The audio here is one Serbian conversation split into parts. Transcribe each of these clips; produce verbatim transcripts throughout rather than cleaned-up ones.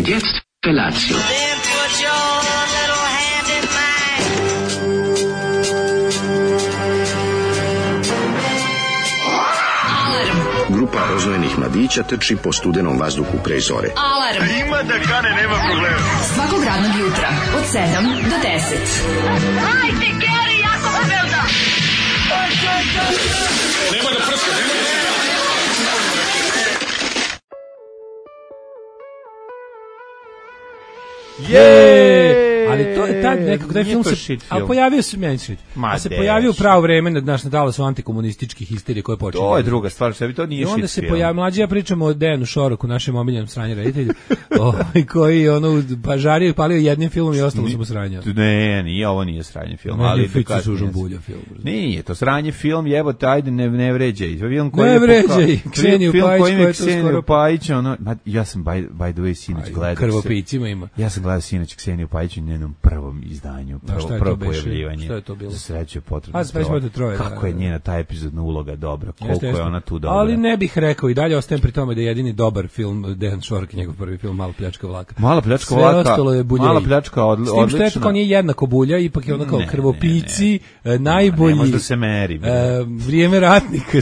Und jetzt Felatio. Then put your little hand in mine. Grupa rozvojenih mladića trči po studenom vazduhu pre zore. Alarm. Ima da kane, nema problema. Svakog radnog jutra od sedam do deset. Hajde, Geri, jako se velda. Nema da prska, nema da prska. Je! Ali to je tad nekako taj film se film. a pojavio se meni shit. A se pojavio u pravo vreme na naš nadalo su antikomunistički histerije koje počinju. To je druga stvar, što bi to nije I shit. onda se pojavio mlađi, ja pričamo o Dejanu Šoroku, našem omiljenom sranje reditelju, ovaj koji ono pažario i palio jednim filmom i ostalo su mu sranja. Ne, nije, ovo nije sranje film, ne, ali Ficu sužom bulja film. Nije, to sranje film, jebote, ajde ne ne vređaj. Film koji ne je vređaj, Kseniju Pajić, koji je Kseniju skoro Pajić, ono, ma, ja sam by, by the way sinoć gledao. Krvopijcima ima. Ja sam gledao sinoć Kseniju Pajić u njenom prvom izdanju, prvo, prvo pojavljivanje. Šta je to bilo? Za sreću je potrebno. A, sreću je troje. Kako da, je da. njena ta epizodna uloga dobra, koliko jeste, jeste. je ona tu dobra. Ali ne bih rekao, i dalje ostajem pri tome da je jedini dobar film Dejan Šorak i njegov prvi film Mala pljačka vlaka. Mala pljačka sve vlaka. Ostalo je buljeji. Mala pljačka odli, odlična. S tim što je to nije jednako bulja, ipak je ono kao ne, krvopici, ne, ne. najbolji. Ne može da se meri. E, vrijeme ratnika,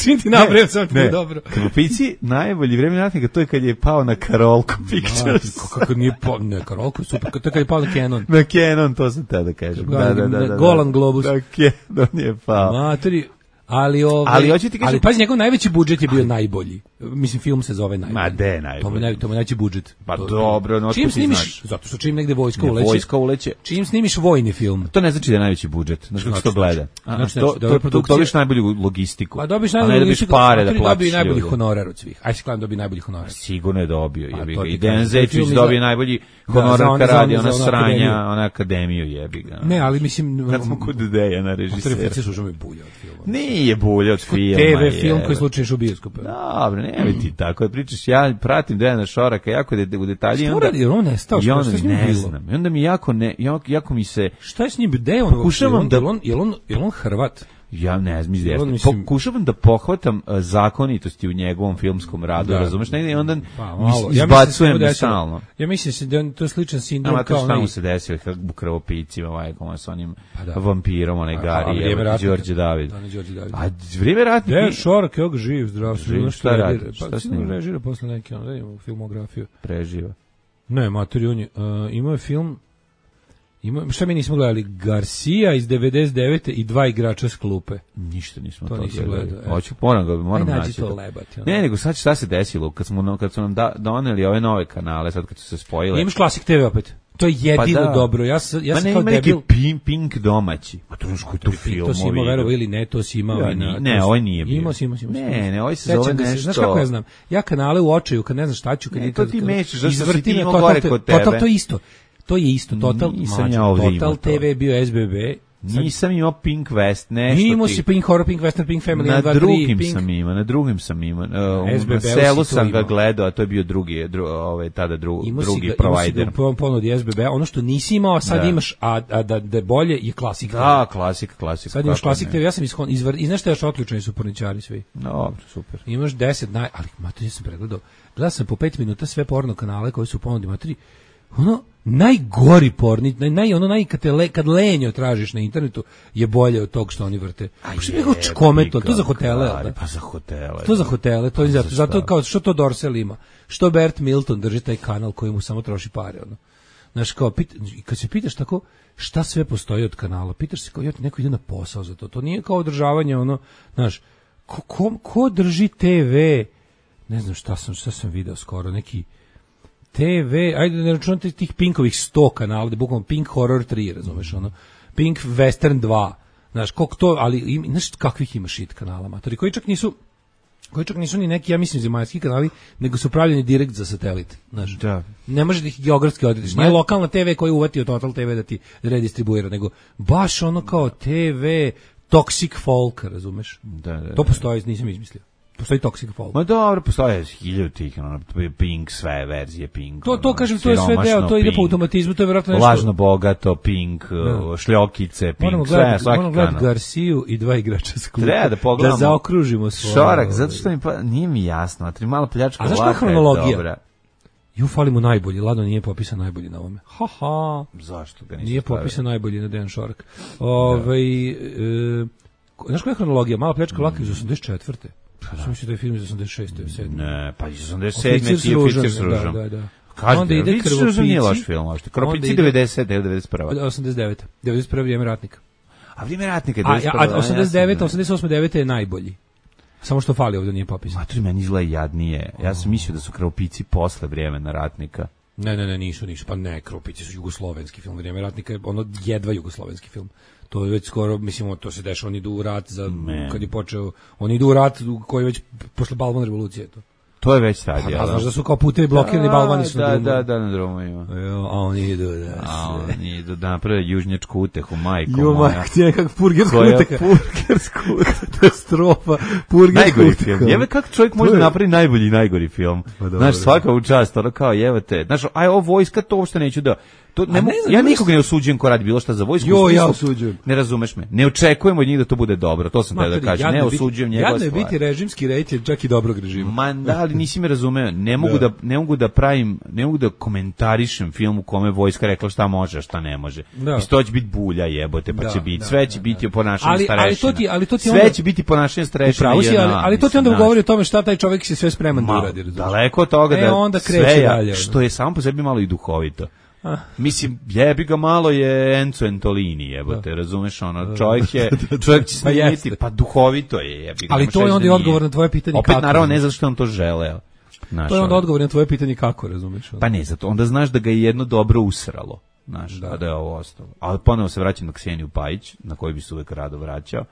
čim ti nabrajam sam ti dobro. Krvopici, najbolji vrijeme ratnika, to je kad je pao na Karolko Pictures. Kako nije pao, ne, Karolko, super, to je kad je pao na Canon. Na Canon, to sam te da kažem. Da, da, da, da, Golan Globus. Na Canon je pao. Materi, ali ovaj, ali hoće ti kažem, ali pazi, njegov najveći budžet je bio najbolji. Mislim, film se zove najbolji. Ma de najbolji. To mu naj, to mu najveći budžet. Pa to, dobro, no čim snimiš, znaš. zato što čim negde vojska ne, uleće. Vojska uleće. Čim snimiš vojni film. To ne znači da je najveći budžet, znači kako se to gleda. Znači, to to, to dobiš najbolju logistiku. Pa dobiš najbolju logistiku, pare da platiš. Dobio najbolji honorar od svih. Aj se kladam dobio najbolji honorar. Sigurno je dobio, pa, jebi ga. I Dejan Zečić dobio najbolji honorar kad radi ona sranja, ona akademiju, jebi ga. Ne, ali mislim kad smo kod Dejana režisera. Referencije su mi bulja od filma. Nije bulja od filma. te ve film koji slučajno u bioskopu. Dobro, ne ti tako. Pričaš, ja pratim Dejana Šoraka jako de, u detalji. Što radi, jer on nestao, što s njim bilo? Znam. I onda mi jako, ne, jako, jako mi se... Šta je s njim? Gde je on? Pokušavam da... Je on, je on, je on Hrvat? Ja ne znam, mislim, pokušavam da pohvatam uh, zakonitosti u njegovom filmskom radu, da, razumeš, negdje i onda pa, malo. izbacujem ja stalno. Ja mislim da to je sličan sindrom kao onaj. Šta mu se desilo u Krvopicima, majkom, sa onim pa da. vampirom, onaj Gari, evo, Đorđe David. A vrijeme ratnika... Dejan Šorak, evo ga živ, zdrav, živ, šta radi? Pa si ne režira posle neke, ono, da imamo filmografiju. Preživa. Ne, mater, on je, uh, imao je film... Ima, šta mi nismo gledali? Garcia iz devedeset devete i dva igrača s klupe. Ništa nismo to, to gledali. gledali. Hoću ponovno, moram naći. to lebati. Ne, nego sad šta se desilo kad smo kad su nam da, doneli ove nove kanale, sad kad su se spojile. Imaš Klasik te ve opet. To je jedino pa dobro. Ja sam ja sam pa kao debil. Pink, Pink domaći. Pa to je koji to film. To si imao, verovo ili ne, to si imao ja, i na. Ne, ovo nije bio. Imao si, imao si. Ne, ne, ovo se zove nešto. Znaš kako ja znam? Ja kanale u očaju, kad ne znam šta ću, kad ne, to ti mešaš, zašto si ti imao total, gore kod tebe. Total to isto. To je isto, Total, nisam ja Total te ve bio es be be. Nisam imao Pink West, nešto ti. Imao si Pink Horror, Pink Western, Pink Family, na dva, drugim Pink... sam imao, na drugim sam imao. Uh, na selu sam ga gledao, a to je bio drugi, dru, ovaj, tada dru, drugi provider. Imao si ga u ponudi es be be, ono što nisi imao, a sad da. imaš, a, a da, da bolje je Klasik. Da, Klasik, Klasik. Sad imaš Klasik te ve, ja sam ishon, izvar, i znaš što je još otključeni su porničari svi. Dobro, super. Imaš deset naj, ali mater, ja sam pregledao, gledao sam po pet minuta sve porno kanale koji su u ponudi, materi, ono, najgori porni, naj, naj, ono naj, kad, le, kad lenjo tražiš na internetu je bolje od tog što oni vrte. Što je čkometno, to za hotele. Da? Pa za hotele. To za hotele, to je zato, zato kao što to Dorsel ima. Što Bert Milton drži taj kanal koji mu samo troši pare. Ono. Znaš, kao, pita, kad se pitaš tako, šta sve postoji od kanala, pitaš se kao, ja, neko ide na posao za to. To nije kao održavanje, ono, znaš, ko, ko, ko drži te ve, ne znam šta sam, šta sam video skoro, neki te ve, ajde ne računate tih Pinkovih sto kanala, da bukvalno Pink Horror tri, razumeš, ono, Pink Western dva, znaš, koliko to, ali, im, znaš, kakvih ima shit kanala, matori, koji čak nisu, koji čak nisu ni neki, ja mislim, zemaljski kanali, nego su pravljeni direkt za satelit, znaš, da. Ne može da ih geografski odrediš, nije lokalna te ve koja je uvatio Total te ve da ti redistribuira, nego baš ono kao te ve Toxic Folk, razumeš, da, da, da. To postoji, nisam izmislio. Postoji Toxic Folk. Ma dobro, postoje hiljadu tih, ono, Pink, sve verzije Pink. To, to kažem, to je sve deo, to ide po automatizmu, to je vjerojatno nešto... Lažno bogato, Pink, da. Šljokice, Pink, moramo sve, gledat, svaki moramo gledati Garciju i dva igrača s klupe. Treba da pogledamo. Da zaokružimo svoje... Šorak, zato što mi pa, nije mi jasno, a tri malo pljačka vlaka je dobra. Ju fali mu najbolji, Lado nije popisan najbolji na ovome. Ha ha. Zašto ga nisi Nije stavio? popisan najbolji na Dejan Šorak. Ovaj e, znaš koja je hronologija? Mala pljačka vlaka iz osamdeset četvrte. Što misliš da je film iz osamdeset šeste, sedme? Ne, pa iz osamdeset sedme ti je Oficir s ružom. Da, da, da. Kažete, onda ide Krvopici. Nije loš film, možete. Krvopici devedeset, devedeset prva. osamdeset devete. devedeset prva Vrijeme ratnika. A Vrijeme ratnika je devedeset prva. A osamdeset devete, osamdeset osme, devete je najbolji. Samo što fali ovdje nije popisan. Matori, meni izgleda jadnije. Ja sam mislio da su Krvopici posle Vremena ratnika. Ne, ne, ne, nisu, nisu. Pa ne, Krvopici su jugoslovenski film. Vrijeme ratnika je ono jedva jugoslovenski film. To je već skoro, mislim, to se dešava, oni idu u rat za, Man. kad je počeo, oni idu u rat koji već posle Balvan revolucije to. To je već sad, ja. A znaš da su kao putevi blokirani, balvani su da, na da, da, na drumovima. A oni idu, da. A oni idu da naprave južnjačku utehu, majko jo, moja. Jo, majko, ti je nekak purgersku uteha. Purgersku katastrofa, purgersku uteha. Jebe, kako čovjek može je... napraviti najbolji i najgori film? Pa, znaš, svaka u čast, ono kao, jevo te. Znaš, aj, ovo vojska, to uopšte neću da... To ne, ne znam, ja nikog ne osuđujem ko radi bilo šta za vojsku. Jo, ja osuđujem. Ne razumeš me. Ne očekujemo od njih da to bude dobro. To sam te da kažem. Ne osuđujem njegova stvar. Jadno je biti režimski rejter čak i dobrog režima. Ma da, ali nisi me razumeo. Ne mogu da. da ne mogu da pravim, ne mogu da komentarišem film u kome vojska rekla šta može, a šta ne može. Da. I to će biti bulja, jebote, pa da, će biti. Da, sve će da, biti da. ponašanje starešina. Ali to ti, ali to ti onda sve će biti ponašanje starešina. Ali, ali to ti onda govori o tome šta taj čovjek se sve spreman da uradi, razumeš. Daleko od toga da sve što je samo po sebi malo i duhovito. Mislim, jebi ga malo je Enzo Entolini, jebote, razumeš, ono, čovjek je, čovjek će snimiti, pa duhovito je, jebi ga. Ali to je onda i odgovor na tvoje pitanje opet, kako. Opet, naravno, ne zato što on to želeo. To je onda odgovor na tvoje pitanje kako, razumeš. Pa ne, zato, onda znaš da ga je jedno dobro usralo, znaš, da, a da je ovo ostalo. Ali ponovo se vraćam na Kseniju Pajić, na koju bi se uvek rado vraćao.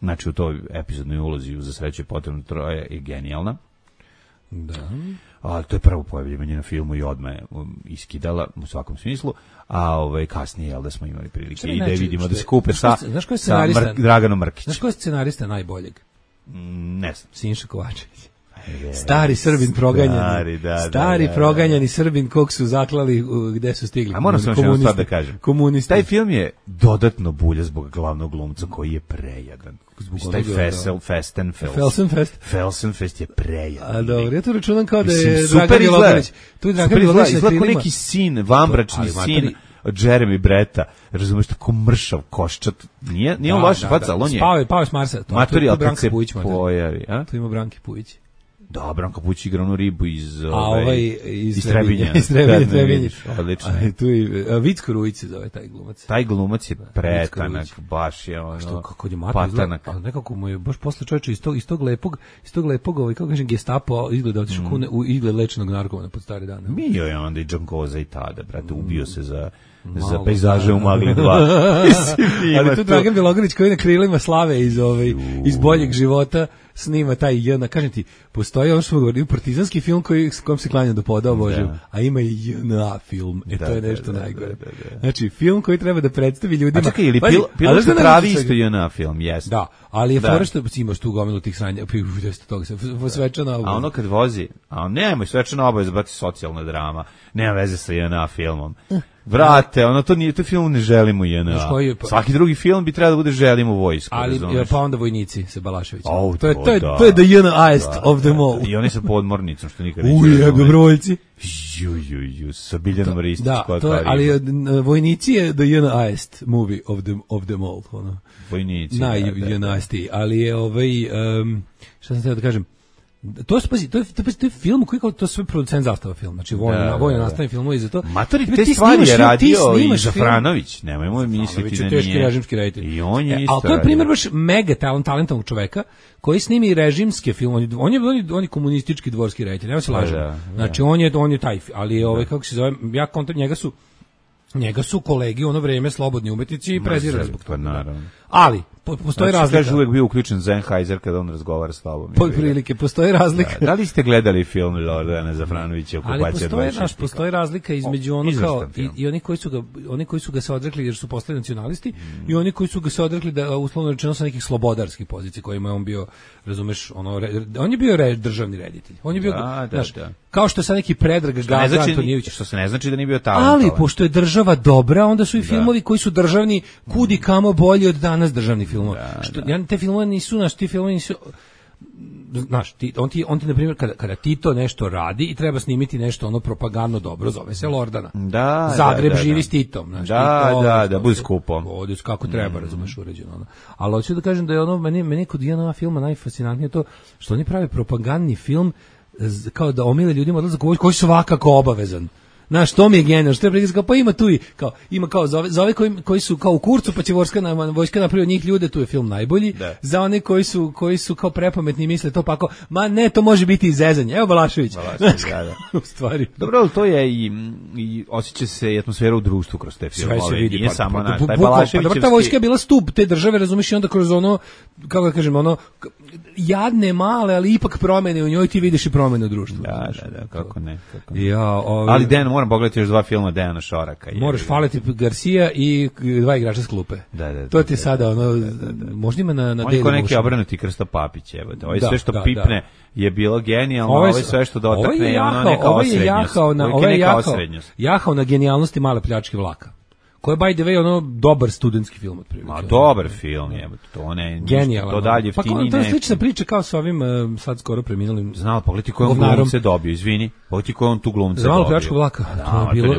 Znači, u toj epizodnoj ulozi za sreću je potrebno troje je genijalna. Da. A to je prvo pojavljivanje na filmu i odmah je um, iskidala u svakom smislu, a ovaj kasnije jel da smo imali prilike i da vidimo da se kupe sa, sa Mr, Draganom Mrkić. Znaš ko je scenarista najboljeg? Mm, ne znam. Sinša Kovačević. Je, stari Srbin proganjani, stari, da, stari da, da, proganjani Srbin kog su zaklali u, gde su stigli. A moram samo jednu stvar da kažem. Komunisti. Taj film je dodatno bulja zbog glavnog glumca koji je prejadan. Zbog taj Fessel, Festenfels. Felsenfest. Felsenfest je prejadan. A dobro, ja to računam kao da je Dragan Milogarić. Tu je Dragan Milogarić. Izgleda kao neki sin, vambračni sin od Jeremy Bretta, razumeš, tako mršav koščat. Nije, nije on loša faca, ali on je... Spao je, pao je s Marsa. Materijal kad se pojavi. Tu ima Branki Pujić. Da, Branko Pujić igra onu ribu iz, a ovaj, iz, iz Trebinja. Iz Trebinja, Trebinja. Odlično. A, tu je, Vicko Rujić se zove taj glumac. Taj glumac je pretanak, baš je ono, što, kako je patanak. Ali nekako mu je, baš posle čovječa iz tog, iz tog lepog, iz tog lepog, ovaj, kako kažem, gestapo, izgleda otišao mm. u izgled lečenog narkomana pod stare dane. Bio je onda i Džankoza i tada, brate, ubio se za... Malo, za pejzaže u Magli dva. Ali tu Dragan Milogarić koji na krilima slave iz, ovaj, iz boljeg života snima taj jedna, kažem ti, postoji ono što govorim, partizanski film koji, s kojom se klanja do poda, obožavam, a ima i J N A film, e da, to je nešto da, najgore. Da, da, da. Znači, film koji treba da predstavi ljudima... A čekaj, ili pil, Pilot se pravi isto J N A film, jes. Da, ali je da. Fora što imaš tu gomilu tih sranja, toga se, svečana obaveza. A ono kad vozi, a nemoj, svečana obaveza, brati, socijalna drama, nema veze sa J N A filmom. Vrate, ono to nije, to film ne želimo J N A. Pa, svaki drugi film bi trebao da bude želimo vojsku. Ali razumeš? Pa onda vojnici se Balašević. Oh, to je to je da, to je the J N A-est da, of them all. I oni sa podmornicom što nikad neće. Uj, dobrovoljci. Ju ju ju sa Biljanom Ristić. Da, to je, ali vojnici je the J N A-est movie of them of them all, ono. Vojnici. Na J N A-esti, ali je ovaj um, šta sam htio da kažem. To je, pazi, to je, to je, to je film koji kao to sve producent Zastava film, znači vojno, da, vojno nastavni filmovi za to. Matori, te stvari je radio i Zafranović, nemojmo misliti da nije. Teški režimski reditelj. I on je isto. Ali to je primjer baš mega talent, talentovnog čoveka koji snimi režimske filmove. On je on je, on je komunistički dvorski reditelj, nema se lažem. Da, znači on je on je taj, ali je ovaj kako se zove, ja kontakt njega su njega su kolegi u ono vrijeme slobodni umetnici i prezirali zbog toga. Naravno. Ali po, postoji znači, razlika. Kaže uvijek bio uključen Sennheiser kada on razgovara s tobom. Po prilike postoji razlika. Da, da li ste gledali film Lordana Zafranovića Okupacija dvadeset šest? Ali postoji, naš, postoji razlika između ono kao i, i oni koji su ga oni koji su ga se odrekli jer su postali nacionalisti mm. i oni koji su ga se odrekli da uslovno rečeno sa nekih slobodarskih pozicija kojima je on bio, razumeš, ono re, on je bio re, državni reditelj. On je bio da, znaš, da, da. kao što sa neki Predrag Gaga znači, Antonijević, što se ne znači da nije bio talentovan. Ali pošto je država dobra, onda su i filmovi da. koji su državni kudi kamo bolji od danas državnih filmova. Da, što, da. Ja, te filmove nisu, naš, ti filmovi nisu, znaš, ti, on ti, on ti na primjer, kada, kada Tito nešto radi i treba snimiti nešto ono propagandno dobro, zove se Lordana. Da, Zagreb da, da, živi da. s Titom. Znaš, da, Tito, da, da, budi skupo. Ovdje kako treba, mm. razumeš, uređeno. Ono. Ali hoću da kažem da je ono, meni, meni kod jedna filma najfascinantnije to, što oni prave propagandni film, kao da omile ljudima odlazak u vojsku, koji su svakako obavezan. Znaš, to mi je genijalno, što je prikaz, kao, pa ima tu i, kao, ima kao, za ove, za ove koji, koji su kao u kurcu, pa će vojska, na, vojska napravi od njih ljude, tu je film najbolji, da. Za one koji su, koji su kao prepametni i misle to pa kao, ma ne, to može biti izezanje, evo Balašević. Balašević, da, da. U stvari. Dobro, to je i, i osjeća se i atmosfera u društvu kroz te filmove. Sve se vidi, nije pa, samo pa, naš, pa, taj pa, Balaševićevski... ta vojska je bila stup te države, razumiješ, i onda kroz ono, kako da kažem, ono, jadne, male, ali ipak promene u njoj, ti vidiš i promene u društvu. Da, da, da, kako ne. Kako ne. Ja, ove, ali Den, moram pogledati još dva filma Dejana Šoraka. Moraš faliti Garcia i dva igrača s klupe. Da, da, da, to ti da, sada, ono, da, da, da. možda ima na, na on je ko neki obrnuti Krsto Papić, evo. Ovo je sve što da, pipne da. Je bilo genijalno, ovo je sve što dotakne je ono neka osrednjost. Ovo je jahao, jahao na genijalnosti male pljačke vlaka. Ko je by the way ono dobar studentski film otprilike. Ma dobar film je, to ne genijalno. To dalje jeftini. Pa to je slična priča kao sa ovim uh, sad skoro preminulim. Znao, pogledaj koji on glumce dobio, izvini. Pogledaj koji on tu glumce dobio. Znao pljačku vlaka. Da, to je bilo.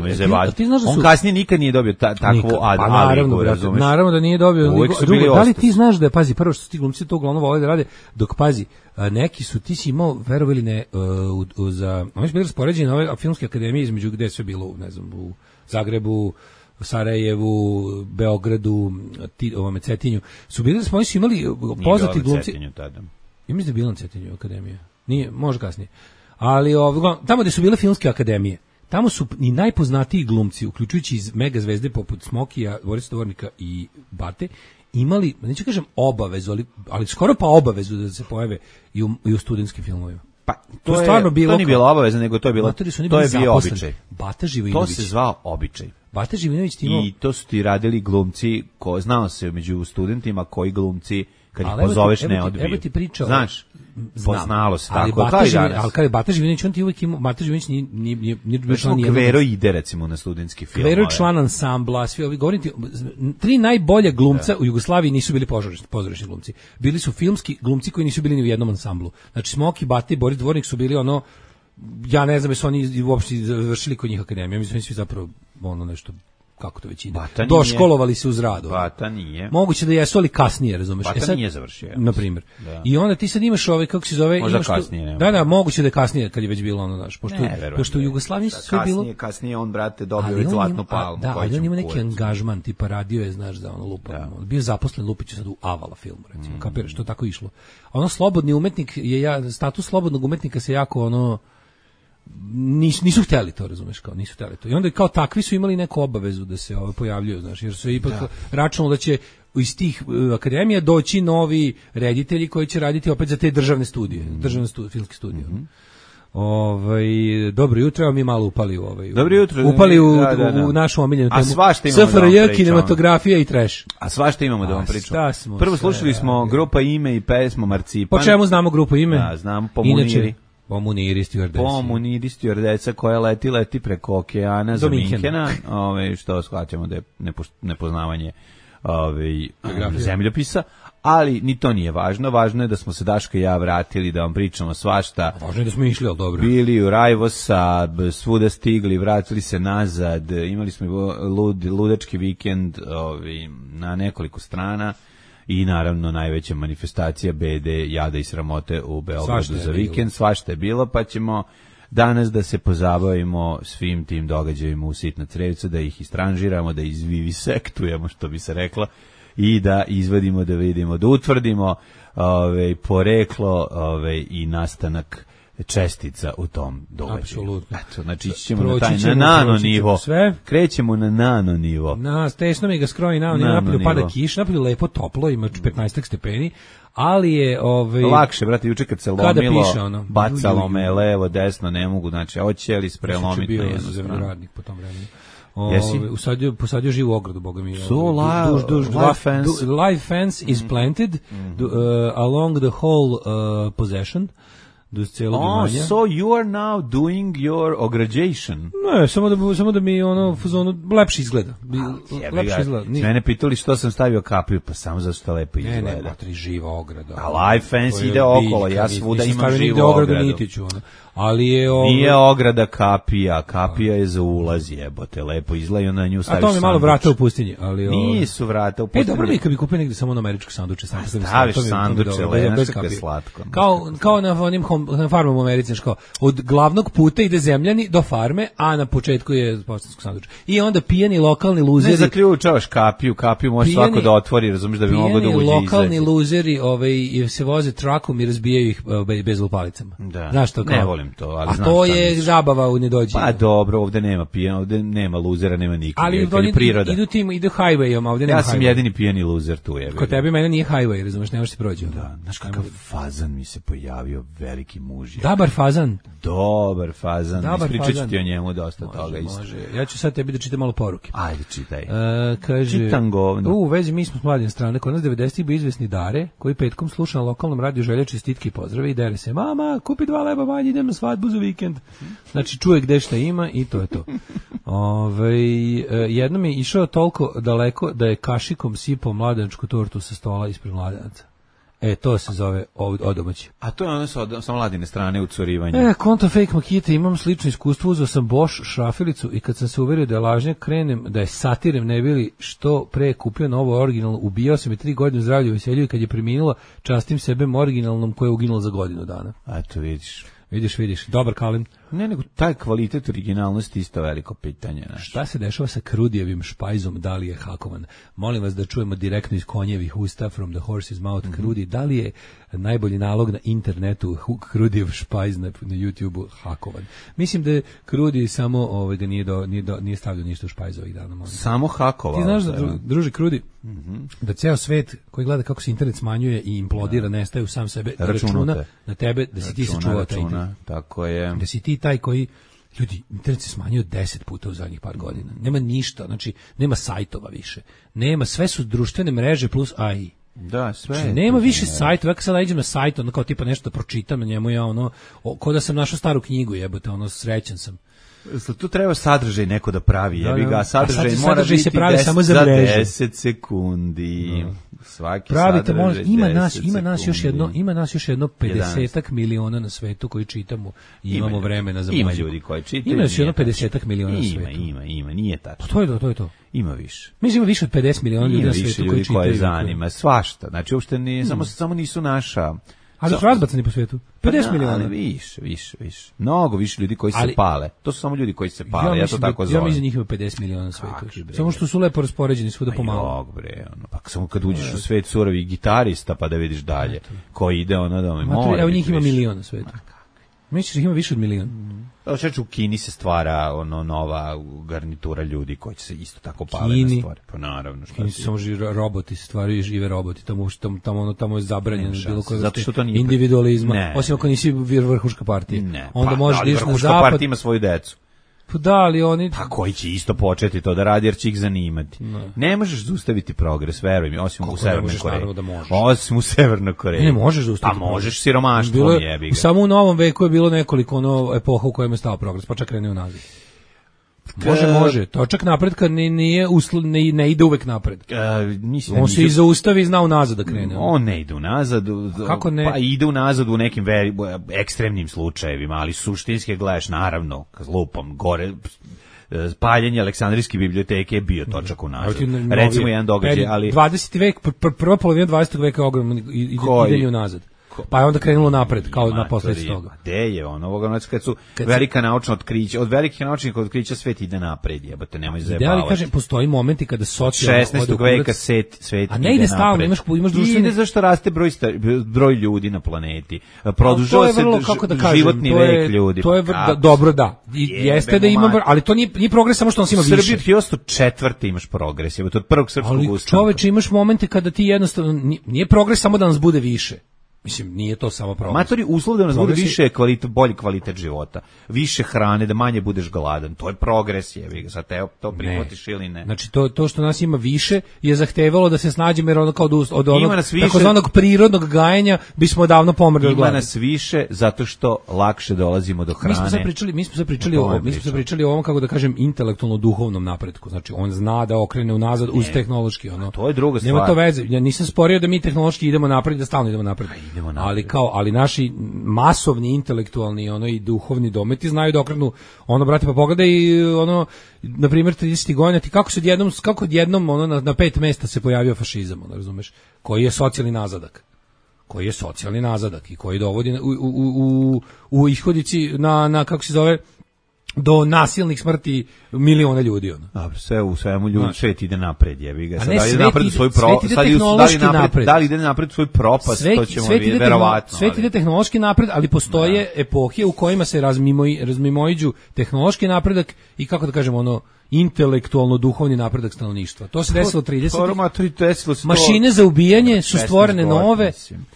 Ti, ti znaš da su... On kasnije nikad nije dobio ta, takvu ad, pa, naravno, razumeš. Naravno da nije dobio. Drugo, da li ti znaš da je, pazi, prvo što ti glumci to uglavnom vole da rade, dok pazi, neki su, ti si imao, verovali ne, uh, uh, za, oni su bili raspoređeni na ove filmske akademije između gde je sve bilo, ne znam, u Zagrebu, Sarajevu, Beogradu, ti, ovome Cetinju, su bili da smo oni su imali poznati glumci. Cetinju tada. Ja mislim da je bilo na Cetinju akademija. Nije, može kasnije. Ali ovo, tamo gde su bile filmske akademije, tamo su i najpoznatiji glumci, uključujući iz mega zvezde poput Smokija, Borisa Tovornika i Bate, imali, neću kažem obavezu, ali, ali skoro pa obavezu da se pojave i u, i u studentskim filmovima. Pa to, to je stvarno bilo, to nije bilo obaveza, nego to je bilo, to je bio običaj. Bata Živinović. To se zvao običaj. Bata Živinović ti imao... I to su ti radili glumci, ko znao se među studentima koji glumci kad ih pozoveš ne odbiju. Evo ti priča. Znaš, znam, poznalo se ali tako. Bata kao Živinović, ali kada je Bata Živinović, on ti uvijek imao, Bata Živinović nije, nije, nije, nije bio član nijednog. Kvero ide recimo na studentski film. Kvero je član ansambla, svi ovi, govorim ti, tri najbolja glumca da. U Jugoslaviji nisu bili pozorišni, pozorišni glumci. Bili su filmski glumci koji nisu bili ni u jednom ansamblu. Znači Smoki, Bata i Boris Dvornik su bili ono, ja ne znam jesu oni uopšte završili kod njih akademiju, mislim svi zapravo ono nešto, kako to već ide, doškolovali se uz radu. Bata nije. Moguće da jesu, ali kasnije, razumeš. Bata e sad, nije završio. Na primjer. Da. I onda ti sad imaš ove, kako se zove... Možda imaš kasnije. To, da, da, moguće da je kasnije, kad je već bilo ono, znaš, pošto, ne, pošto u Jugoslaviji su sve bilo... Kasnije, kasnije on, brate, dobio već zlatnu palmu. Da, ali on ima neki angažman, tipa radio je, znaš, za ono lupa. Da. Bio zaposlen Lupić sad u Avala filmu, recimo, mm. kapiraš, to tako išlo. Ono, slobodni umetnik, je ja, status slobodnog umetnika se jako, ono, nisu, nisu htjeli to, razumeš, kao nisu htjeli to. I onda kao takvi su imali neku obavezu da se ove pojavljuju, znaš, jer su ipak da. Računalo da će iz tih uh, akademija doći novi reditelji koji će raditi opet za te državne studije, mm. državne studi, filmske studije. Mm-hmm. Ovaj dobro jutro, mi malo upali u ovaj. Dobro jutro. Upali u, da, da, da. u našu omiljenu temu. A svašta imamo. S F R J, kinematografija i trash. A svašta imamo da vam pričamo. Prvo slušali smo grupa Ime i pesmu Marcipan. Po čemu znamo grupu Ime? Da, znamo po Muniri. Po Muniri stjuardesa. Po Muniri stjuardesa koja leti, leti preko okeana za Minkena, ove, što shvaćamo da je nepoznavanje ove, zemljopisa, ali ni to nije važno. Važno je da smo se Daško i ja vratili da vam pričamo svašta. Važno je da smo išli, ali dobro. Bili u Rajvosa, svuda stigli, vratili se nazad, imali smo lud, ludački vikend ove, na nekoliko strana. I naravno najveća manifestacija bede, jada i sramote u Beogradu za vikend, svašta je bilo, pa ćemo danas da se pozabavimo svim tim događajima u Sitna crevca, da ih istranžiramo, da izvivisektujemo, što bi se reklo, i da izvadimo, da vidimo, da utvrdimo ove, poreklo ove, i nastanak čestica u tom događaju. Apsolutno. Eto, znači ćemo na taj na nano nivo. Sve. Krećemo na nano nivo. Na tesno mi ga skroji nano, nano napolju pada kiš, napolju lepo toplo, ima petnaest stepeni, ali je ovaj lakše, brate, juče kad se lomilo, piše, ono, bacalo me levo, desno, ne mogu, znači hoće li sprelomiti na jednu stranu. Radnik po tom vremenu. Jesi? Uh, usadio, posadio živu ogradu, boga mi. So live, duž, duž, live, fence. Du, live fence is planted mm-hmm. du, uh, along the whole uh, possession. do celog oh, imanja. So you are now doing your ograđation. Ne, samo da, samo da mi ono, fazonu, lepše izgleda. A, lepše izgleda. Ni... Mene pitali što sam stavio kapiju, pa samo zato što lepo izgleda. Ne, ne, matri, živa ograda. A Life Fence ide okolo, ja svuda imam živu ogradu. ogradu nitiću, ono. Ali je ovo... Nije ograda kapija, kapija je za ulaz, jebote, lepo izgleda i onda na nju staviš sanduč. A to mi je malo vrata u pustinji, ali... Ovo... Nisu vrata u pustinji. E, dobro mi kad bi kupio negdje samo na američku sanduče. Sam staviš sanduče, lenaš kako je slatko. Kao, kao na onim na farmama u Americi, kao, od glavnog puta ide zemljani do farme, a na početku je poštansko sanduče. I onda pijeni lokalni luzeri... Ne zaključavaš kapiju, kapiju može pijeni, svako da otvori, razumiješ da bi mogao da uđe i izađe. Lokalni luzeri ovaj, se voze trakom i razbijaju ih bez lupalicama. Da. Znaš to kao? Ne volim to, ali a znaš to je zabava u nedođenju. Pa dobro, ovde nema pijena, ovde nema luzera, nema nikoga. Ali oni priroda. Idu tim, idu highwayom, ovde nema. Ja sam highway. Jedini pijeni luzer tu je. Kod tebe mene nije highway, razumeš, ne možeš se proći. Da, znaš kakav fazan mi se pojavio, veliki muž. Dobar fazan. Dobar fazan. Dobar Ispričat ću ti o njemu dosta može, toga isto. Može. Ja ću sad tebi da čitam malo poruke. Ajde, čitaj. Uh, kaže, Čitam govno. U vezi mi smo s mladim strane, kod nas devedesetih bio izvesni Dare, koji petkom sluša na lokalnom radiju želje čestitke i pozdrave i dere se, mama, kupi dva leba manje, idem na svadbu za vikend. Znači, čuje gde šta ima i to je to. Ove, jednom je išao toliko daleko da je kašikom sipao mladenačku tortu sa stola ispred mladenaca. E, to se zove odomaći. A to je ono sa, sa mladine strane ucorivanja. E, konto fake makite, imam slično iskustvo, uzeo sam Bosch šrafilicu i kad sam se uverio da je lažnjak, krenem da je satirem, ne bili što pre kupio novo originalno, ubijao sam je tri godine zdravlju i veselju i kad je preminula, častim sebe originalnom koja je uginula za godinu dana. A to vidiš. Vidiš, vidiš, dobar Kalin. Ne, nego taj kvalitet originalnosti isto veliko pitanje. Naš. Šta se dešava sa Krudijevim špajzom, da li je hakovan? Molim vas da čujemo direktno iz konjevih usta, from the horse's mouth, mm-hmm. Krudi, da li je najbolji nalog na internetu Krudijev špajz na, na YouTube-u hakovan? Mislim da je Krudi samo ovaj, ga nije, do, nije, do, nije stavljao ništa u špajz ovih dana. Molim. Samo hakovao. Ti znaš da, dru, druži Krudi, mm-hmm. da ceo svet koji gleda kako se internet smanjuje i implodira, da. Nestaje u sam sebe, računa na tebe, da si računa, ti sačuvao taj internet. Tako je. Da si ti taj koji, ljudi, internet se smanjio deset puta u zadnjih par godina. Nema ništa, znači, nema sajtova više. Nema, sve su društvene mreže plus A I. Da, sve. Znači, nema više sajtova, ja kad sad idem na sajt, ono kao tipa nešto da pročitam na njemu, ja ono, ko da sam našao staru knjigu, jebote, ono, srećan sam. Tu treba sadržaj neko da pravi, jebi ga, sadržaj sad, mora sadržaj biti se pravi deset, samo za, za mrežu. deset sekundi. No. Svaki pravite, sadržaj može, ima nas, ima nas sekundi. još jedno, ima nas još jedno pedesetak miliona na svetu koji čitamo i ima imamo ljudi, vremena za ima muziku. Ljudi koji čitaju. Ima još jedno pedesetak miliona na ima, svetu. Ima, ima, nije tačno. Pa to je to, to je to. Ima više. Mislim ima više od pedeset miliona ljudi na svetu koji čitaju. Koje zanima, svašta. Znači uopšte nije, hmm. samo samo nisu naša. Ali su razbacani po svijetu. pedeset miliona. Ali više, više, više. Mnogo više ljudi koji ali, se pale. To su samo ljudi koji se pale, ja, ja to tako da, zovem. Ja mislim da njih ima pedeset miliona na svijetu. Samo što su lepo raspoređeni svuda pomalo. Jok bre, ono, pa samo kad uđeš u svet surovih gitarista pa da vidiš dalje koji ide ono da mi mora. Evo njih ima milion na svijetu. Misliš da ih ima više od milion? Evo šeću u Kini se stvara ono nova garnitura ljudi koji će se isto tako pale na stvari. Pa naravno. Kini se samo živi roboti, stvaraju žive roboti, tamo, tamo, tamo, tamo je zabranjeno bilo koje zato što to nije individualizma, ne. Osim ako nisi vrhuška partija. Ne. Onda pa, možeš da ideš na zapad. Partija ima svoju decu. Pa da, ali oni... Pa koji će isto početi to da radi jer će ih zanimati. Ne, ne možeš zaustaviti progres, veruj mi, osim u Severnoj Koreji. Da možeš. Osim u Severnoj Koreji. Ne, ne možeš zaustaviti. Pa možeš siromaštvom jebi ga. Samo u novom veku je bilo nekoliko ono epoha u kojem je stao progres, pa čak krenuo nazad. Može, može. Točak napretka ne, nije usl, ne, ne ide uvek napred. Uh, mislim, on se i zaustavi i zna unazad da krene. On ne ide unazad. Kako ne? Pa ide unazad u nekim veri, ekstremnim slučajevima, ali suštinski gledaš naravno, lupom, gore... paljenje Aleksandrijske biblioteke je bio točak unazad. Recimo jedan događaj, ali... dvadeseti vek, pr prva polovina dvadesetog veka je ogromno idenje unazad. Pa je onda krenulo napred, kao na posljedicu toga. Gde je ono, ovoga, kad su kad velika naučna otkrića, od velikih naučnih otkrića svet ide napred, jebote, nemoj zajebavati. Da li kažem, postoji momenti kada socijalno šesnaestog veka svet, svet a ne ide stalno, imaš, imaš društveni... Ide zašto raste broj, broj ljudi na planeti. Produžava se vrlo, da kažem, životni je, vek ljudi. To je da, dobro, da. I, jeste da ima, ali to nije, nije progres samo što nas ima više. U Srbiji od hiljadu osamsto četvrte imaš progres, jebote, od prvog srpskog ustanka. Ali čoveče, imaš momente kada ti jednostavno, nije progres samo da nas bude više. Mislim, nije to samo progres. Matori, uslov da nas bude više kvalitet, bolji kvalitet života, više hrane, da manje budeš gladan. To je progres, jebi ga. Sad te to prihvatiš ili ne. Znači, to, to što nas ima više je zahtevalo da se snađemo, jer ono kao od, od onog takozvanog prirodnog gajenja bismo davno pomrli od gladi. Ima nas više zato što lakše dolazimo do hrane. Mi smo sad pričali, mi smo sad pričali, o, mi smo sad pričali o ovom, kako da kažem, intelektualno-duhovnom napretku. Znači, on zna da okrene unazad uz tehnološki. Ono. To je druga stvar. Nema to veze. Ja nisam sporio da mi tehnološki idemo napred, da stalno idemo napred. Ali kao, ali naši masovni intelektualni ono i duhovni dometi znaju da okrenu ono, brate, pa pogledaj ono, na primjer tridesetih godina, ti kako se odjednom, kako odjednom ono na, na pet mesta se pojavio fašizam, ono, razumeš, koji je socijalni nazadak. Koji je socijalni nazadak i koji dovodi u, u, u, u ishodici na, na, kako se zove, do nasilnih smrti miliona ljudi, ono. Dobro, sve u svemu ljudi, svet ide napred, jebi ga. Sad da li napred svoj pro, sad da li napred, da li ide napred svoj propast, svet, to ćemo vidjeti verovatno. Svet ide tehnološki napred, ali postoje da. epohe u kojima se razmimoj, razmimoiđu tehnološki napredak i, kako da kažemo, ono, intelektualno duhovni napredak stanovništva. To se desilo tridesetih. Mašine za ubijanje su stvorene nove.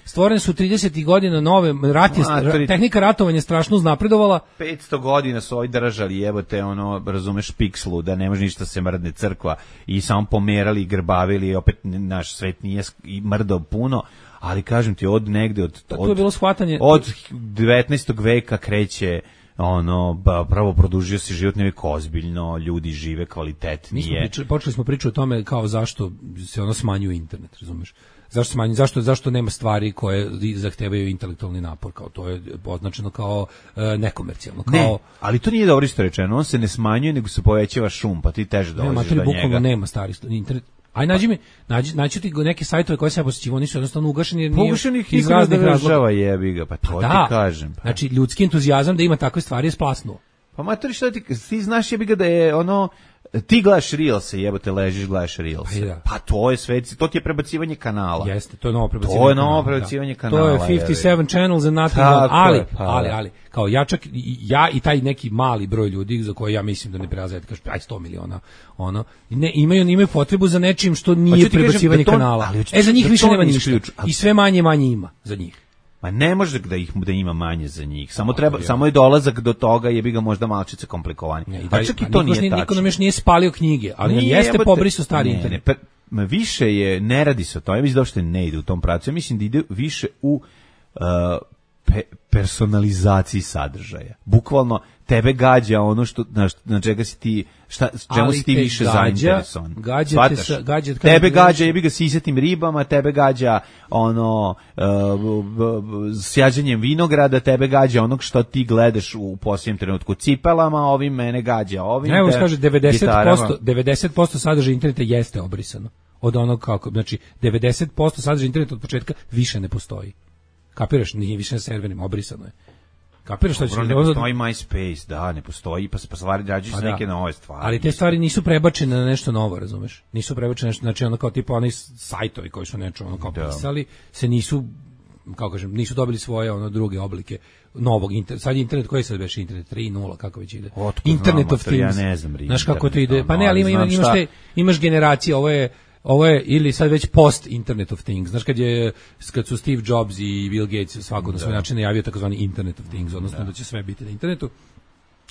Stvorene su tridesetih godina nove, rat je, tehnika ratovanja strašno uznapredovala. petsto godina su ovi držali, jebote, ono, razumeš, pikslu, da ne može ništa se mrdne crkva i samo pomerali i grbavili, opet naš svet nije mrdao puno, ali kažem ti, od negde, od, od, to je bilo shvatanje. Od devetnaestog veka kreće ono, ba, pravo produžio se život nevijek ozbiljno, ljudi žive kvalitetnije. Mi smo pričali, počeli smo pričati o tome kao zašto se ono smanjuje internet, razumeš? Zašto smanjuje, zašto, zašto nema stvari koje zahtevaju intelektualni napor, kao to je označeno kao e, nekomercijalno. Kao, ne, ali to nije dobro isto rečeno, on se ne smanjuje, nego se povećava šum, pa ti teže dolaziš do njega. Bukvalno nema stari internet. Aj nađi mi, nađi, naći ti neke sajtove koje se ja posjećivo, oni su jednostavno ugašeni jer nije iz raznih razloga. Jebi ga, pa to pa ti da, kažem. Pa. Znači, ljudski entuzijazam da ima takve stvari je splasnuo. Pa matori, šta ti, ti znaš jebi ga da je ono, ti gledaš Reelse, jebote, ležiš, gledaš Reelse. Pa, da. Pa to je sve, to ti je prebacivanje kanala. Jeste, to je novo prebacivanje. To je novo prebacivanje da. kanala. To je pedeset sedam channels and nothing. Ali, pa, ali, ali, kao ja čak, ja i taj neki mali broj ljudi za koje ja mislim da ne prelaze, kaže, aj sto miliona, ono, ne, imaju, imaju potrebu za nečim što nije prebacivanje da to, kanala. Ali, e, za njih da više nema ništa. I sve manje manje ima za njih. Ma ne može da ih da ima manje za njih. Samo treba ja. samo je dolazak do toga, jebi ga možda malčice komplikovani. A čak i to nije tačno. Niko nam još nije spalio knjige, ali nije, jeste pobrisao stari internet. Ne, ne, više je, ne radi se o to. Ja mislim da uopšte ne ide u tom pravcu. Ja mislim da ide više u uh, pe, personalizaciji sadržaja. Bukvalno tebe gađa ono što na, na čega si ti, šta, čemu si ti više gađa, zainteresovan. Gađa te sa, gađa tebe gađa, jebi ga sisatim ribama, tebe gađa ono uh, sjađanjem vinograda, tebe gađa onog što ti gledaš u posljednjem trenutku cipelama, ovim mene gađa, ovim. Evo kaže devedeset posto devedeset posto sadržaja interneta jeste obrisano. Od onog kako, znači devedeset posto sadržaja interneta od početka više ne postoji. Kapiraš, nije više na serverima, obrisano je. Kapiraš šta će? Ne postoji MySpace, da, ne postoji, pa se pa stvari rađaju se neke nove stvari. Ali te stvari nisu prebačene na nešto novo, razumeš? Nisu prebačene nešto, znači ono kao tipa oni sajtovi koji su nešto ono kao pisali, se nisu, kako kažem, nisu dobili svoje ono druge oblike novog interneta. Sad je internet, koji sad već internet tri nula, kako već ide? Otkud Internet znam, of Things. Ja ne znam, znaš kako to ide? Pa ne, ali ima, ima, imaš, te, imaš generacije, ovo je ovo je ili sad već post Internet of Things. Znaš kad je kad su Steve Jobs i Bill Gates svako na svoj način najavio takozvani Internet of Things, odnosno da. da će sve biti na internetu.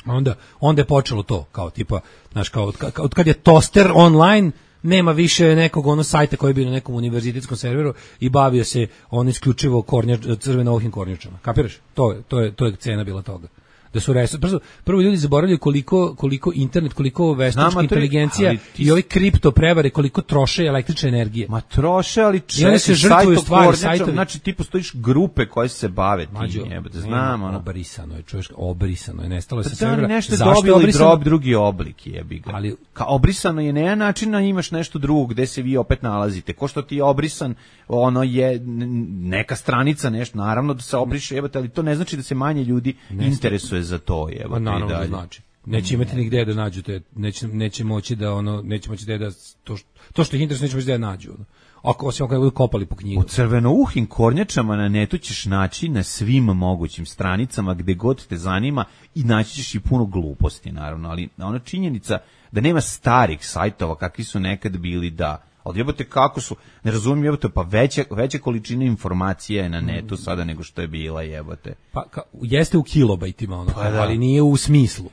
Onda onda je počelo to kao tipa, znaš, kao od, od kad je toster online, nema više nekog ono sajta koji je bio na nekom univerzitetskom serveru i bavio se on isključivo kornjač, crveno-ohim kornjačama. Kapiraš? To je to je to je cena bila toga. Da su resurs, prvo, prvo ljudi zaboravljaju koliko koliko internet, koliko veštačka inteligencija ti... i ovi kripto prevare koliko troše električne energije. Ma troše, ali čekaj, se žrtvuju stvari, sajtovi. Znači ti postojiš grupe koje se bave tim, jebote, znam, ono. Obrisano je, čuješ, obrisano je, nestalo je sa servera. servera. Nešto dobilo i drob drugi oblik, jebi ga. Ali ka obrisano je na jedan način, a imaš nešto drugo gde se vi opet nalazite. Ko što ti je obrisan, ono je neka stranica, nešto, naravno da se obriše, jebote, ali to ne znači da se manje ljudi interesuje za to, je. Pa naravno da znači. Neće imati nigde da nađu te, neće neće moći da ono, neće moći da to što, to što ih interesuje neće moći da nađu. Ono. Ako osim ako budu kopali po knjigu. U crvenouhim kornjačama na netu ćeš naći na svim mogućim stranicama gde god te zanima i naći ćeš i puno gluposti naravno, ali ona činjenica da nema starih sajtova kakvi su nekad bili, da ali jebote kako su, ne razumijem jebote, pa veća, veća količina informacija je na netu sada nego što je bila jebote. Pa ka, jeste u kilobajtima ono, pa, da. Ali nije u smislu.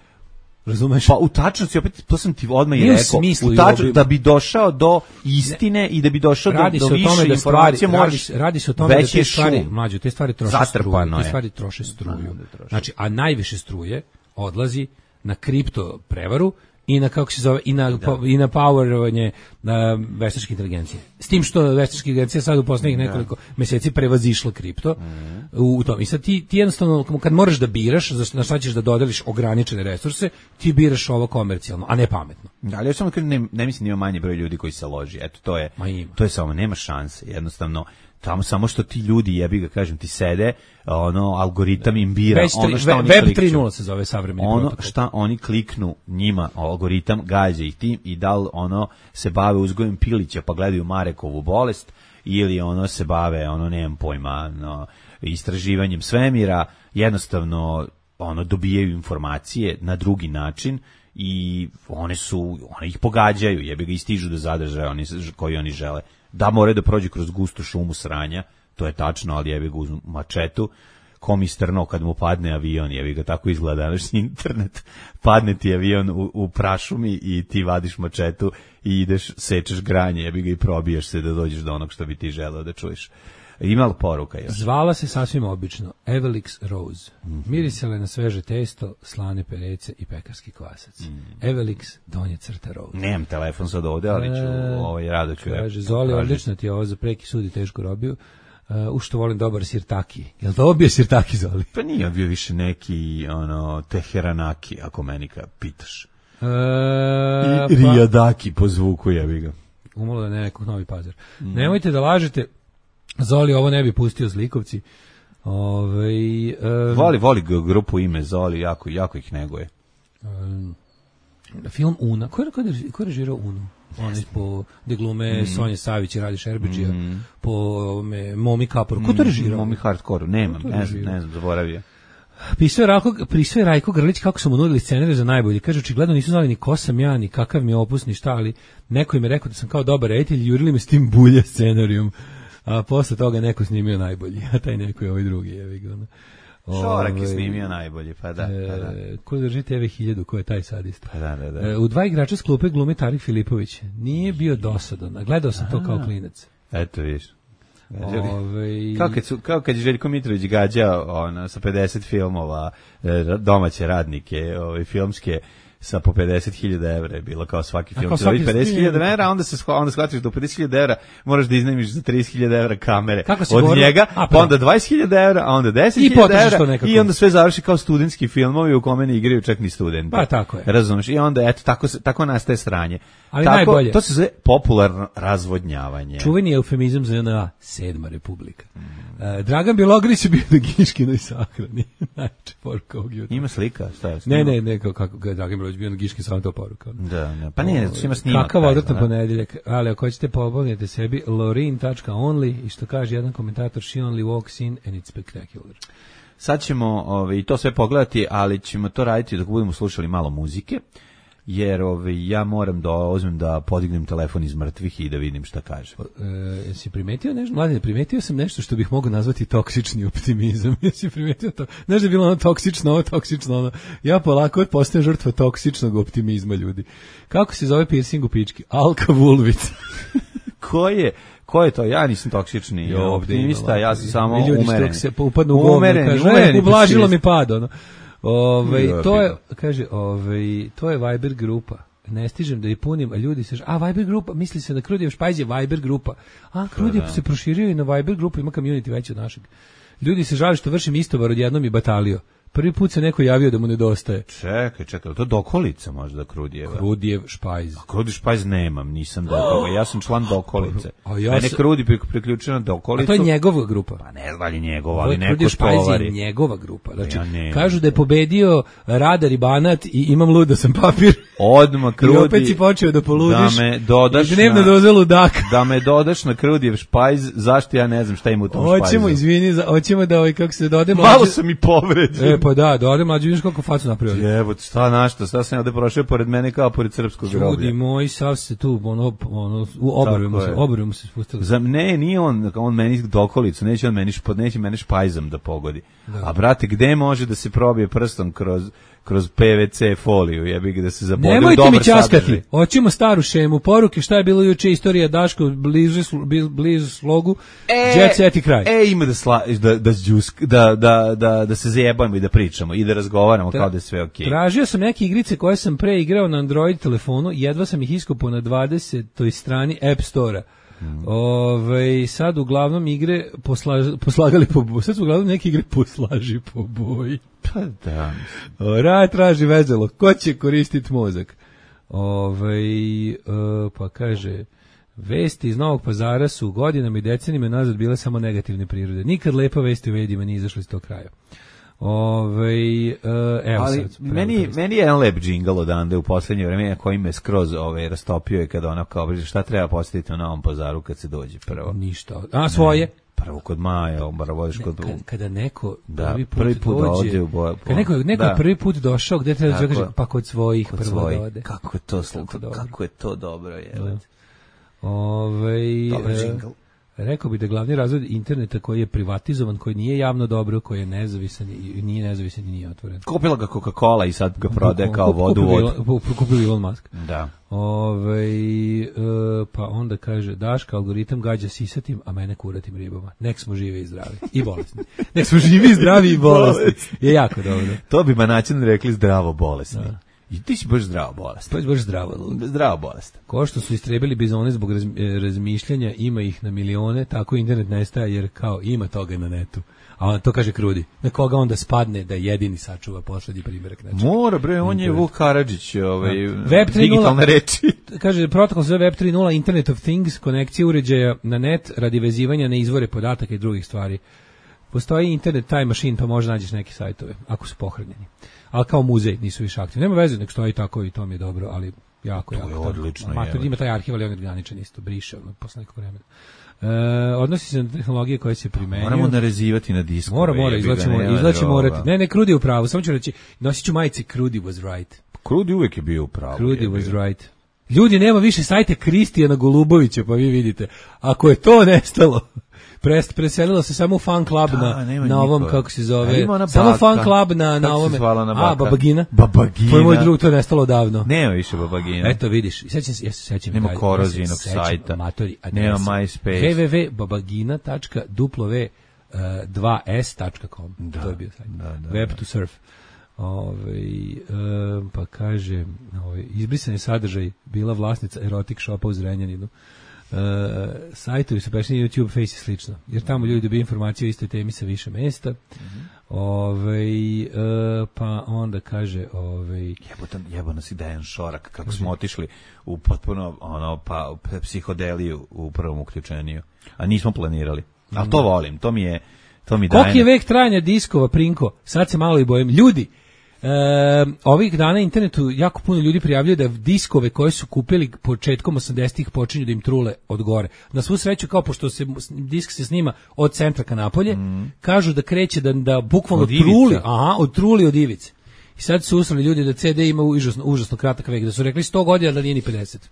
Razumeš? Pa u tačnosti, opet, to sam ti odmah i rekao, u tačnosti, da bi došao do istine ne, i da bi došao do, do više informacije, da stvari, radi, radi se o tome da te stvari, mlađe, te stvari troše struju, te stvari troše struju. Znači, a najviše struje odlazi na kripto prevaru i na, kako se zove, i na, da. i na powerovanje na veštačke inteligencije. S tim što veštačka inteligencija sad u poslednjih nekoliko da. meseci prevazišla kripto mm. u tom. I sad ti, ti jednostavno, kad moraš da biraš, na šta ćeš da dodeliš ograničene resurse, ti biraš ovo komercijalno, a ne pametno. Da, ali ja samo ne, ne mislim da ima manje broj ljudi koji se loži. Eto, to je, to je samo, nema šanse, jednostavno. Tamo samo što ti ljudi, jebi ga kažem, ti sede, ono, algoritam im bira, Već, ono šta oni kliknu. Web tri nula se zove savremeni ono protokol. Šta oni kliknu njima, algoritam gađa ih tim i da li ono se bave uzgojem pilića pa gledaju Marekovu bolest ili ono se bave, ono, nemam pojma, no, istraživanjem svemira, jednostavno ono dobijaju informacije na drugi način i one su, one ih pogađaju, jebi ga i stižu do zadržaja oni, koji oni žele. Da moraju da prođe kroz gustu šumu sranja, to je tačno, ali jebi ga uz mačetu, ko mi strno kad mu padne avion, jebi ga, tako izgleda današnji internet, padne ti avion u, u prašumi i ti vadiš mačetu i ideš, sečeš granje, jebi ga i probijaš se da dođeš do onog što bi ti želeo da čuješ. Ima li poruka još? Zvala se sasvim obično Evelix Rose. Mm-hmm. Mirisale na sveže testo, slane perece i pekarski kvasac. Mm-hmm. Evelix, donje crta Rose. Nemam telefon sad ovde, ali ću e, ovaj rado ću. Kaže, Zoli, odlično ti je ovo za preki sud i tešku robiju. Uh, u što volim dobar sirtaki. Jel to ovo bio sirtaki, Zoli? Pa nije bio više neki ono, teheranaki, ako meni ka pitaš. E, I rijadaki po zvuku, jebi ga. Umalo da ne nekog Novi Pazar. Mm. Nemojte da lažete, Zoli ovo ne bi pustio Zlikovci. Ove, um, voli, voli grupu ime Zoli, jako, jako ih neguje. Um, film Una. Ko je, ko je, ko je režirao Unu? Onaj po gde glume mm. Sonja Savić i Radi Šerbeđija, mm. po me, Momi Kaporu. Ko to režirao? Momi Hardcore, nemam, ne znam, ne znam, zaboravio. Pisao je Rajko, pisao je Rajko Grlić kako su mu nudili scenarij za najbolji. Kaže, očigledno nisu znali ni ko sam ja, ni kakav mi je opus, ni šta, ali neko im je rekao da sam kao dobar reditelj i jurili me s tim bulja scenarijom. A posle toga neko snimio najbolji, a taj neko je ovaj drugi. Je Šorak je snimio najbolji, pa da. Pa da. E, ko drži T V hiljadu, ko je taj sadista? Pa da, da, da. E, u dva igrača s klupe glumi Tarik Filipović. Nije bio dosadan, a gledao sam to kao klinac. Eto, viš. Ove... Kao, kad su, kao kad je Željko Mitrović gađao ono, sa pedeset filmova domaće radnike, ove, filmske, sa po pedeset hiljada evra je bilo kao svaki film. Kao pedeset hiljada evra, onda se onda shvatiš da u pedeset hiljada evra moraš da iznajmiš za trideset hiljada evra kamere od govorio? njega, a, pa onda dvadeset hiljada evra, a onda deset hiljada evra i onda sve završi kao studentski filmovi u kome ne igraju čak ni studenti. Pa tako je. Razumeš? I onda eto tako tako nastaje sranje. Ali tako, najbolje. To se zove popularno razvodnjavanje. Čuveni eufemizam za N A, sedma republika. Mm. Uh, Dragan Bjelogrlić je bio na Giškinoj sahrani. Najče poruka ovog jutra. Ima slika? Šta je? Ne, ne, ne, kako ga Dragan Bjelogrlić bio na Giškin, samo to poruka. Da, ne, pa nije, to ima snimak. Kakav odvratan ponedeljak, ali ako hoćete pomognete sebi, lorin tačka only i što kaže jedan komentator, she only walks in and it's spectacular. Sad ćemo ovaj, to sve pogledati, ali ćemo to raditi dok budemo slušali malo muzike. Jer ovaj, ja moram da uzmem da podignem telefon iz mrtvih i da vidim šta kaže. E, jesi primetio nešto? Mladine, primetio sam nešto što bih mogao nazvati toksični optimizam. Jesi primetio to? Znaš da je bilo ono toksično, ovo toksično, ono. Ja polako postajem žrtva toksičnog optimizma, ljudi. Kako se zove piercing u pički? Alka Vulvic. Ko je? Ko je to? Ja nisam toksični jo, optimista, ja sam samo umeren. Ljudi što se upadnu u govno, kaže, ublažilo mi pad, ono. Ove, to je, kaže, ove, to je Viber grupa. Ne stižem da je punim, a ljudi se, a Viber grupa, misli se da Krudijev špajz je Viber grupa. A Krudijev se proširio i na Viber grupu, ima community veći od našeg. Ljudi se žali što vršim istovar odjednom i batalio. Prvi put se neko javio da mu nedostaje. Čekaj, čekaj, to dokolica možda Krudijeva. Krudijev špajz. A Krudijev špajz nemam, nisam da toga. Ja sam član dokolice. A ja Mene Krudi priključio na dokolicu. A to je njegova grupa. Pa ne znam li njegova, ali neko tovari. Špajz je njegova grupa. Znači, ja kažu da je pobedio Radar i Banat i imam luda sam papir. Odmah Krudi. I opet si počeo da poludiš. Da me dodaš i dnevno doze ludaka. Da me dodaš na Krudijev špajz, zašto ja ne znam šta ima u tom špajzu. Hoćemo, izvini, hoćemo da ovaj kako se dode mlađe. Malo sam i povređen. E, pa da, da ode mlađi, vidiš koliko facu napravio. Jebote, šta našta, šta sam ovde prošao pored mene kao pored srpskog groblja. Ljudi moji, sav se tu, ono, ono, u obrve mu se, obrve mu se spustili. Za, ne, nije on, on meni dokolicu, neće on meni, neće mene špajzom da pogodi. Da. A brate, gde može da se probije prstom kroz kroz P V C foliju, jebi ga da se zabode u dobar sadržaj. Nemojte mi ćaskati, hoćemo staru šemu, poruke, šta je bilo juče, istorija Daško, blizu, blizu slogu, e, jet set i kraj. E, ima da, sla, da, da, da, da, da, da se zajebamo i da pričamo i da razgovaramo Tra, kao da je sve okej. Okay. Tražio sam neke igrice koje sam pre igrao na Android telefonu, jedva sam ih iskopao na dvadesetoj strani App Store-a. Mm. Ove, sad uglavnom igre poslaž, poslagali po boji. Sad su uglavnom neke igre poslaži po boji. Pa da. Raj traži vezelo. Ko će koristiti mozak? Ove, uh, pa kaže, vesti iz Novog Pazara su godinama i decenijama nazad bile samo negativne prirode. Nikad lepa vesti u medijima nije izašla iz tog kraja. Ove, uh, evo ali sad, meni, meni je jedan lep džingl odande u poslednje vreme koji me skroz ove, rastopio je kada ona kao, šta treba postaviti u Novom Pazaru kad se dođe prvo? Ništa. A, svoje? Ne, prvo kod Maja, bar vodiš kod... Kada, kada neko da, prvi put, prvi put dođe, dođe u boju. Kada neko, neko da. prvi put došao, gde treba da kaže, pa kod svojih kod prvo svojih. da ode. Kako je to, kako, kako je to dobro, je. Da. Ove, Dobar džingl. Rekao bi da glavni razvoj interneta koji je privatizovan, koji nije javno dobro, koji je nezavisan i nije nezavisan i nije otvoren. Kupila ga Coca-Cola i sad ga prodaje kao vodu u vodu. Kupili Elon Musk. Da. Ove, e, pa onda kaže, Daška, algoritam gađa sisatim, a mene kuratim ribama. Nek smo živi i zdravi. I bolesni. Nek smo živi i zdravi i bolesni. Je jako dobro. To bi manačin rekli zdravo bolesni. Da. I ti si baš zdravo bolest. Pa si baš zdravo. Zdravo bolest. Ko što su istrebili bizone zbog raz, razmišljanja, ima ih na milione, tako internet nestaje jer kao ima toga na netu. A on to kaže Krudi. Na koga onda spadne da jedini sačuva poslednji primjerak nečega. Mora bre, on je Vuk Karadžić, ovaj web digitalne reči. Kaže protokol za web tri nula Internet of Things, konekcija uređaja na net radi vezivanja na izvore podataka i drugih stvari. Postoji internet time machine, pa možda nađeš neke sajtove ako su pohranjeni. Ali kao muzej nisu više aktivni. Nema veze, nek stoji tako i to mi je dobro, ali jako, to jako. Je odlično. Mater, ima taj arhiv, ali on je organičan isto, briše ono, posle nekog vremena. E, odnosi se na tehnologije koje se primenjuju. Moramo narezivati na diskove. Mora, mora, izlačemo, izlačemo morati. Ne, ne, Krudi u pravu, samo ću reći, nosit ću majice Krudi was right. Krudi uvek je bio u pravu. Krudi was right. Ljudi, nema više sajta Kristijana Golubovića, pa vi vidite. Ako je to nestalo, Prest, preselilo se samo u fan club da, na, na ovom, kako se zove, samo fan club na, na ovome, na a, Babagina. Babagina. To je moj drug, to je nestalo davno. Nema više Babagina. Eto, vidiš, sećam se, ja se sećam. Nema Korozinog sajta, amatori, nema MySpace. w w w tačka babagina tačka dva s tačka com, da, to je bio sajt. Da, da, Web da. to surf. Ove, um, pa kaže, ove, izbrisan je sadržaj, bila vlasnica erotik shopa u Zrenjaninu. Uh, sajtovi su prešli na YouTube, Face i slično, jer tamo ljudi dobiju informacije o istoj temi sa više mesta. Mm-hmm. Ove, uh, pa onda kaže ove, jebotan, jebano si Dejan Šorak, kako smo otišli u potpuno ono, pa, psihodeliju u prvom uključenju, a nismo planirali, ali to volim, to mi je to mi daje. Koliki je vek trajanja diskova, Prinko? Sad se malo i bojim. Ljudi, E, ovih dana na internetu jako puno ljudi prijavljaju da diskove koje su kupili početkom osamdesetih počinju da im trule od gore. Na svu sreću, kao pošto se disk se snima od centra ka napolje, mm. kažu da kreće da, da bukvalno truli, aha, od truli od ivice. I sad su usrali ljudi da C D ima užasno, užasno kratak vek, da su rekli sto godina da nije ni pedeset.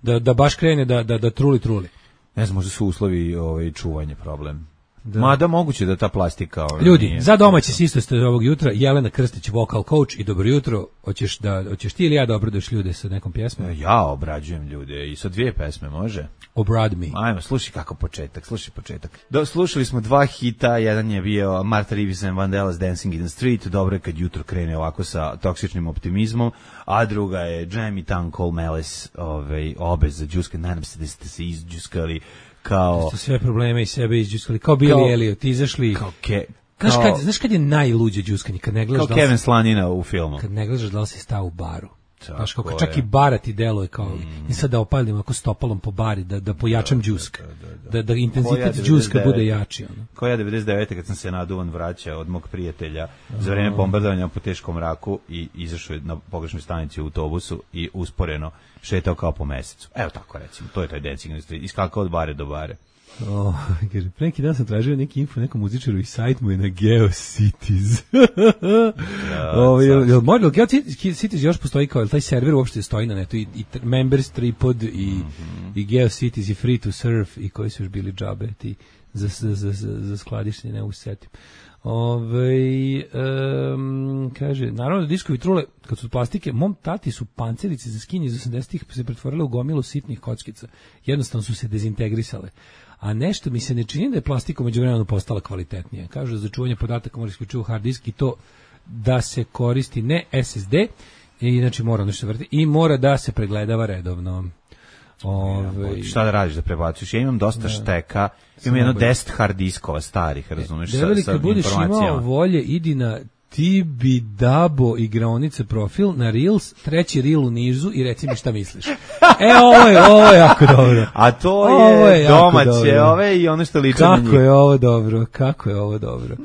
Da, da baš krene da, da, da truli, truli. Ne znam, možda su uslovi ovaj, čuvanje problem. Da. Mada moguće da ta plastika... Ljudi, nije... za domaće sistoste ovog jutra, Jelena Krstić, vocal coach i dobro jutro. Hoćeš da hoćeš ti ili ja da obraduješ ljude sa nekom pjesmom? Ja obrađujem ljude i sa dvije pesme, može? Obrad mi. Ajmo, slušaj kako početak, slušaj početak. Do, slušali smo dva hita, jedan je bio Martha Reeves and Vandellas Dancing in the Street, dobro je kad jutro krene ovako sa toksičnim optimizmom, a druga je Jamie Tung Cole Malice, ovaj, obez za džuske, nadam se da ste se izđuskali kao... Ste sve probleme iz sebe izđuskali, kao Billy Elliot, izašli... Kao ke... Znaš kad, znaš kad je najluđe džuskanje? Kad ne gledaš kao Kevin Slanina u filmu. Kad ne gledaš da li si stao u baru. Znaš kako čak i bara ti deluje kao... Mm. I sad da opalim ako stopalom po bari, da, da pojačam džusk. Da, da, da, da. da, da intenzitet ja džuska bude jači. Ono. Ko ja devedeset devete kad sam se naduvan vraćao od mog prijatelja uh-huh. za vreme bombardovanja po teškom mraku i izašao na pogrešnoj stanici u autobusu i usporeno šetao kao po mesecu. Evo tako recimo, to je taj Dancing in the Street. Iskakao od bare do bare. Oh, kaže, pre neki dan sam tražio neki info, nekom muzičaru i sajt mu je na GeoCities. ja, o, jel, jel, jel GeoCities još postoji kao, jel taj server uopšte stoji na netu, i, i Members, Tripod, i, mm-hmm. i GeoCities, i Free to Surf, i koji su još bili džabe, ti za, za, za, za, za skladišnje, ne usetim. Ove, um, kaže, naravno da diskovi trule, kad su od plastike, mom tati su pancerice za skinje iz osamdesetih se pretvorile u gomilu sitnih kockica. Jednostavno su se dezintegrisale. A nešto mi se ne čini da je plastika umeđu vremenu postala kvalitetnija. Kažu, za čuvanje podataka mora isključivo hard disk i to da se koristi ne S S D, i znači mora nešto vrti, i mora da se pregledava redovno. Ove, šta da radiš da prebacuješ? Ja imam dosta da. šteka, imam jedno deset hard diskova starih, razumeš, sa, sa kad budeš imao volje, idi na Tibidabo igraonice profil na Reels, treći Reel u nizu i reci mi šta misliš. E, ovo je, ovo je jako dobro. A to je, je domaće, ove i ono što liče na njih. Kako je ovo dobro, kako je ovo dobro.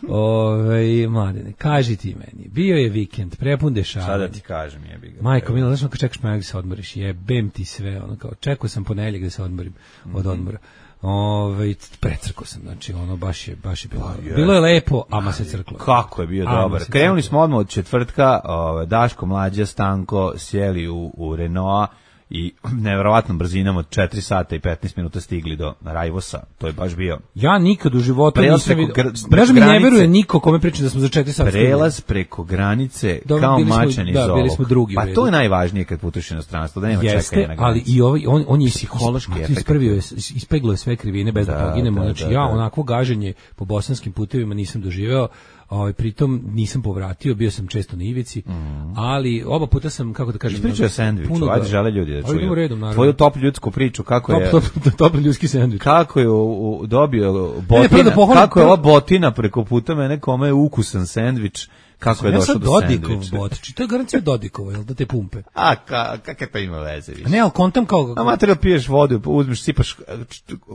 Ove, mladine, kaži ti meni, bio je vikend, prepun dešavanja. Sada ti kažem, jebi ga. Majko, milo, znaš kad čekaš ponedjeljak da se odmoriš, jebem ti sve, ono kao, čekao sam ponedjeljak da se odmorim mm-hmm. od odmora. Ove, precrkao sam, znači ono baš je, baš je bilo, oh, yeah. bilo je lepo, ama se crklo. Kako je bio ama dobar. Krenuli smo odmah od četvrtka, ove, Daško, Mlađa, Stanko sjeli u, u Renault i nevjerovatnom brzinom od četiri sata i petnaest minuta stigli do Rajvosa. To je baš bio. Ja nikad u životu nisam vidio. Bražo mi ne veruje niko kome pričam da smo za četiri sata. Prelaz stigli. Preko granice do, kao mačan iz da, bili smo drugi. Pa to je najvažnije kad putuješ u inostranstvo, da nema čekanja na granici. Ali i ovaj on on je psihološki ispravio je, ispeglao je sve krivine bez da, da poginemo. Znači da, ja da. onako gaženje po bosanskim putevima nisam doživeo. Ovaj pritom nisam povratio, bio sam često na ivici, mm. ali oba puta sam, kako da kažem, ispričao sendviču, ajde žele ljudi da čuju. Redom, tvoju top ljudsku priču, kako top, je top, top, top ljudski sendvič. Kako je u, u, dobio botina, ne, pohvalim, kako je ova botina preko puta mene, kome je ukusan sendvič. Kako je došao do sendviča? Bot, to je garancija Dodikova, jel da te pumpe? A, ka, kakve pa ima veze više? Ne, ali kontam kao... A material piješ vodu, uzmeš, sipaš...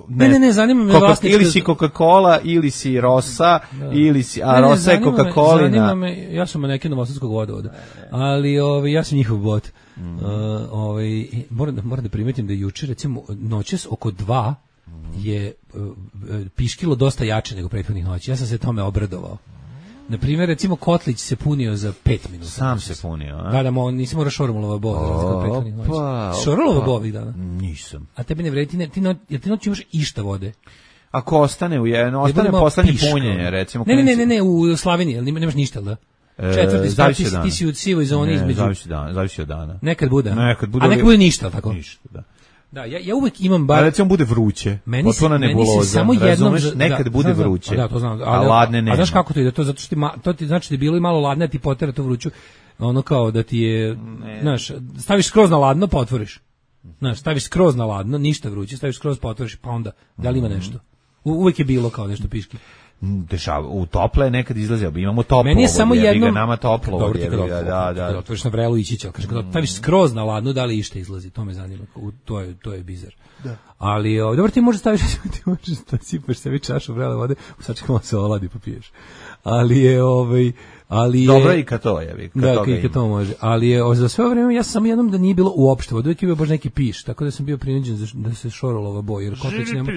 Ne, ne, ne, zanima me vlasnička... Ili si Coca-Cola, ili si Rosa, da. ili si... A ne, Rosa je Coca-Colina. Zanima me, ja sam neki novosadskog vodovoda, ali ove, ja sam njihov bot. Mm. Uh, ove, moram, da, moram da primetim da juče, recimo, noćas oko dva je uh, piškilo dosta jače nego prethodnih noći. Ja sam se tome obradovao. Na primjer, recimo, Kotlić se punio za pet minuta. Sam se punio, a? Da, da, mo, nisi morao Šormulova bova. Opa, Šormulova bova ovih dana? Nisam. A tebi ne vredi, ti, ne, ti, no, ti noć imaš išta vode? Ako ostane u jedno, ostane poslednje punjenje, recimo. Ne, ne, ne, ne, ne, u Slaveniji, ali nemaš ništa, da? Četvrti sprat, ti, ti si u sivoj zoni između. Zavisi dana, zavisi od dana. Nekad bude. Nekad bude. A nekad bude ništa, tako? Ništa, da. Da, ja, ja uvek imam bar... A recimo bude vruće, meni se, meni se samo jednom... Razumeš, nekad da, bude znam, vruće, da, to znam, ali, a ladne nema. A znaš kako to ide? To, zato što ti, to ti znači da je bilo i malo ladne, a ti potera to vruću, ono kao da ti je... Ne. Znaš, staviš skroz na ladno, pa otvoriš. Znaš, staviš skroz na ladno, ništa vruće, staviš skroz, pa otvoriš, pa onda, da li ima nešto? U, uvek je bilo kao nešto piški. Dešava, u tople nekad izlazi, imamo toplo. Meni je samo jedno, nama toplo. Dobro, ti da, da, da. Otvoriš na vrelu i čića, kaže kad staviš skroz na ladno, da li išta izlazi, to me zanima, to je to je bizar. Da. Ali o, dobro ti možeš staviš, ti možeš da sipaš sebi čašu vrele vode, sačekamo se oladi pa piješ. Ali je ovaj ali je dobro i kad to je, kad da, i kad to može. Ali je o, za sve vreme ja sam samo jednom da nije bilo uopšte vode, uvijek je bio baš neki piš, tako da sam bio prinuđen da se šorolova boja, jer Kotlić nema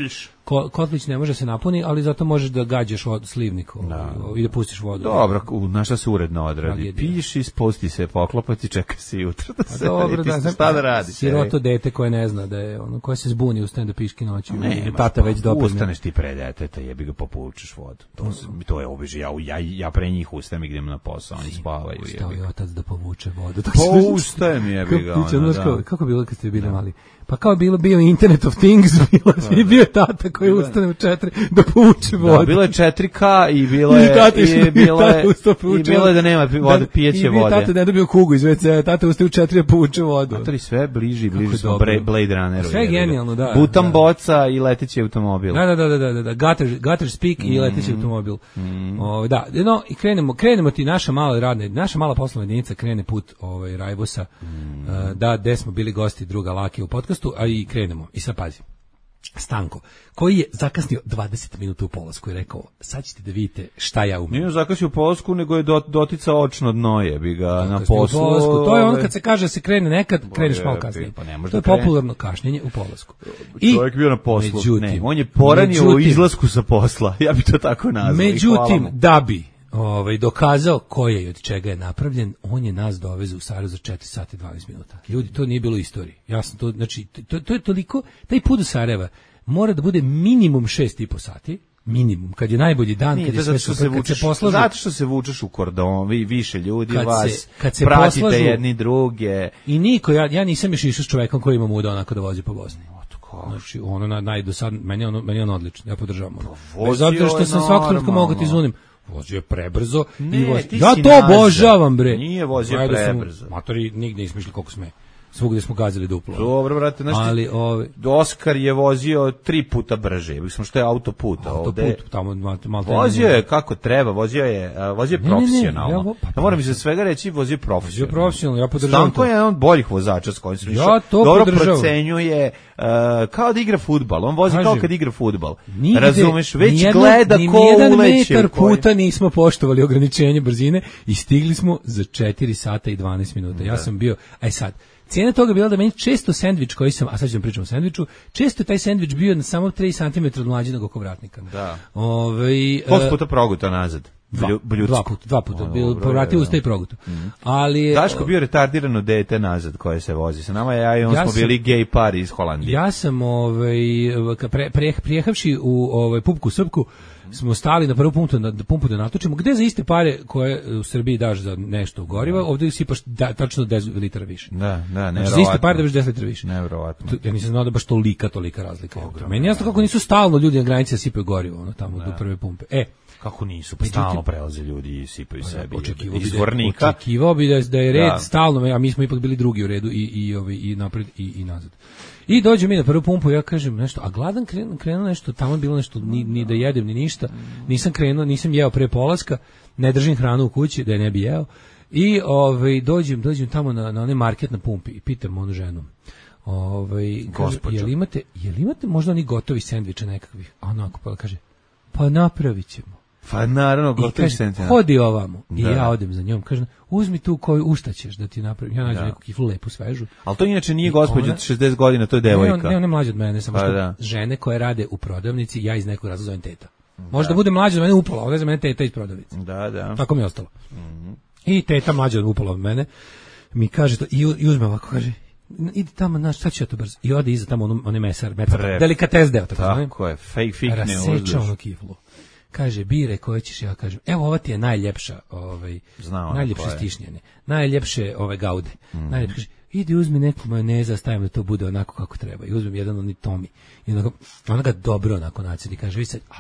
ko, Kotlić ne može se napuni, ali zato možeš da gađaš od slivnik da. i da pustiš vodu. Dobro, na šta se uredno odradi. Piši, spusti se, poklopati, čeka se jutro da se. Dobro, da, da, šta da radi? Siroto dete koje ne zna da je ono koje se zbuni ustane da piški noći, ne, tata već dopadne. Ustaneš ti pre deteta, jebi ga popučeš vodu. To to je običaj. Ja ja ja pre njih ustajem i idem na posao, oni spavaju. Ustao je otac da povuče vodu. Pa ustajem, jebi ga. Kako kako bilo kad ste bili mali? Pa kao bilo bio Internet of Things, bilo svi bio tata koji ustane u četiri da povuče vodu. Da, bilo je četiri ka i bilo je i bilo je i bilo je da nema vode, pijeće vode. I tata ne dobio kugu iz ve ce, tata ustaje u četiri da povuče vodu. Matori sve bliži, bliži smo Blade Runneru. Sve genijalno, da. Butan boca i leteći automobil. Da, da, da, da, da, gutter, gutter speak i leteći automobil. Ovaj da, no i krenemo, krenemo ti naša mala radna, naša mala poslovna jedinica krene put ovaj Rajbosa. Da, gde smo bili gosti druga Lake u podcastu, a i krenemo. I sad pazi. Stanko, koji je zakasnio dvadeset minuta u polasku i rekao, sad ćete da vidite šta ja umem. Nije zakasnio u polasku, nego je dotica očno dno je, bi ga na poslu. To je ono kad se kaže da se krene nekad, kreneš malo kasnije. Pa to je popularno kašnjenje u polasku. I čovjek bio na poslu, međutim, ne, on je poranio međutim, u izlasku sa posla, ja bi to tako nazvao. Međutim, da bi ovaj, dokazao ko je i od čega je napravljen, on je nas dovezao u Sarajevo za četiri sata i dvanaest minuta. Ljudi, to nije bilo u istoriji. Ja sam to, znači, to, to je toliko, taj put do Sarajeva mora da bude minimum šest i po sati, minimum, kad je najbolji dan, nije, kad je sve super, se vučeš, kad se poslažu. Zato što se vučeš u kordon, vi više ljudi kad vas, se, kad se pratite poslažu, jedni druge. I niko, ja, ja nisam još išao s čovekom koji ima muda onako da vozi po Bosni. Znači, ono na, najdosad, meni je ono, meni je ono odlično, ja podržavam ono. Bez obzira što sam svakog trenutka mogu ti zunim. Vozio je prebrzo. Ne, i voz... Ja to obožavam, bre. Nije vozio Ajde prebrzo. Sam, matori nigde nismo išli koliko sme. Svugde smo gazili duplo. Dobro, brate, znači, ali ove... Oskar je vozio tri puta brže. Mislim što je autoput. Autoput, ovde... tamo malo. Vozio je kako treba, vozio je, vozio je profesionalno. Ne, ne, ne, ja, vo... ja moram iz svega reći, vozio profesionalno. Vozio profesionalno, ja podržavam. Stanko je jedan od boljih vozača s kojim se ja to dobro podržavam. Procenjuje, uh, kao da igra fudbal. On vozi Kažem, kao kad igra fudbal. Razumeš, već nijedno, gleda ko uleće. Metar puta nismo poštovali ograničenje brzine i stigli smo za četiri sata i dvanaest minuta. Ja sam bio, aj sad, cijena toga je bila da meni često sendvič koji sam, a sad ću vam pričam o sendviču, često je taj sendvič bio na samo tri centimetra od mlađinog okovratnika. Da. Ove, Koliko puta proguta nazad? Dva, dva puta, dva puta, bil, povratio usta i proguto. Mm-hmm. Ali Daško bio retardirano dete nazad koje se vozi sa nama, ja i on ja smo sam, bili gej par iz Holandije. Ja sam ovaj, pre, pre, prijehavši u ovaj, Pupku Srpku, smo stali na prvu pumpu, na pumpu da natočimo, gde za iste pare koje u Srbiji daš za nešto goriva, ovdje sipaš da, tačno deset litara više. Da, da, nevjerovatno. Znači, za iste pare daš deset litara više. Nevjerovatno. Ja nisam znao da baš tolika, tolika razlika. Ogromno, Meni jasno kako nisu stalno ljudi na granici da sipaju gorivo, ono tamo, do prve pumpe. E, kako nisu, pa stalno prelaze ljudi i sipaju pa, sebi. Očekivao bi, da, očekivao bi da, da je red da. stalno, a mi smo ipak bili drugi u redu i, i, i, i napred i, i nazad. I dođe mi na prvu pumpu, ja kažem nešto, a gladan krenuo, krenuo nešto, tamo je bilo nešto, ni, ni da jedem, ni ništa, nisam krenuo, nisam jeo pre polaska, ne držim hranu u kući, da je ne bi jeo, i ovaj, dođem, dođem tamo na, na onaj market na pumpi i pitam onu ženu, ovaj, kaže, jel imate, jel imate možda oni gotovi sendviče nekakvih, a onako pa kaže, pa napravit ćemo. Pa naravno, gotovi sendviče. Hodi ovamo, da. I ja odem za njom, kažem, uzmi tu koju, u šta ćeš da ti napravim, ja nađem da. Neku kiflu lepu, svežu. Ali to inače nije gospođa od šezdeset godina, to je devojka. Ne, ne, ne mlađa od mene, samo pa što da. Žene koje rade u prodavnici, ja iz nekog razloga zovem teta. Možda da. Bude mlađa od mene upola, ovdje za mene teta iz prodavnice. Da, da. Tako mi je ostalo. Mm-hmm. I teta mlađa od upola od mene mi kaže to, i, i uzme ovako, kaže, idi tamo, znaš, sad ću ja to brzo. I ode iza tamo on, on je mesar, mesar delikates deo. Tako, tako je, fake, fake ne uzmeš. Raseća ono kiflu. Kaže, bire koje ćeš, ja kažem, evo ova ti je najljepša, ovaj, najljepše stišnjene, najljepše ove gaude. Mm. Najljepše, kaže, idi uzmi neku majoneza, stavim da to bude onako kako treba. I uzmem jedan oni Tomi. I onako, ona ga dobro onako nacedi. Kaže, vi sad, a,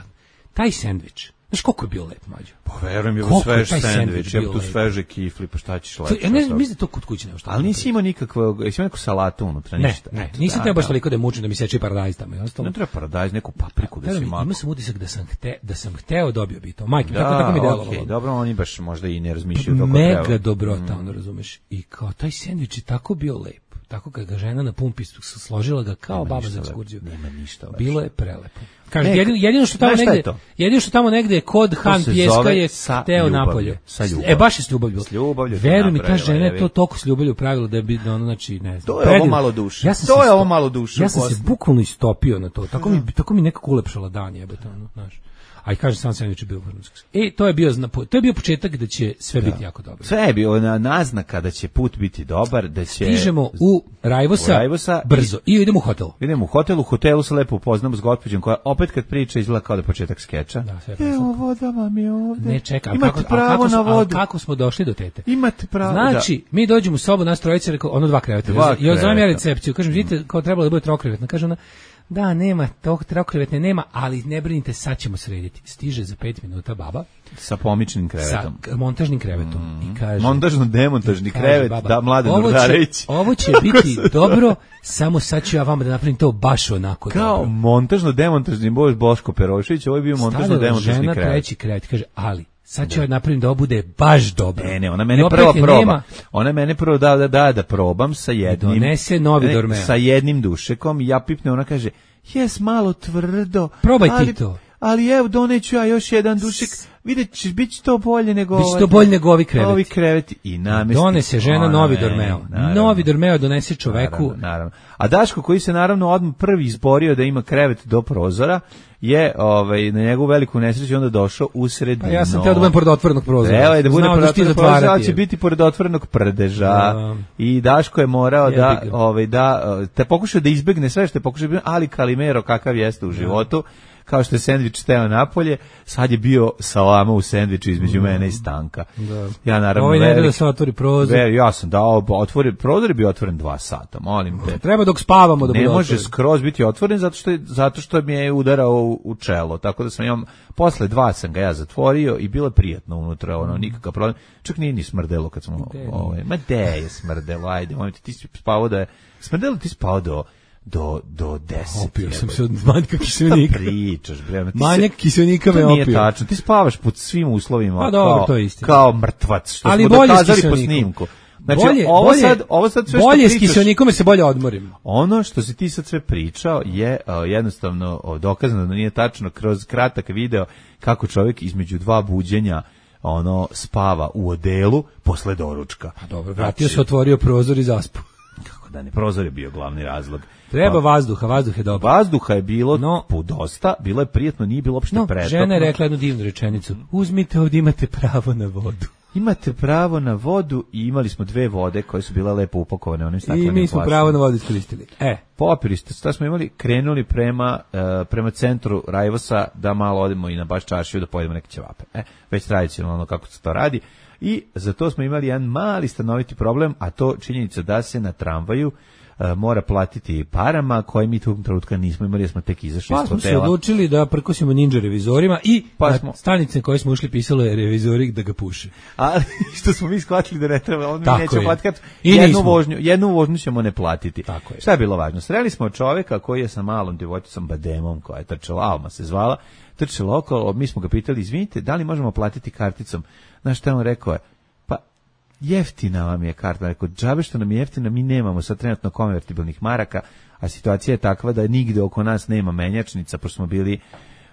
taj sendvič, znaš koliko je bio lep, Mađo? Pa verujem, je u svež sendvič, je tu sveže kifli, pa šta ćeš lepše? Ja ne mislim da to kod kuće nema šta. Ali nisi imao nikakvog, jesi imao neku salatu unutra, ništa? Ne, ne, nisam teo baš toliko da je mučim da mi seče paradajz tamo. Ne treba paradajz, neku papriku da si mako. Ima sam utisak da sam, hte, da sam hteo dobio bi to. Majke, tako, tako mi delovalo. Okay, dobro, oni baš možda i ne razmišljaju kako treba. Mega dobrota, ono razumeš. I kao taj sendvič je tako bio lep. Tako kad ga žena na pumpi složila ga kao nema baba za ekskurziju. Nema ništa. Baš. Bilo je prelepo. Kaže, jedino, jedino što tamo negde, jedino što tamo negde je kod Han Pjeska je hteo napolje. E baš je s ljubavlju. S ljubavlju. Veruj mi, ta žena je to toliko s ljubavlju pravila da bi ono, znači, ne znam. To je ovo malo duše. Ja to je ovo malo duše. Ja sam se bukvalno istopio na to. Tako mi tako mi nekako ulepšala dan, jebote, ono, znaš. A i kaže sam sendvič je bio vrhunski. E, to je bio to je bio početak da će sve da. Biti jako dobro. Sve je bio na naznaka da će put biti dobar, da će stižemo u Rajvosa, u Rajvosa brzo i idemo u hotel. Idemo u hotel, u hotelu se lepo upoznamo s gospođom koja opet kad priča izgleda kao da je početak skeča. Da, sve je. Evo voda vam je ovde. Ne čekaj, imate kako, pravo kako, na vodu. Kako smo došli do tete? Imate pravo. Znači, da. Mi dođemo u sobu, nas trojica, rekao, ono dva kreveta. Dva I odzovem ja recepciju, kažem, vidite, kao trebalo da bude trokrevetna, kaže ona. Da, nema, tog trokrevetne nema, ali ne brinite, sad ćemo srediti. Stiže za pet minuta baba. Sa pomičnim krevetom. Sa montažnim krevetom. Mm. I kaže, montažno-demontažni krevet, baba, da, Mladen Urdarević. Ovo će biti dobro, samo sad ću ja vama da napravim to baš onako kao dobro. montažno-demontažni Bož Boško Perošević, ovo je bio montažno-demontažni krevet. Žena treći krevet, kaže, ali sad ću ja napravim da ovo bude baš dobro. Ne, ne, ona mene prvo proba. Nema, ona mene prvo da, da, da, da probam sa jednim. Donese novi dormeo. Sa jednim dušekom i ja pipne, ona kaže, jes malo tvrdo. Probaj ali, ti to. Ali evo, doneću ja još jedan dušik. Vidjet ćeš, bit će to bolje nego... Biće to bolje nego ovi kreveti. Ovi kreveti. I namesti. Donese žena novi dormeo. Novi dormeo donese čoveku. Naravno, naravno. A Daško, koji se naravno odmah prvi izborio da ima krevet do prozora, je ovaj, na njegovu veliku nesreću onda došao u sredinu. Pa ja sam teo da budem pored otvorenog prozora. Treba je da bude pored otvorenog prozora, ali će biti pored otvorenog prdeža. Da. I Daško je morao je da, ovaj, da te pokušao da izbegne sve što je pokušao, ali Kalimero kakav jeste u životu. Kao što je sendvič teo napolje, sad je bio salama u sendviču između mm. mene i Stanka. Da. Ja naravno Ovo ne da se otvori prozor. Ver, ja sam dao, otvori, prozor je bio otvoren dva sata, molim te. Treba dok spavamo da bude Ne može otvoren. skroz biti otvoren zato što, je, zato što mi je udarao u, u čelo, tako da sam ja, posle dva sam ga ja zatvorio i bilo je prijatno unutra, ono, nikakav problem. Čak nije ni smrdelo kad smo, ovaj, ma de je smrdelo, ajde, molim te, ti si spavao da je, smrdelo ti spavao do... do do deset. Opio sam se od manjka kiselnika. Pričaš, bre. Manjak kiselnika me opio. Nije tačno. Ti spavaš pod svim uslovima. Pa dobro, to je istina. Kao mrtvac, što ali smo dokazali po snimku. Znači, bolje, ovo bolje, sad, ovo sad sve bolje što pričaš... Bolje s kiselnikom se bolje odmorim. Ono što si ti sad sve pričao je uh, jednostavno uh, dokazano da nije tačno kroz kratak video kako čovjek između dva buđenja ono spava u odelu posle doručka. Pa dobro, vratio znači, se, otvorio prozor i zaspu. Kako da ne, prozor je bio glavni razlog. Treba vazduha, vazduh je dobro. Vazduha je bilo no, dosta, bilo je prijetno, nije bilo uopšte no, pretopno. Žena je rekla jednu divnu rečenicu. Uzmite ovdje, imate pravo na vodu. Imate pravo na vodu i imali smo dve vode koje su bile lepo upakovane onim staklenim plastom. I mi smo plastom. pravo na vodu iskoristili. E, popili ste, sad smo imali, krenuli prema uh, prema centru Rajvosa da malo odemo i na baš čaršiju da pojedemo neke ćevape. E, već tradicionalno kako se to radi. I za to smo imali jedan mali stanoviti problem, a to činjenica da se na tramvaju uh, mora platiti parama koje mi tog trenutka nismo imali, jer smo tek izašli pa iz hotela. Pa smo se odlučili da prkosimo ninja revizorima i pa na smo... stanice koje smo ušli pisalo je revizori da ga puše. Ali što smo mi shvatili da ne treba, on mi tako neće platiti. I jednu nismo. vožnju, jednu vožnju ćemo ne platiti. Tako je. Šta je bilo važno? Sreli smo čovjeka koji je sa malom djevojčicom Bademom, koja je trčala, Alma se zvala, trčala okolo, mi smo ga pitali, izvinite, da li možemo platiti karticom? Znaš šta on rekao je? Jeftina vam je karta, rekao, džabe što nam je jeftina, mi nemamo sad trenutno konvertibilnih maraka, a situacija je takva da nigde oko nas nema menjačnica, pošto smo bili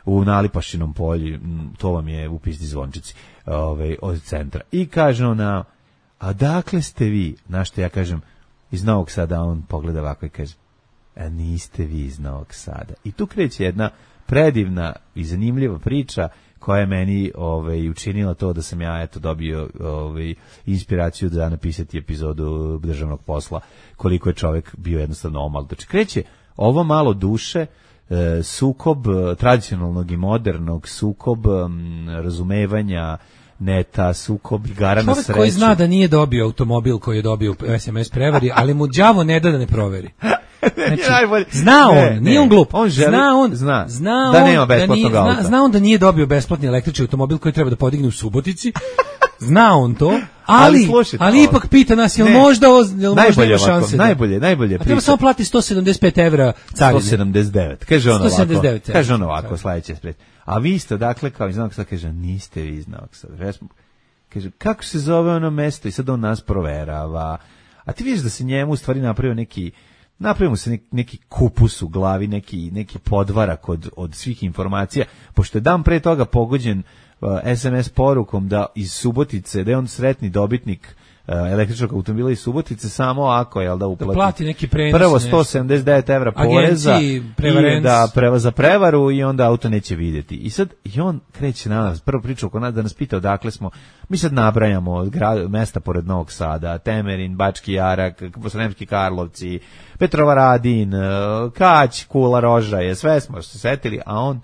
u Nalipašinom polju, to vam je u Pizdi Zvončici, ovaj, od centra. I kaže ona, a dakle ste vi, znaš što ja kažem, iz Novog Sada, on pogleda ovako i kaže, a niste vi iz Novog Sada. I tu kreće jedna predivna i zanimljiva priča koja je meni ovaj, učinila to da sam ja eto dobio ovaj, inspiraciju da napisati epizodu Državnog posla, koliko je čovjek bio jednostavno omal. Znači, kreće ovo malo duše, e, sukob tradicionalnog i modernog, sukob m, razumevanja neta, sukob igara na sreću. Čovjek koji zna da nije dobio automobil koji je dobio u es em es prevari, ali mu đavo ne da da ne proveri. Znači, zna on, ne, nije on glup. On želi, zna on, zna, zna da on, nema besplatnog da auta. Zna, zna on da nije dobio besplatni električni automobil koji treba da podigne u Subotici. Zna on to, ali, ali, slušajte, ali ipak pita nas, jel ne, možda, jel možda ima šanse? Najbolje, najbolje. A treba samo plati sto sedamdeset pet evra carine. sto sedamdeset devet, kaže on ovako. Kaže on ovako, sledeće spred. A vi ste, dakle, kao iz Novog Sada, kaže, niste vi iz Novog Sada. Kaže, kako se zove ono mesto? I sad on nas proverava. A ti vidiš da se njemu u stvari napravio neki, napravimo se neki, neki kupus u glavi, neki, neki podvarak od, od svih informacija, pošto je dan pre toga pogođen uh, es em es porukom da iz Subotice, da je on sretni dobitnik uh, električnog automobila iz Subotice, samo ako je, jel da uplati, da plati neki prenos, prvo sto sedamdeset devet evra poreza i da preva za prevaru i onda auto neće vidjeti. I sad i on kreće na nas, prvo priča oko nas da nas pita odakle smo. Mi sad nabrajamo grad, mesta pored Novog Sada, Temerin, Bački Jarak, Sremski Karlovci, Petrovaradin, Kać, Kula, Rožaje, sve smo se setili, a on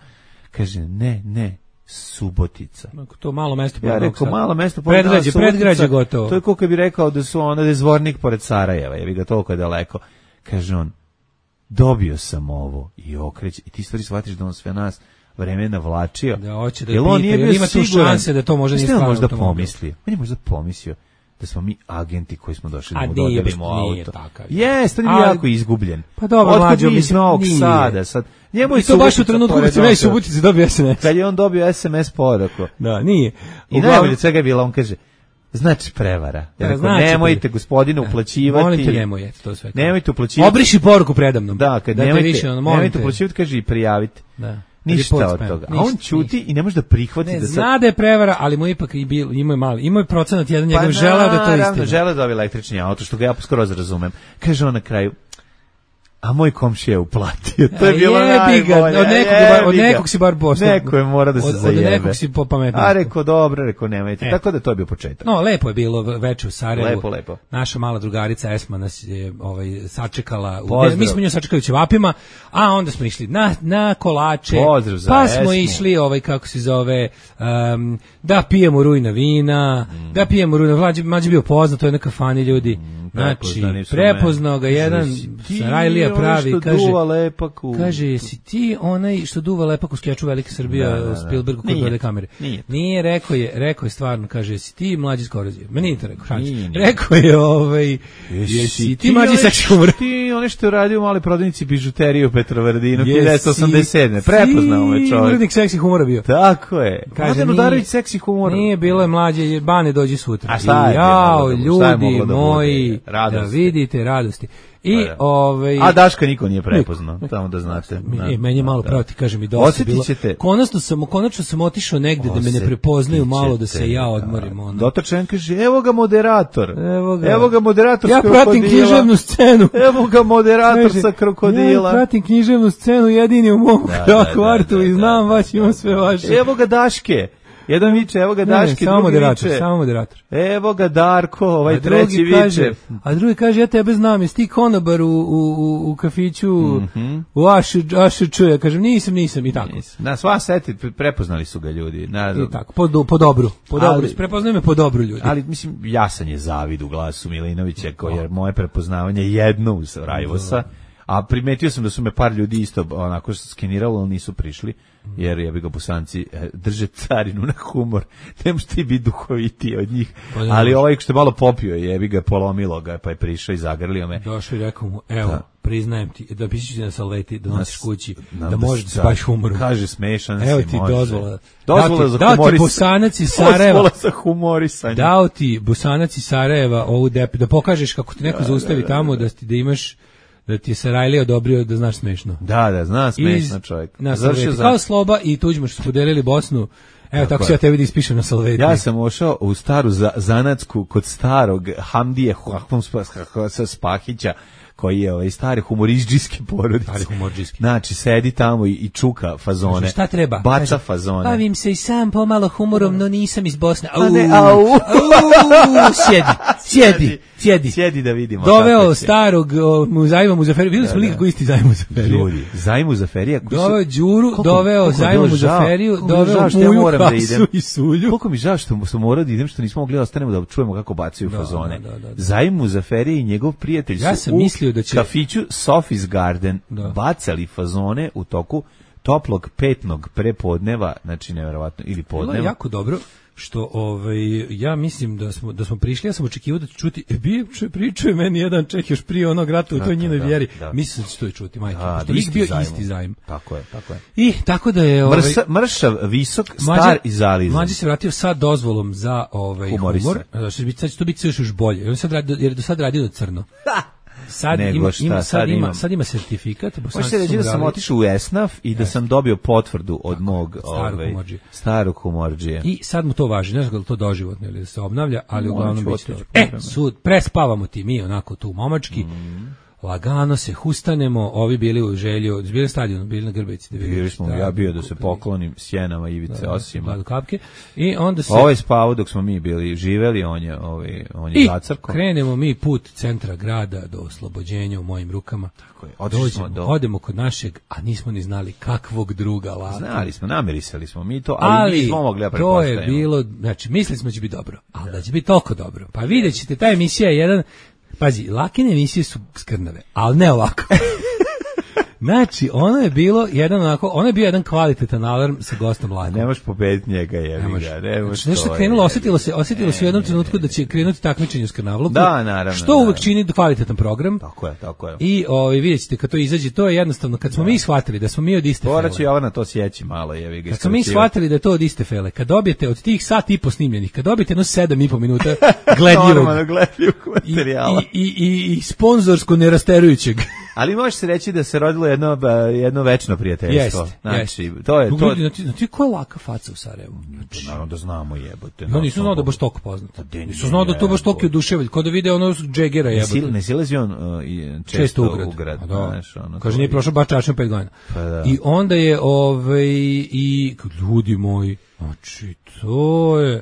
kaže ne, ne, Subotica. To malo mesto pored ja Novog Sada. Ja rekao, malo mesto pored Novog Sada. Predgrađe, predgrađe gotovo. To je koliko bi rekao da su ono da je Zvornik pored Sarajeva, je bi ga toliko daleko. Kaže on, dobio sam ovo i okreće, i ti stvari shvatiš da on sve nas vreme navlačio. Da hoće da pita, on nije bio ima tu šanse da to može nije stvarno. Možda pomislio. On je možda pomislio da smo mi agenti koji smo došli da mu dodelimo auto. Jeste, on je jako izgubljen. Pa dobro, mlađo, iz Novog Sada, sad njemu i to baš u trenutku kad se već Subotici dobio es em es. Kad je on dobio es em es poruku. Da, nije. I najbolje svega je bila, on kaže, Znači prevara. Ja rekao, znači, nemojte gospodine uplaćivati. Molim te, nemoj, eto, to sve. Nemojte uplaćivati. Obriši poruku predamnom. Da, kad da nemojte, više, ono, nemojte uplaćivati, kaže i prijavite. Da. Ništa od toga. A on ćuti i ne može da prihvati ne, da sad... zna da je prevara, ali mu ipak i bil, imao je mali, imao je procenat jedan, njegov pa želeo da to istina. Pa želeo da ovi električni auto, što ga ja skroz razumem. Kaže on na kraju, a moj komšija je uplatio. To je bilo najbolje. Od nekog, od nekog si bar postao. Neko je mora da se od, zajebe. Od nekog si popametno. A rekao, dobro, rekao, nemojte. E. Tako da to je bio početak. No, lepo je bilo veče u Sarajevu. Lepo, lepo. Naša mala drugarica Esma nas je ovaj, sačekala. U, mi smo nju sačekali u ćevapima, a onda smo išli na, na kolače. Pozdrav za pa smo Esmu. išli, ovaj, kako se zove, um, da pijemo rujna vina, mm. da pijemo rujna, mlađe, mlađe bio poznat, to je na kafani ljudi. Mm, znači, prepoznao ga jedan Sarajlija pravi, kaže, lepak u... kaže, jesi ti onaj što duva lepak u skeču Velike Srbija, da, da, da. Spielbergu koji gleda kamere? Nije. Nije, rekao je, rekao je stvarno, kaže, jesi ti mlađi iz Korozije? Ma nije to rekao, šalim. Rekao je, ovaj, jesi, jesi ti mlađi iz seksi humora? Ti ono što je radio u maloj prodavnici bižuterije u Petrovaradinu, hiljadu devetsto osamdeset sedme Prepoznao me čovjek. Urednik seksi humora bio. Tako je. Kaže, Mladen Udarović seksi humora. Nije, bilo je mlađe, Bane dođi sutra. A šta je? Jao, ljudi moji, da vidite radosti. I da. ovaj A Daška niko nije prepoznao, samo da znate. E, meni je malo pravo ti kažem i dosta bilo. Konačno sam, konačno sam otišao negde da me ne prepoznaju malo da se ja odmorim ono. Dotačen kaže evo ga moderator. Evo ga, evo ga moderator. Ja pratim književnu scenu. Evo ga moderator sa krokodila. Ja pratim književnu scenu jedini u mom kvartu i znam baš imam sve vaše. Evo ga Daške. Jedan viče, evo ga Daške, ne, ne, drugi moderator, viče. Samo moderator. Evo ga Darko, ovaj a treći viče. Kaže, a drugi kaže, ja tebe znam, jesi ti konobar u, u, u kafiću, mm-hmm. u Ašč, ja kažem, nisam, nisam, i tako. Nisam. Na sva seti, prepoznali su ga ljudi. Na, I tako, po, do, po dobru, po dobru, prepoznaju me po dobru ljudi. Ali, mislim, jasan je zavid u glasu Milinovića, koji je moje prepoznavanje jedno uz Rajvosa. A primetio sam da su me par ljudi isto onako skeniralo, ali nisu prišli, jer ja bi ga Bosanci drže carinu na humor. Ne možeš ti biti duhovitiji od njih. Pa ali ovaj što je malo popio, jebi ga, polomilo ga, pa je prišao i zagrlio me. Došao i rekao mu, evo, da. Priznajem ti, da pišiš ti na salveti, da nosiš kući, da, da možeš da se baviš humorom. Kaže, smešan evo si, ti može. Dozvola. Dozvola za humorisanje. Dao ti Bosanac iz Sarajeva. Dozvola za humorisanje. Dao ti Bosanac iz Sarajeva ovu depi, da pokažeš kako te neko da, zaustavi da, da, tamo, da, ti, da imaš da ti je Sarajlija odobrio da znaš smešno. Da, da, zna smešno čovjek. Završio za... Kao Sloba i Tuđman što su podelili Bosnu. Evo, tako, tako se ja tebi da ispišem na salveti. Ja sam ošao u staru za, zanatsku kod starog Hamdije Spahića, koji je ovaj stari humoridžijski porodice. Stari humoridžijski. Znači, sedi tamo i, i čuka fazone. Znači, šta treba? Baca Kaže, fazone. Bavim se i sam pomalo humorom, no nisam iz Bosne. Au, ne, au. au sjedi, sjedi, sjedi. Sjedi da vidimo. Doveo starog o, Zajma Muzaferija. Videli smo likako isti Zajma Muzaferija. Ljudi, Zajma Muzaferija. Doveo Đuru, koliko, doveo Zajma Muzaferiju, doveo Muju, Hasu i Sulju. Koliko mi žao što smo morali da idem, što nismo mogli da ostanemo da čujemo kako bacaju fazone. Zajma Muzaferija i njegov prijatelj su ja sam mislio da će kafiću Sofis Garden da. bacali fazone u toku toplog petnog prepodneva, znači neverovatno, ili podneva. Bilo je jako dobro što ovaj ja mislim da smo da smo prišli, ja sam očekivao da ću čuti e, bivše pričuje meni jedan Čeh još prije onog rata u toj njenoj vjeri. Da. Mislim da će to i čuti, majke. Što je bio zajmu. Isti zajm. Tako je, tako je. I tako da je ovaj Mrsa, mršav, visok, star Mađa, i zalizan. Mlađi se vratio sa dozvolom za ovaj Humorista. humor. Znači sad će to biti još bolje. On sad radi, jer do sad radio crno. Sad Nego ima, šta, ima, sad, sad, ima, sad ima sertifikat. Možete reći da sam otišao u Esnaf i da sam dobio potvrdu od mog starog ovaj, humorđije. starog humorđije. I sad mu to važi, ne znam da li to doživotno ili da se obnavlja, ali uglavnom biće. E, sud, prespavamo ti mi onako tu momački. Mm. Lagano se hustanemo, ovi bili u želju, bili na stadionu, bili na Grbavici. Da bili smo, ja bio da se poklonim sjenama Ivice da, Osima. Kapke. I onda se... Ovo je spavao dok smo mi bili živeli, on je, ovaj, on je zacrko. I krenemo mi put centra grada do oslobođenja u mojim rukama. Tako je, otišli do... Odemo kod našeg, a nismo ni znali kakvog druga laka. Znali smo, namirisali smo mi to, ali, ali nismo mogli da pretpostavimo. To je bilo, znači, mislili smo da će biti dobro, ali da će biti toliko dobro. Pa vidjet ćete, ta emisija je jedan... Pazi, Lakine emisije su skrnave, ali ne ovako. Znači, ono je bilo jedan onako, ono je bio jedan kvalitetan alarm sa Gostom Lakom. Ne možeš pobediti njega, jebi ga. Ne možeš. Znači, nešto krenulo, osjetilo se, osjetilo se u jednom trenutku da će krenuti takmičenje u skanavluku. Da, naravno. Što uvek čini kvalitetan program. Tako je, tako je. I ovaj vidjet ćete kad to izađe, to je jednostavno kad smo da. mi shvatili da smo mi od iste fele. Morat će Jovana to sjeći malo, jevi ga. Kad smo mi shvatili da je to od iste fele, kad dobijete od tih sat i po snimljenih, kad dobijete jedno sedam i po minuta gledljivog, normalno gledljivog materijala i, i, i, i sponzorsko nerasterujućeg. Ali može se reći da se rodilo jedno jedno večno prijateljstvo. Jest, znači, jest. to je to. Znači, znači ko je laka faca u Sarajevu? Znači, naravno da znamo, jebote. No, nisu znao da baš toliko poznat. Nisu znao da to baš toliko oduševlja, kao da vide ono Džegera jebote. Ne silazi on uh, često, često u grad. U grad da. Znaš, ono, kaže, nije prošao baš čašno pet godina. Pa da. I onda je, ovaj, i ljudi moji, znači, to je...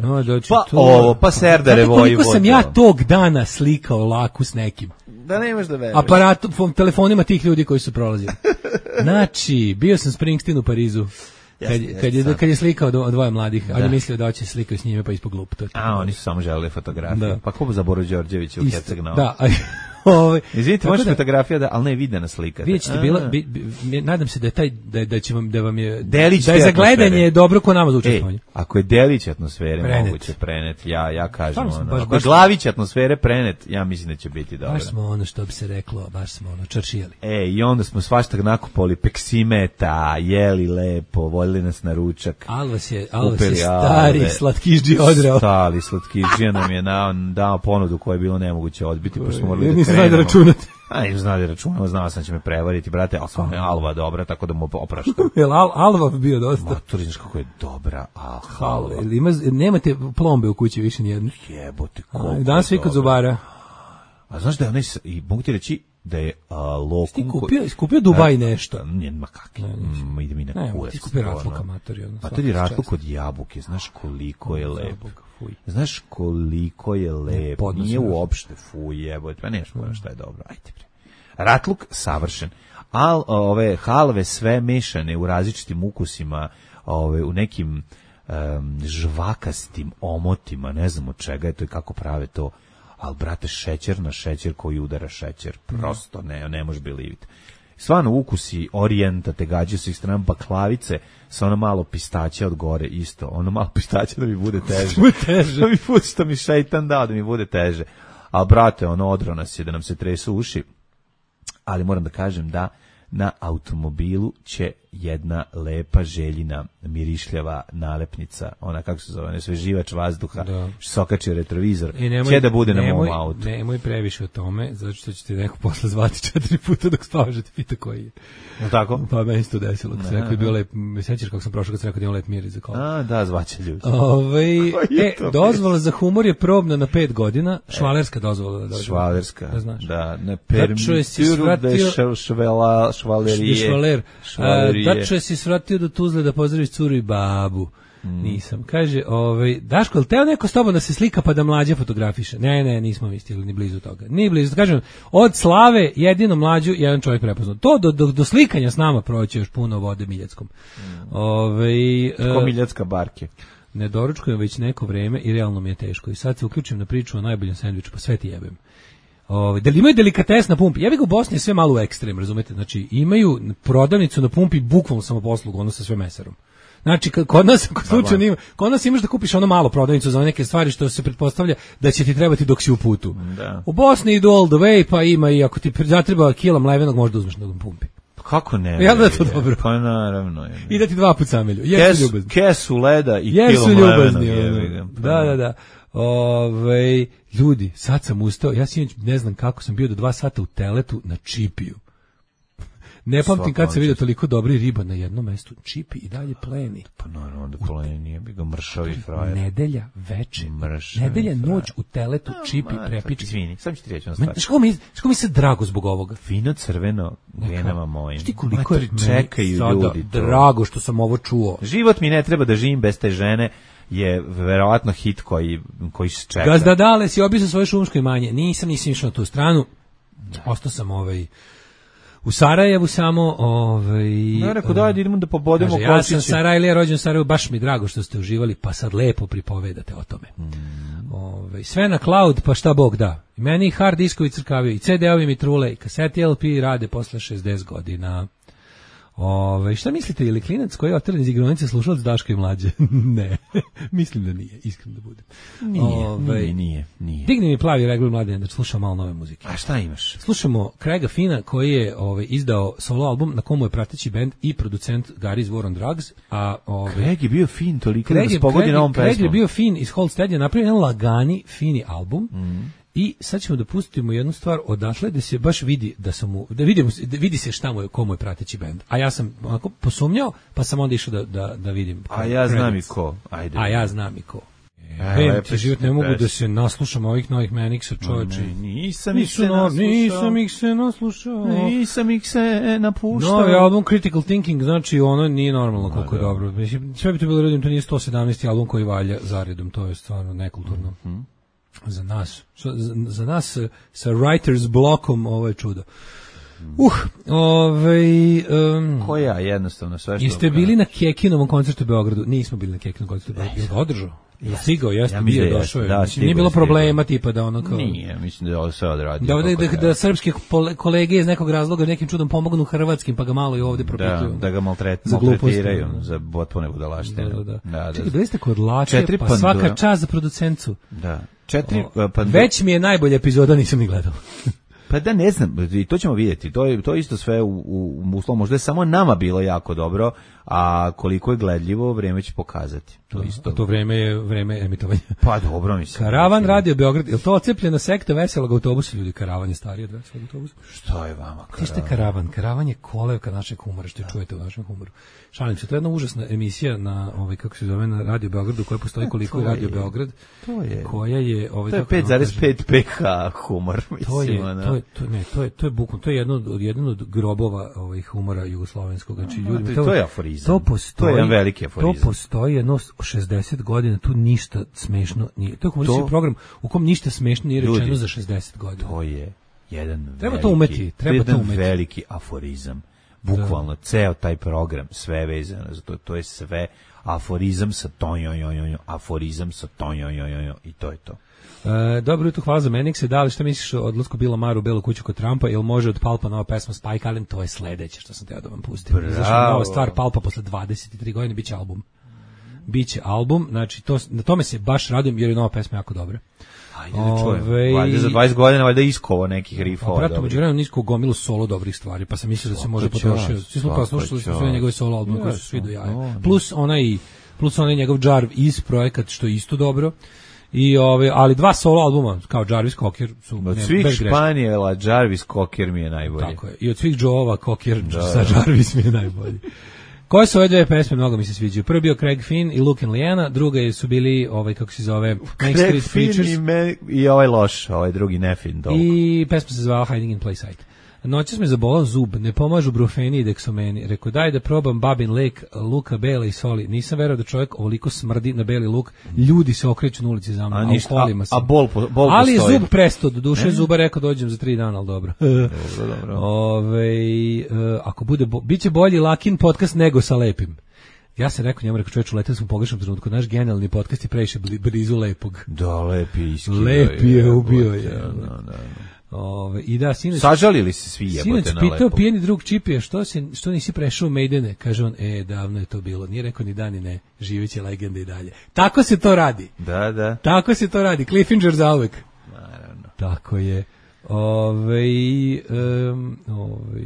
No, znači, pa to ovo, pa Serdare Vojvodo. Koliko sam ja tog dana slikao laku s nekim. Da nemaš da veruješ. Aparatom, telefonima tih ljudi koji su prolazili. Znači, bio sam Springsteen u Parizu. Kad, jasne, kad, je, kad je slikao dvoje mladih, da. On je mislio da hoće slikao s njime, pa ispod glup. To a, oni su samo želeli fotografiju. Da. Pa ko za Boru Đorđevića u Herceg-Novu? Da, Ovaj izvinite, može fotografija da, al ne videna slika. Vidite, bila bi, bi, nadam se da je taj da, da će vam da vam je Delić da je za gledanje je dobro ko nama za učestvovanje. Ako je delić atmosfere prenet. Moguće prenet, ja ja kažem ono. Baš, ako baš, je glavić atmosfere prenet, ja mislim da će biti dobro. Baš smo ono što bi se reklo, baš smo ono čaršijali. E, i onda smo svašta nakupali peksimeta, jeli lepo, voljeli nas na ručak. Alvas je, Alvas je stari slatkiždži odrao. Stari slatkižđija nam je dao, dao ponudu koju je bilo nemoguće odbiti, pa smo morali da znali da računate. A nisam znao da računamo, znao sam će me prevariti, brate, ali stvarno je Alva dobra, tako da mu opraštam. Jel Al, Alva bio dosta? Matur, znaš kako je dobra, a Alva. Ima, nemate plombe u kući više nijedno? Jebote, koliko danas svi kod zubara. A znaš da je onaj, i mogu ti reći da je uh, lokum... Ti kupio, kupio Dubaj nešto? Nije, ma kakvi, mm, ide mi na ne, kurac. Ti kupio ratluka, matori. Matori ratluk od jabuke, znaš koliko je lepo. Fuj. Znaš koliko je lep, ne, nije uopšte fuj, jebote, pa neš pojma šta je dobro, ajde bre. Ratluk savršen, al ove halve sve mešane u različitim ukusima, ove u nekim um, žvakastim omotima, ne znam od čega je to i kako prave to, al brate šećer na šećer koji udara šećer, prosto ne, ne može biliviti. Stvarno ukusi orijenta te gađaju sa ih strana, baklavice sa ono malo pistaća od gore isto, ono malo pistaća da mi bude teže. teže. Da mi bude što mi šeitan dao da mi bude teže. A brate, ono odro nas je da nam se tresu uši, ali moram da kažem da na automobilu će jedna lepa željina mirišljava nalepnica, ona kako se zove, nesveživač vazduha, da. Što se okači retrovizor, nemoj, će da bude nemoj, na mom autu. Nemoj previše o tome, zato što ćete neko posle zvati četiri puta dok spavaš da te pita koji je. No tako? Pa meni se to desilo, kad se rekao je bio lep, me sećaš kako sam prošao kad se rekao da imam lep miris za kola. A, da, zvaće ljudi. Ove, e, dozvola za humor je probna na pet godina, švalerska dozvola. Da švalerska, da, znaš. Da, ne permituru de švela, švalerije. Švaler. Dačo je si svratio do Tuzle da pozdraviš curu i babu. Mm. Nisam. Kaže, ovaj, Daško, ali teo neko s tobom da se slika pa da mlađa fotografiše? Ne, ne, nismo mi stigli ni blizu toga. Ni blizu. Kažem, od Slave jedino mlađu jedan čovjek prepoznao. To do, do, do slikanja s nama proći još puno vode Miljackom. Mm. Ovaj, Ko uh, Miljacka barke. Ne doručkujem već neko vreme i realno mi je teško. I sad se uključim na priču o najboljem sendviču, pa sve ti jebem. Ove, da li imaju delikates na pumpi? Ja bih u Bosni sve malo u ekstrem, razumete? Znači, imaju prodavnicu na pumpi bukvalno samoposlugu, ono sa sve mesarom. Znači, kod nas, kod slučaju nima, kod nas imaš da kupiš ono malo prodavnicu za neke stvari što se pretpostavlja da će ti trebati dok si u putu. Da. U Bosni idu all the way, pa ima i ako ti zatreba kila mlevenog, možda uzmeš na pumpi. Kako ne? Ja da to je dobro. Pa naravno. Je. I da ti dva put samelju. Jesu ljubazni. Kesu leda i Jesu kilo mlevenog. Je, da, da, da. Ove, ljudi, sad sam ustao, ja sinoć ne znam kako sam bio do dva sata u teletu na čipiju. Ne pamtim kad sam vidio toliko dobri riba na jednom mestu. Čipi i dalje pleni. Pa naravno da pleni, je bi ga mršavi frajer. Nedelja veče, nedelja noć u teletu, čipi, prepiči. Izvini, sam ću ti reći ono stvar. Što mi, što mi se drago zbog ovoga? Fino crveno venama mojim. Šti koliko je čekaju ljudi drago što sam ovo čuo. Život mi ne treba da živim bez te žene. Je verovatno hit koji, koji se čeka. Gazda Dale, si obisao svoje šumsko imanje. Nisam, nisam išao na tu stranu. Ostao sam ovaj, u Sarajevu samo. Ovaj, ne, rekao da, idemo da pobodemo kočiće. Ja sam Sarajlija, rođen u Sarajevu, baš mi drago što ste uživali, pa sad lepo pripovedate o tome. Mm. Ove, Ove, sve na cloud, pa šta Bog da. I meni hard diskovi crkavaju, i ce de-ovi mi trule, i kaseti el pe rade posle šezdeset godina. Ove, šta mislite, ili klinac koji je oteran iz igronice slušalac Daška i Mlađe? Ne, mislim da nije, iskreno da budem. Nije, Ove, nije, nije, nije. Digni mi plavi regler Mladen da slušam malo nove muzike. A šta imaš? Slušamo Craiga Fina koji je ovaj, izdao solo album na komu je prateći bend i producent Gary's War on Drugs. A, ovaj, Craig je bio fin toliko Craig, da se pogodi na ovom pesmom. Craig je bio fin iz Hold je napravio jedan lagani, fini album. Mm. I sad ćemo da pustimo jednu stvar odatle da se baš vidi da sam mu, da vidimo, da vidi se šta mu je, komu je prateći bend. A ja sam onako posumnjao, pa sam onda išao da, da, da vidim. A ja znam i ko. Ajde. A ja znam i ko. Vem ti život, ne mogu da se naslušam ovih novih Manixa, čovječe. Nisam ih se naslušao. Nisam ih se naslušao. Nisam ih se napuštao. Novi album Critical Thinking, znači ono nije normalno koliko je dobro. Sve bi to bilo redim, to nije sto sedamnaesti album koji valja zaredom, to je stvarno nekulturno. Mm-hmm. Za nas, za, za nas sa writers blokom ovo je čudo. Uh, ovaj um, koja jednostavno sve što. Jeste bili na Kekinovom koncertu u Beogradu? Nismo bili na Kekinovom koncertu u Beogradu. Jel ga održao? Ja stigao, jeste, ja bio je došao. Je. Da, nije bilo problema tipa da ono kao. Nije, mislim da je ovo sve odradio. Da, da, da, da srpski kolege iz nekog razloga nekim čudom pomognu hrvatskim, pa ga malo i ovdje propituju. Da, da ga maltret, za maltretiraju, za potpune budalaštine. Da, da, da. da, da. Čekaj, bili ste kod Lače, pa pandura. Svaka čast za producencu. Da. Četiri o, već mi je najbolja epizoda, nisam ni gledao. Pa da ne znam, i to ćemo vidjeti. To je to je isto sve u u, u uslovu, možda je samo nama bilo jako dobro, a koliko je gledljivo, vrijeme će pokazati. To da, isto. To vrijeme je vrijeme emitovanja. Pa dobro mi se. Karavan radio Beograd, je to ocepljena sekta veselog autobusa, ljudi, Karavan je stariji od veselog autobusa. Što je vama Karavan? Ste Karavan, Karavan je kolevka našeg humora, što čujete u našem humoru. Šalim se, to je jedna užasna emisija na ovaj kako se zove na Radio Beogradu, koja postoji koliko je Radio Beograd. To je. Koja je ovaj to je pet zarez pet pH humor, mislim. To je, to je, to ne, to je to je bukvalno, to je jedno od jedan od grobova ovih humora jugoslovenskog, znači ljudi, to, to je aforizam. To postoji, to je jedan veliki aforizam. To postoji jedno šezdeset godina, tu ništa smešno nije. To je humoristički program u kom ništa smešno nije rečeno ljudi, za šezdeset godina. To je jedan treba veliki, to umeti, treba to umeti. Veliki aforizam. Bukvalno da. Ceo taj program, sve vezano za to, to je sve aforizam sa tonjojojojo, aforizam sa tonjojojojo i to je to. E, dobro jutro, hvala za Manixe. Da li šta misliš o odlasku Bila Maru u Belu kuću kod Trumpa? Jel može od Palpa nova pesma Spike Allen? To je sledeće što sam teo da vam pustim. Zašto nova stvar Palpa posle dvadeset tri godine, biće album. Biće album, znači to, na tome se baš radujem jer je nova pesma jako dobra. Ajde da čujem. Valjda za dvadeset godina valjda iskovo nekih rifova. Prato međuvremeno nisko gomilu solo dobrih stvari, pa sam mislio da se može potrošiti. Svi smo pa slušali sve njegove solo albume koji su svi do jaja. Plus onaj plus onaj njegov Jarv iz projekat što je isto dobro. I ove, ali dva solo albuma kao Jarvis Cocker su od svih Španijela Jarvis Cocker mi je najbolji. Tako je. I od svih Joe-ova Cocker sa Jarvis mi je najbolji. Koje su ove dve pesme, mnogo mi se sviđaju. Prvi bio Craig Finn i Luke and Liana, druga su bili, ovaj, kako se zove, Main Street Preachers. I, me, i ovaj loš, ovaj drugi Nefin. Dolgo. I pesma se zvala Hiding in Plain Sight. Noćas me zabolao zub, ne pomažu brufeni i deksomeni. Rekao, daj da probam Babin lek, luka, bela i soli. Nisam verao da čovjek ovoliko smrdi na beli luk. Ljudi se okreću na ulici za mnom, a, ništa, a u kolima sam. A, a bol, po, bol ali postoji. Zub presto, do duše zuba rekao, dođem za tri dana, ali dobro. dobro, dobro. Ove, uh, ako bude, bo, bit će bolji Lakin podcast nego sa lepim. Ja sam rekao njemu, rekao čovječu, leteli smo u pogrešnom trenutku, naš genijalni podcast je previše blizu lepog. Da, lepi je iskio. Lepi je ubio je. Da, da, da. Ove, i da, sinoć, sažalili se svi jebote na lepo. Sinoć pitao pijeni drug Čipije, što, se, što nisi prešao u Maidene? Kaže on, e, davno je to bilo. Nije rekao ni da ni ne, živeće legenda i dalje. Tako se to radi. Da, da. Tako se to radi, Cliffinger zauvek. Naravno. Tako je. Ove, um, ove,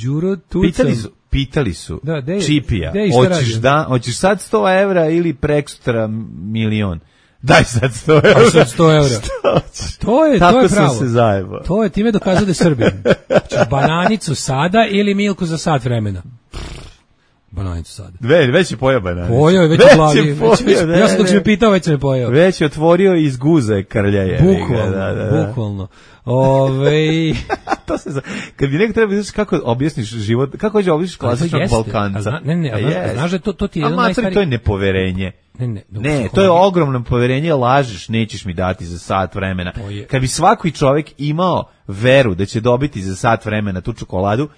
Đuro Tucam. Pitali su, pitali su da, de, Čipija, de, hoćeš, da, hoćeš sad sto evra ili prekstra milion? Daj sad sto evra. Daj sad sto evra. To je, tako to je pravo. Sam se zajebao. To je time dokazao da je Srbin. Znači, bananicu sada ili Milku za sat vremena? Bananicu sada. Ve, već je pojao bananicu. Pojao je već u glavi. Već, već, ne, ja sam dok se me pitao, već se me pojao. Već je otvorio iz guze krljaje. Bukvalno, da, da, da. bukvalno. Ove... to se zna. Kad bi neko treba vidjeti kako objasniš život, kako hoće objasniš klasičnog Balkanca. Zna, ne, ne, a yes. Znaš da to, to ti je jedan najstariji... to je nepoverenje. Ne, ne, ne to je ogromno poverenje, lažeš, nećeš mi dati za sat vremena. Kad bi svaki čovjek imao veru da će dobiti za sat vremena tu čokoladu,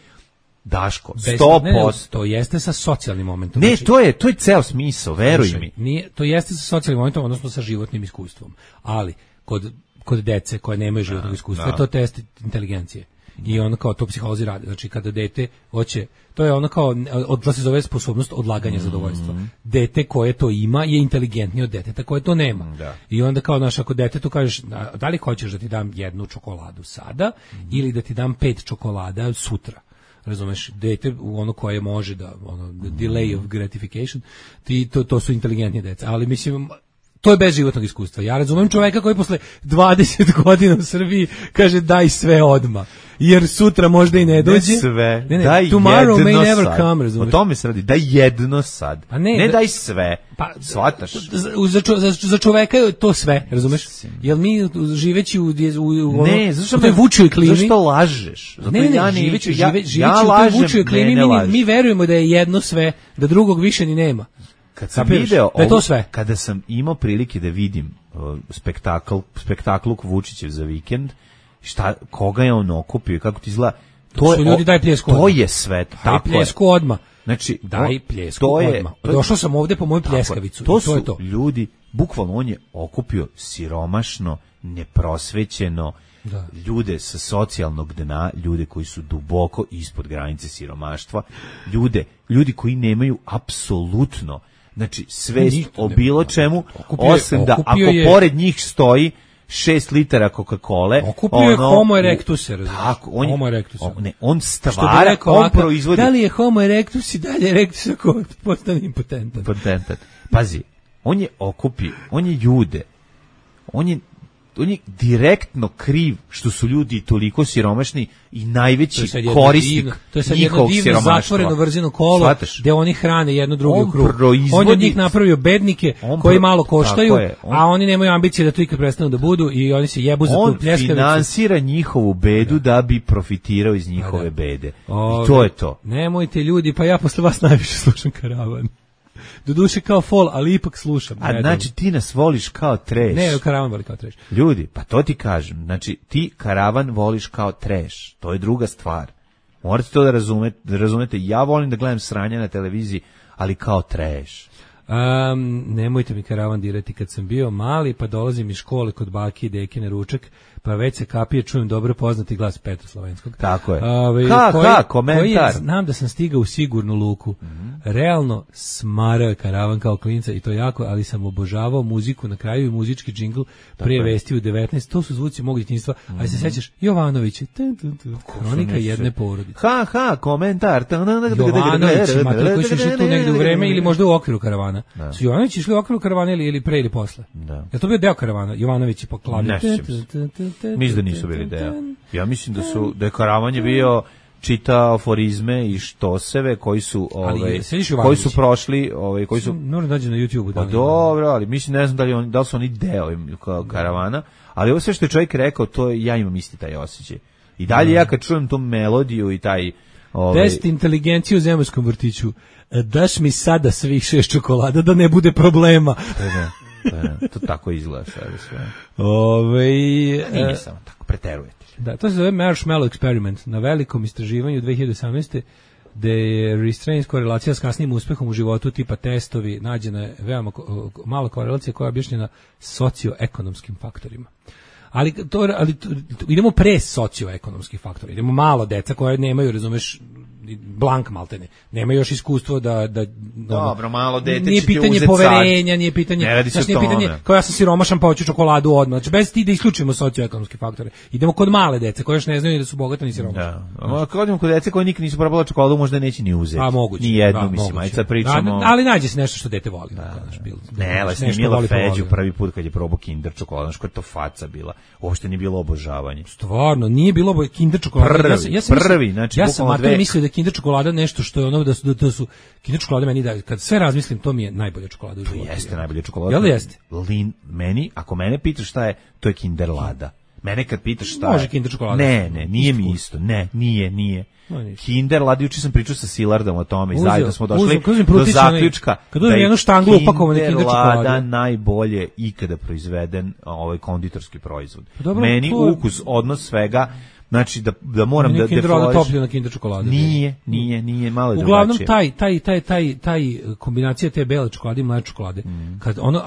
Daško, sto posto. To jeste sa socijalnim momentom. Ne, znači, to je to je ceo smisao, veruj mi. Nije, to jeste sa socijalnim momentom, odnosno sa životnim iskustvom. Ali kod kod dece koje nemaju životnog iskustva, da. To je test inteligencije. I ono kao to psiholozi rade. Znači kada dete hoće, to je ono kao odla se zove sposobnost odlaganja mm-hmm. zadovoljstva. Dete koje to ima je inteligentnije od deteta koje to nema. Da. I onda kao naš ako detetu kažeš da li hoćeš da ti dam jednu čokoladu sada mm-hmm. ili da ti dam pet čokolada sutra. Razumeš, dete ono koje može da ono delay of gratification, ti to to su inteligentnije deca, ali mislim to je bez životnog iskustva. Ja razumem čoveka koji posle dvadeset godina u Srbiji kaže daj sve odma. Jer sutra možda i ne dođe. Ne sve, ne, ne, daj tomorrow may never sad. Come, razumeš. O tome se radi, daj jedno sad. Pa ne, ne da, daj sve, pa, shvataš. Za, za, za čoveka je to sve, razumeš? Jel mi živeći u, u, u ne, zašto u toj vučoj klimi... Zašto lažeš? Zato ne, ne, ja ne, živeći, ja, žive, živeći ja u toj vučoj klimi, ne, ne mi, mi verujemo da je jedno sve, da drugog više ni nema. Kad sam video, da je to sve. Kada sam imao prilike da vidim uh, spektakl, spektakluk Vučićev za vikend, šta, koga je on okupio i kako ti izgleda, to, to, je, ljudi, daj pljesku to je sve. Daj pljesku odmah. Znači, daj pljesku odmah. Došao sam ovde po moju pljeskavicu. To, to su je to. ljudi, bukvalno on je okupio siromašno, neprosvećeno, da. Ljude sa socijalnog dna, ljude koji su duboko ispod granice siromaštva, ljude, ljudi koji nemaju apsolutno, znači svest o bilo čemu, okupio, osim da ako je, pored njih stoji šest litara Coca-Cole, okupio ono, je homo erectus, tako, on, homo erectus. On, ne, on stvara, on proizvodi. Da li je homo erectus i dalje erectus ako postane impotentan? Impotentan. Pazi, on je okupio, on je ljude, on je on je direktno kriv što su ljudi toliko siromašni i najveći to korisnik divno, to je sad jedno divno zatvoreno vrzino kolo Svataš? Gde oni hrane jedno drugo u krug. On je od njih napravio bednike koji pro... malo koštaju, je, on... a oni nemaju ambicije da to ikad prestanu da budu i oni se jebu za tu pljeskavicu. On finansira njihovu bedu da. da bi profitirao iz njihove da. bede. Ove, I to je to. Nemojte ljudi, pa ja posle vas najviše slušam Karavan. Doduše kao fol, ali ipak slušam. A ne, znači ti nas voliš kao trash. Ne, Karavan voli kao trash. Ljudi, pa to ti kažem. Znači ti Karavan voliš kao trash. To je druga stvar. Morate to da razumete, da razumete. Ja volim da gledam sranja na televiziji, ali kao trash. Um, nemojte mi Karavan dirati. Kad sam bio mali, pa dolazim iz škole kod baki i deke na ručak, pa već se kapije čujem dobro poznati glas Petra Slovenskog. Tako je. Ove, ha, koji, ha, komentar. Koji je, znam da sam stigao u sigurnu luku. Mm-hmm. Realno smarao je Karavan kao klinca i to jako, ali sam obožavao muziku na kraju i muzički džingl prije vesti u devetnaest. To su zvuci mog djetinjstva. Mm-hmm. Ali se sećaš Jovanović, kronika jedne porodice. Ha, ha, komentar. Jovanović, mater koji su išli tu negde u vreme ili možda u okviru Karavana. Da. Su Jovanović išli u okviru Karavana ili, ili pre ili posle? Da. Je to bio deo Karavana? Jovanović je poklavio. Mislim da nisu bili deo. Ja mislim da su da je Karavan je bio čita aforizme i štoseve koji su ovaj koji su prošli, ovaj koji su moram dađe na YouTubeu. Pa dobro, ali mislim ne znam da li oni da li su oni deo Karavana, ali ovo sve što je čovjek rekao, to ja imam isti taj osjećaj. I dalje ja kad čujem tu melodiju i taj ovaj test inteligencije u zemaljskom vrtiću, daš mi sada svih šest čokolada da ne bude problema. Da, to tako izgleda sve. Ove, nije samo tako, preterujete. Da, to se zove Marshmallow Experiment na velikom istraživanju dve hiljade osamnaeste gde je restraint korelacija s kasnijim uspehom u životu tipa testovi, nađena je veoma mala korelacija koja je objašnjena socioekonomskim faktorima. Ali, to, ali to, idemo pre socioekonomskih faktora, idemo malo deca koje nemaju, razumeš, blank maltene. Nema još iskustvo da da dobro, malo dete nije pitanje poverenja, sad. Nije pitanje, znači nije pitanje kao ja sam siromašan pa hoću čokoladu odmah. Znači bez ti da isključimo socioekonomske faktore. Idemo kod male dece koje još ne znaju da su bogate ni siromašni. Da. A kad idemo kod dece koje nikad nisu probale čokoladu, možda neće ni uzeti. A moguće. Ni jednu, da, mislim, aj sad pričamo. Da, ali nađe se nešto što dete voli. Da, da, bil, ne, ali je Mila Feđu prvi put kad je probao Kinder čokoladu, što je to faca bila. Uopšte nije bilo obožavanje. Stvarno, nije bilo Kinder čokolada. Ja, ja sam prvi, znači ja sam mislio da Kinder čokolada nešto što je ono da su da, da su Kinder čokolade meni da kad sve razmislim to mi je najbolja čokolada u životu. Jeste najbolja čokolada. Jel jeste? Lin meni, ako mene pitaš šta je, to je Kinder Lada. Mene kad pitaš šta može je, Kinder čokolada. Ne, ne, nije mi isto. Ne, nije, nije. No, Kinder Lada, juče sam pričao sa Silardom o tome i zajedno smo došli uzim, do zaključka kad uzmem jednu štanglu upakovane Kinder čokolade. Kinder Lada najbolje ikada proizveden ovaj konditorski proizvod. Dobro, meni to ukus, odnos svega Znači da da moram nije da defloriš. Toplju na Kinder čokolade. Nije, nije, nije, malo je uglavnom drugačije. taj taj taj taj taj kombinacija te bele čokolade i mlečne čokolade. Mm. Kad ono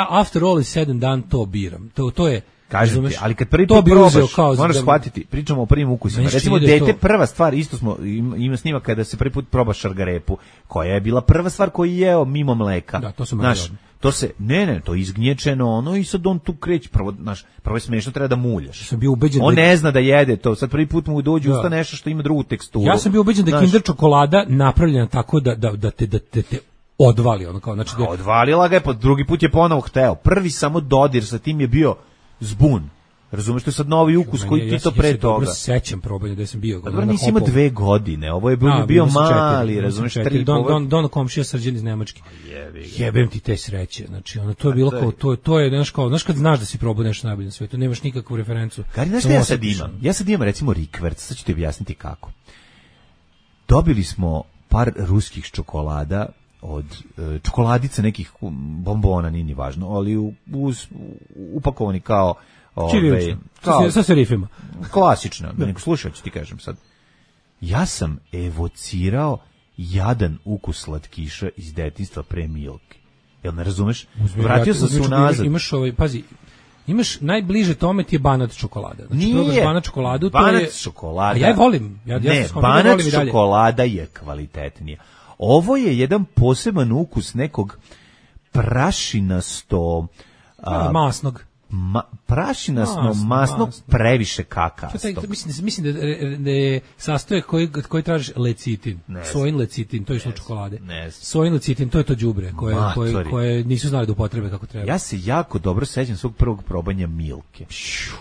after all is said and done, to biram. To to je kažem ti, ali kad prvi put probaš, moraš da shvatiti, pričamo o prvim ukusima. Recimo, dete, prva stvar, isto smo, ima snimak kada se prvi put proba šargarepu, koja je bila prva stvar koju je jeo mimo mleka. Da, to su znaš, to se, ne, ne, to je izgnječeno, ono, i sad on tu kreće, prvo, znaš, prvo je smiješno, treba da muljaš. Sam bio ubeđen on da... ne zna da jede to, sad prvi put mu dođe usta nešto što ima drugu teksturu. Ja sam bio ubeđen da je Kinder čokolada napravljena tako da, da, da te, da te, te odvali, ono kao, znači da... Odvalila ga je, pa drugi put je ponovo hteo. Prvi samo dodir sa tim je bio zbun. Razumeš, to je sad novi ukus koji ti ja, to pre ja toga. Ja se sećam probanja da sam bio. Dobro, nisi imao dve godine, ovo je bio, A, bio mali, četiri, razumeš, tri. Don, don, don komšija Srđan iz Nemačke. Jebem ti te sreće, znači ono, to je bilo kao, to, to je, znaš kao, znaš kad znaš da si probao nešto najbolje na svijetu, nemaš nikakvu referencu. Gari, znaš šta ja sad imam? Ja sad imam, recimo, rikverc, sad ću ti objasniti kako. Dobili smo par ruskih čokolada, od e, čokoladice nekih bombona, nije ni važno, ali u, uz, upakovani kao Ove, kao, sa serifima. Klasično, nego slušaj, ću ti kažem sad. Ja sam evocirao jadan ukus slatkiša iz detinjstva pre Milke. Jel ne razumeš? Vratio sam se unazad. Imaš ovaj, pazi, imaš najbliže tome ti je banat čokolada. Znači, nije. Banat čokoladu, banat to je... čokolada. A ja je volim. Ja, ne, ja banat da volim čokolada je kvalitetnija. Ovo je jedan poseban ukus nekog prašinasto... A, masnog. Ma, prašinasno, masno, masno, masno, previše kakastog. Mislim, mislim da, da je sastojak koji, koji tražiš lecitin, sojin lecitin, to je što čokolade. Sojin lecitin, to je to đubre koje, koje, koje nisu znali da upotrebe kako treba. Ja se jako dobro sećam svog prvog probanja Milke.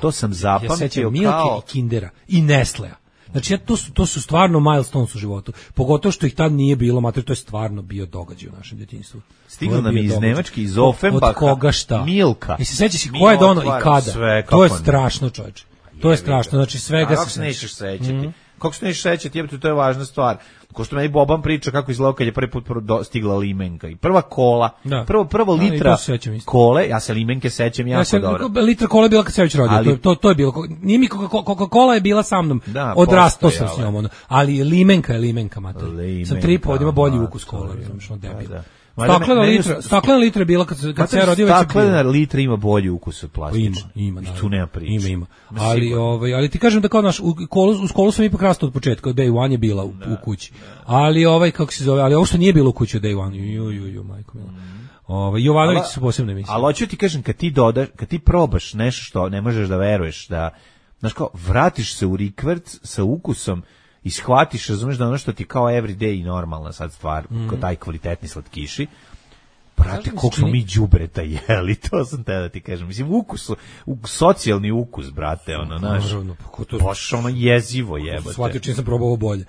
To sam zapamtio ja sećam kao... Milke i Kindera i Nestlea. Znači, ja, to, su, to su stvarno milestones u životu. Pogotovo što ih tad nije bilo, mater, to je stvarno bio događaj u našem djetinjstvu. Stiglo nam iz Nemačke, iz Offenbacha. Od koga šta? Milka. I se sećaš i ko je dono i kada. Sve, to je strašno, čovječe. To je strašno, znači svega A, se sećaš. Nećeš sećati. Mm-hmm. Kako se nećeš sećati, jebate, to je važna stvar. Ko što meni Boban priča kako izgledao kad je prvi put stigla limenka. I prva kola, da. prvo, prvo litra da, kole, ja se limenke sećam jako ja se, dobro. Litra kole je bila kad se već rodio, ali, to, to, to je bilo. Nije mi Coca-Cola je bila sa mnom, da, odrastao sam s njom. Ono. Ali limenka je limenka, mater. Sam tri pod, ima bolji ukus kola, znaš, ono debil. Da. Staklena litra, staklena litra je bila kad se kad se rodio već. Staklena litra ima bolji ukus od plastične. Ima, ima, tu nema priče. Ima, ima. Ali ovaj, ali ti kažem da kao naš u kolu, u školu sam ipak rastao od početka, od day one je bila u, u kući. Ali ovaj kako se zove, ali ovo što nije bilo u kući od day one, ju ju ju majko mila. Ovaj Jovanović su posebne emisije. Ali hoću ti kažem kad ti dodaš, kad ti probaš nešto što ne možeš da veruješ da znaš kao vratiš se u rikverc sa ukusom i shvatiš, razumeš da ono što ti kao everyday i normalna sad stvar, mm. kao taj kvalitetni slatkiši, brate, koliko smo mi đubreta jeli, to sam te da ti kažem. Mislim, ukus, ukus socijalni ukus, brate, ono, znaš, baš ono jezivo jebate. Shvatio čim sam probao ovo bolje.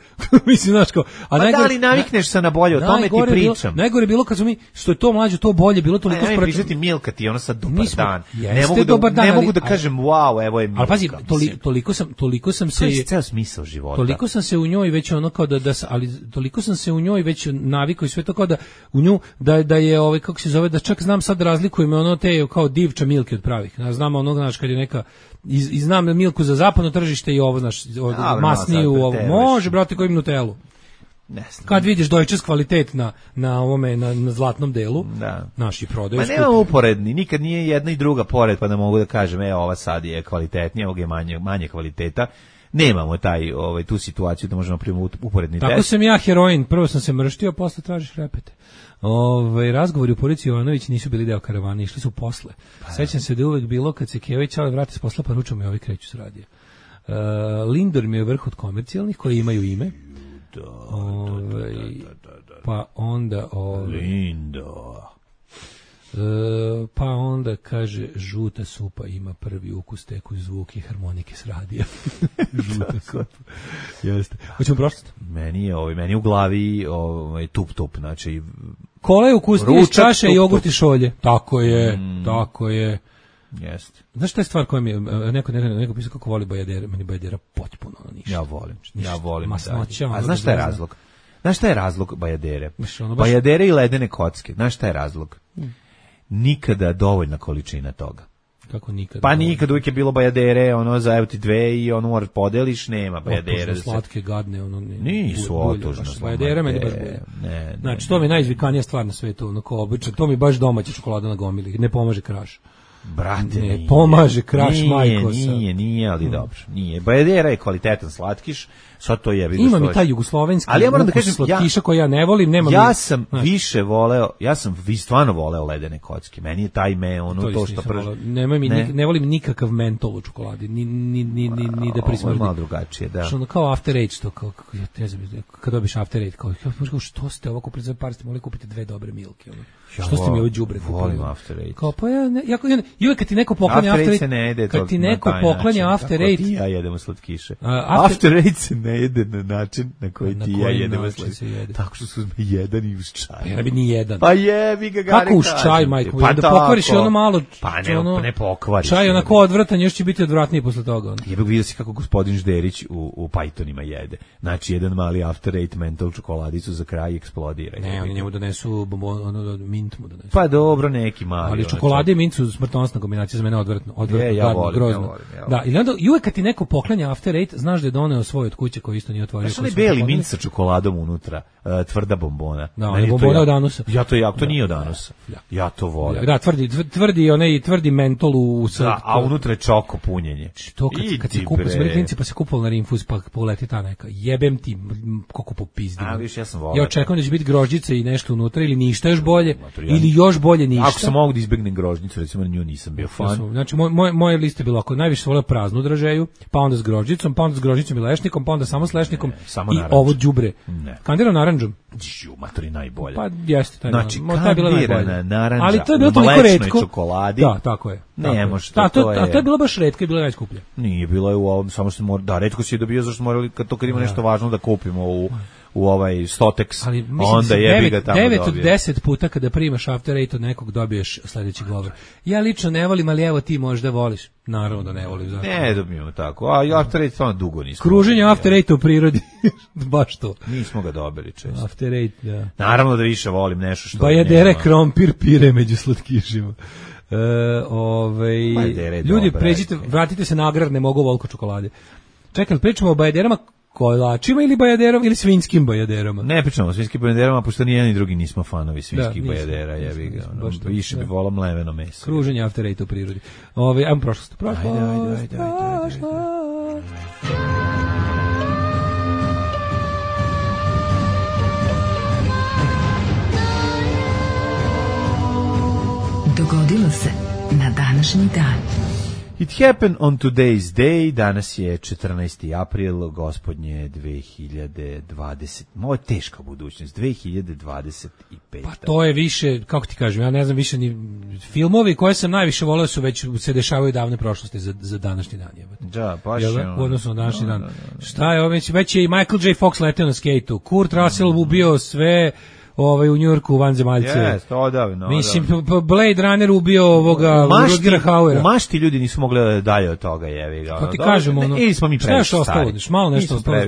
Mislim, znaš, kao... A da li navikneš se na bolje, o tome ti pričam. Najgore je bilo kad su mi, što je to mlađe, to bolje, bilo toliko sprečeno. Ne, ne, pričati Milka ti, ono sad dobar dan. Ne mogu da, ne mogu da kažem, wow, evo je Milka. Ali pazi, toliko sam, toliko sam se... To je ceo smisao života. Toliko sam se u njoj već ono kao da, da ali toliko sam se u njoj već navikao i sve to kao da u nju, da, da je ovaj kako se zove, da čak znam sad razlikujem ono te kao divča Milke od pravih. Ja znam onog, znaš, kad je neka i, i znam Milku za zapadno tržište i ovo, znaš, masniju ovo. Može, brate, koji im Nutellu. Ne znam. Kad vidiš Deutsches kvalitet na na ovome na, na zlatnom delu, da. Naši prodaju. Ma nema uporedni, nikad nije jedna i druga pored, pa da mogu da kažem, e, ova sad je kvalitetnija, ovog je manje manje kvaliteta. Nemamo taj ovaj tu situaciju da možemo primiti uporedni test. Tako sam ja heroin, prvo sam se mrštio, a posle tražiš repete. Ovaj razgovori u porodici Jovanović nisu bili deo karavane, išli su posle. Pa, sećam se da uvek bilo kad se Kević ali vrati s posla, pa ručom i ovi kreću s radija. Uh, Lindor mi je vrh od komercijalnih koji imaju ime. Da, ovaj, da, da, da, da. Pa onda ovaj, Lindor. Uh, pa onda kaže žuta supa ima prvi ukus, teku zvuk i harmonike s radija. Žuta supa. Jeste. Hoćemo prošlost? Meni je ovaj meni u glavi ovaj tup tup, znači kola je ukusnije iz čaše i jogurt i šolje. Tako je, mm. tako je. Jeste. Znaš šta je stvar koja mi je, neko, neko, neko pisao kako voli bajadere, meni bajadera potpuno ništa. Ja volim, ništa. Ja volim. Masnoća. A znaš šta je razlog? Znaš šta je razlog bajadere? Bajadere i ledene kocke. Znaš šta je razlog? Mm. Nikada dovoljna količina toga. Kako nikad. Pa nikad, uvijek je bilo bajadere, ono, za evo ti dve i ono moraš podeliš, nema bajadere. Otužno slatke, gadne, ono. Ne, nisu otužno. Bajadere meni baš bolje. Ne, znači, to mi je najizvikanija stvar na svetu, ono, ko obično, to mi baš domaća čokolada na gomili, ne pomaže kraš. Brate, ne nije. Pomaže kraš, nije, majko. Nije, nije, nije, ali hmm. dobro, nije. Bajadera je kvalitetan slatkiš, sad to je. Ima mi taj jugoslovenski, ali ja moram da kažem, slatkiša ja, koji ja ne volim, nema ja mi, sam znači. više voleo, ja sam vi stvarno voleo ledene kocke. Meni je taj me, ono, to, to što prži. Nema mi, ne. ne volim nikakav mentol u čokoladi, ni, ni, ni, ni, ni da prismrdi. Ovo je malo drugačije, da. Što kao after eight, to kao, ja ne znam, kad dobiš after eight, kao, što ste ovo kupili za par, ste mogli kupiti dve dobre milke, ono. Ja što ste mi ovo đubre kupili? Volim after eight. Kao, pa ja, ne, ja, ja, ja kad ti neko poklanja after eight, ne jede kad ti neko poklanja after eight, ti ja jedemo slatkiše. Uh, after, after eight se ne jede na način na koji na ti ja jedemo slatkiše. Tako što su uzme jedan i uz čaj. Pa ja ne bi ni jedan. Pa jebi ga gare. Kako uz čaj, majko? Pa da pokvariš ono malo. Pa ne, ono, ne pokvariš. Čaj onako odvratan, još će biti odvratniji posle toga. Jebe vidio si kako gospodin Žderić u, u Pythonima jede. Znači, jedan mali after eight mental čokoladicu za kraj eksplodira. Ne, oni njemu donesu ono, mint mu donesu. Pa dobro, neki mali. Ali čokolade i mint su smrtonosna kombinacija, za mene odvratno, odvratno, je, ja gadno, volim, grozno. Ja volim, ja volim. Da, i onda i uvek kad ti neko poklanja after eight, znaš da je doneo svoj od kuće koji isto nije otvorio. Znaš onaj beli mint sa čokoladom unutra, uh, tvrda bombona. Da, on je bombona od Anusa. Ja to jako, to nije od Anusa. Ja to volim. Da, tvrdi, tvrdi, onaj tvrdi mentol u sad. Da, a unutra je čoko punjenje. To kad, kad se kupa s klinci pa se kupalo na Rinfuz pa poleti ta neka. Jebem ti koliko popizdim. A viš, ja sam volio. Ja očekujem da će biti grožđice i nešto unutra ili ništa još bolje ili još bolje ništa. Ako sam mogu da izbegnem grožđicu, recimo na nju nisam bio fan. Znači moj moj moje liste bilo ako najviše voleo praznu dražeju, pa onda s grožđicom, pa onda s grožđicom i lešnikom, pa onda samo s lešnikom ne, samo i naranđom. Ovo đubre. Kandira naranđom. Ju, matori najbolje. Pa jeste taj. Znači, ta je bila najbolja. Naranđa, ali to je bilo toliko retko. Čokoladi. Da, tako je. Ne može to. to je. A to je bilo baš retko i bilo najskuplje. Nije bilo je u ovom, samo što mora, da, retko si je dobio zašto morali kad to kad ima nešto važno da kupimo u u ovaj Stotex, ali onda jebi ga tamo devet od deset puta kada primaš after eight od nekog dobiješ sledeći govor. Ja lično ne volim, ali evo ti možda voliš. Naravno da ne volim. Zato. Ne dobijemo tako. A i after eight stvarno dugo nismo. Kruženje after eight u prirodi. Baš to. Nismo ga dobili često. After eight, da. Naravno da više volim nešto što bajadere, krompir, pire među slatkišima. E, ovaj, ljudi, pređite, vratite se na agrar, ne mogu volko čokolade. Čekaj, pričamo o bajaderama kolačima ili bajaderom ili svinjskim bajaderama? Ne pričamo o svinjskim bajaderama, pošto ni jedan ni drugi nismo fanovi svinjskih da, bajadera, jebi ga. Ono, više da. bi volao mleveno meso. Kruženje after eight u prirodi. Ove, ajmo prošlost. Prošlost. Ajde, ajde, ajde, ajde, ajde, ajde. Dogodilo se na današnji dan. It happened on today's day, danas je četrnaesti april, gospodnje dve hiljade dvadesete. Ovo je teška budućnost, dve hiljade dvadeset peta. Pa to je više, kako ti kažem, ja ne znam više ni filmovi koje sam najviše voleo su već se dešavaju davne prošlosti za, za današnji dan. Da, baš je. U odnosu na današnji no, dan. No, no, no. Šta je ovo, već, već je i Michael J. Fox leteo na skejtu, Kurt Russell mm. ubio sve ovaj u Njujorku vanzemaljce. Jeste, odavno. Mislim, Blade Runner ubio ovoga Rutgera Hauera. U mašti ljudi nisu mogli dalje od toga, jevi ga. To ti kažemo, ono. Ili smo mi previše stari. Malo nešto ostalo.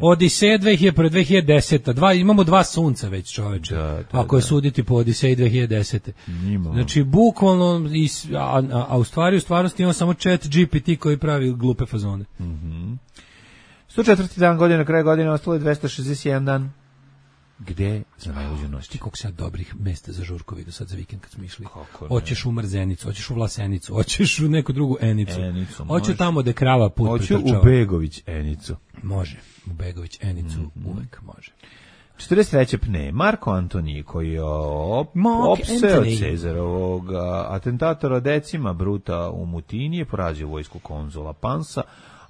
Odiseja dve hiljade prve, dve hiljade desete. Dva, imamo dva sunca već, čoveče. Da, da, ako je suditi po Odiseji dve hiljade desete. Imamo. Znači, bukvalno, a, a, a u stvari, u stvarnosti imamo samo chat G P T koji pravi glupe fazone. Mhm. sto četvrti dan godine, na kraju godine, ostalo je dvesta šezdeset jedan dan. Gde za najluđu noć? Ti koliko sad dobrih mesta za žurku vidio sad za vikend kad smo išli. Hoćeš u Mrzenicu, hoćeš u Vlasenicu, hoćeš u neku drugu Enicu. Enicu hoću tamo da krava put hoću u Begović Enicu. Može, u Begović Enicu mm -hmm. uvek može. četrdeset treće pne, Marko Antoni koji je op, opseo Cezarovog atentatora decima Bruta u Mutini je porazio vojsku konzula Pansa,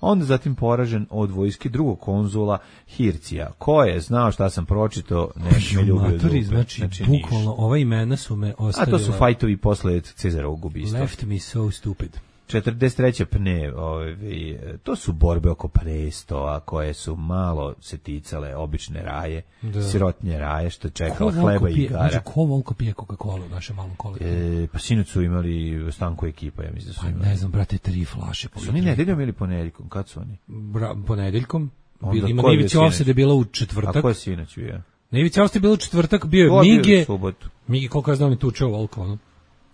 onda zatim poražen od vojske drugog konzula Hircija. Ko je znao šta sam pročitao, ne me ljubio dupe. Znači, znači bukvalno, ova imena su me ostavila. A to su fajtovi posle Cezarovog ubistva. Left me so stupid. četrdeset treće pne, ovi, to su borbe oko Prestova, koje su malo se ticale obične raje, da. Sirotnje raje, što čekao hleba i igara. Znači, ko volko pije Coca-Cola u našem malom kolektivu? E, pa sinoć su imali stanku ekipa, ja mislim da su pa, imali. Ne znam, brate, tri flaše. Su oni nedeljom ili ponedeljkom? Kad su oni? Bra, ponedeljkom. Bil, ima Ivica Ovsed je bila u četvrtak. A ko je sinoć bio? Na Ivica Ovsed je bila u četvrtak, bio je Mige. Bio Mige, koliko ja znam, je tučeo volko, ono.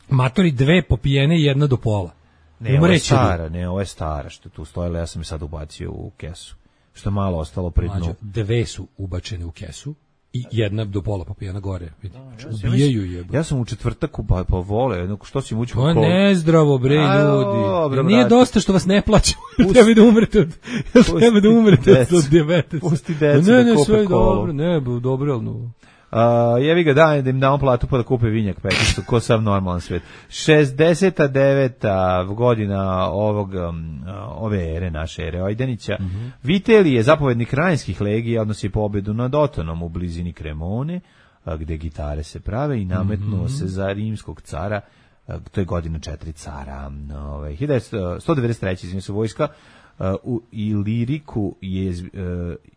Matori dve popijene i jedna do pola. Ne, ovo je stara, ne, ovo je stara, što tu stojila, ja sam je sad ubacio u kesu. Što je malo ostalo pri dnu. Mlađo, dve su ubačene u kesu i jedna do pola popijena gore. Vidi. Da, ubijaju je. Ja sam u četvrtaku pa, pa vole, što si mući po kolu. To je nezdravo, bre, ljudi. Ja, nije dosta što vas ne plaću. Treba da umrete od, treba da umrete od dijabetesa. Pusti decu ne, da ne, kupe sve kolu. Dobro, ne, dobro, ali no. Uh, jevi ga da, da im damo platu pa da kupe vinjak peticu, ko sav normalan svet. šezdeset deveta godina ovog, um, ove ere, naše ere Ojdanića. Mm -hmm. Viteli je zapovednik Rajnskih legija, odnosi pobedu nad Otonom u blizini Kremone, gde gitare se prave i nametnuo mm -hmm. se za rimskog cara, to je godina četiri cara. Ove, sto devedeset treće izvinite se vojska uh, u Iliriku je uh,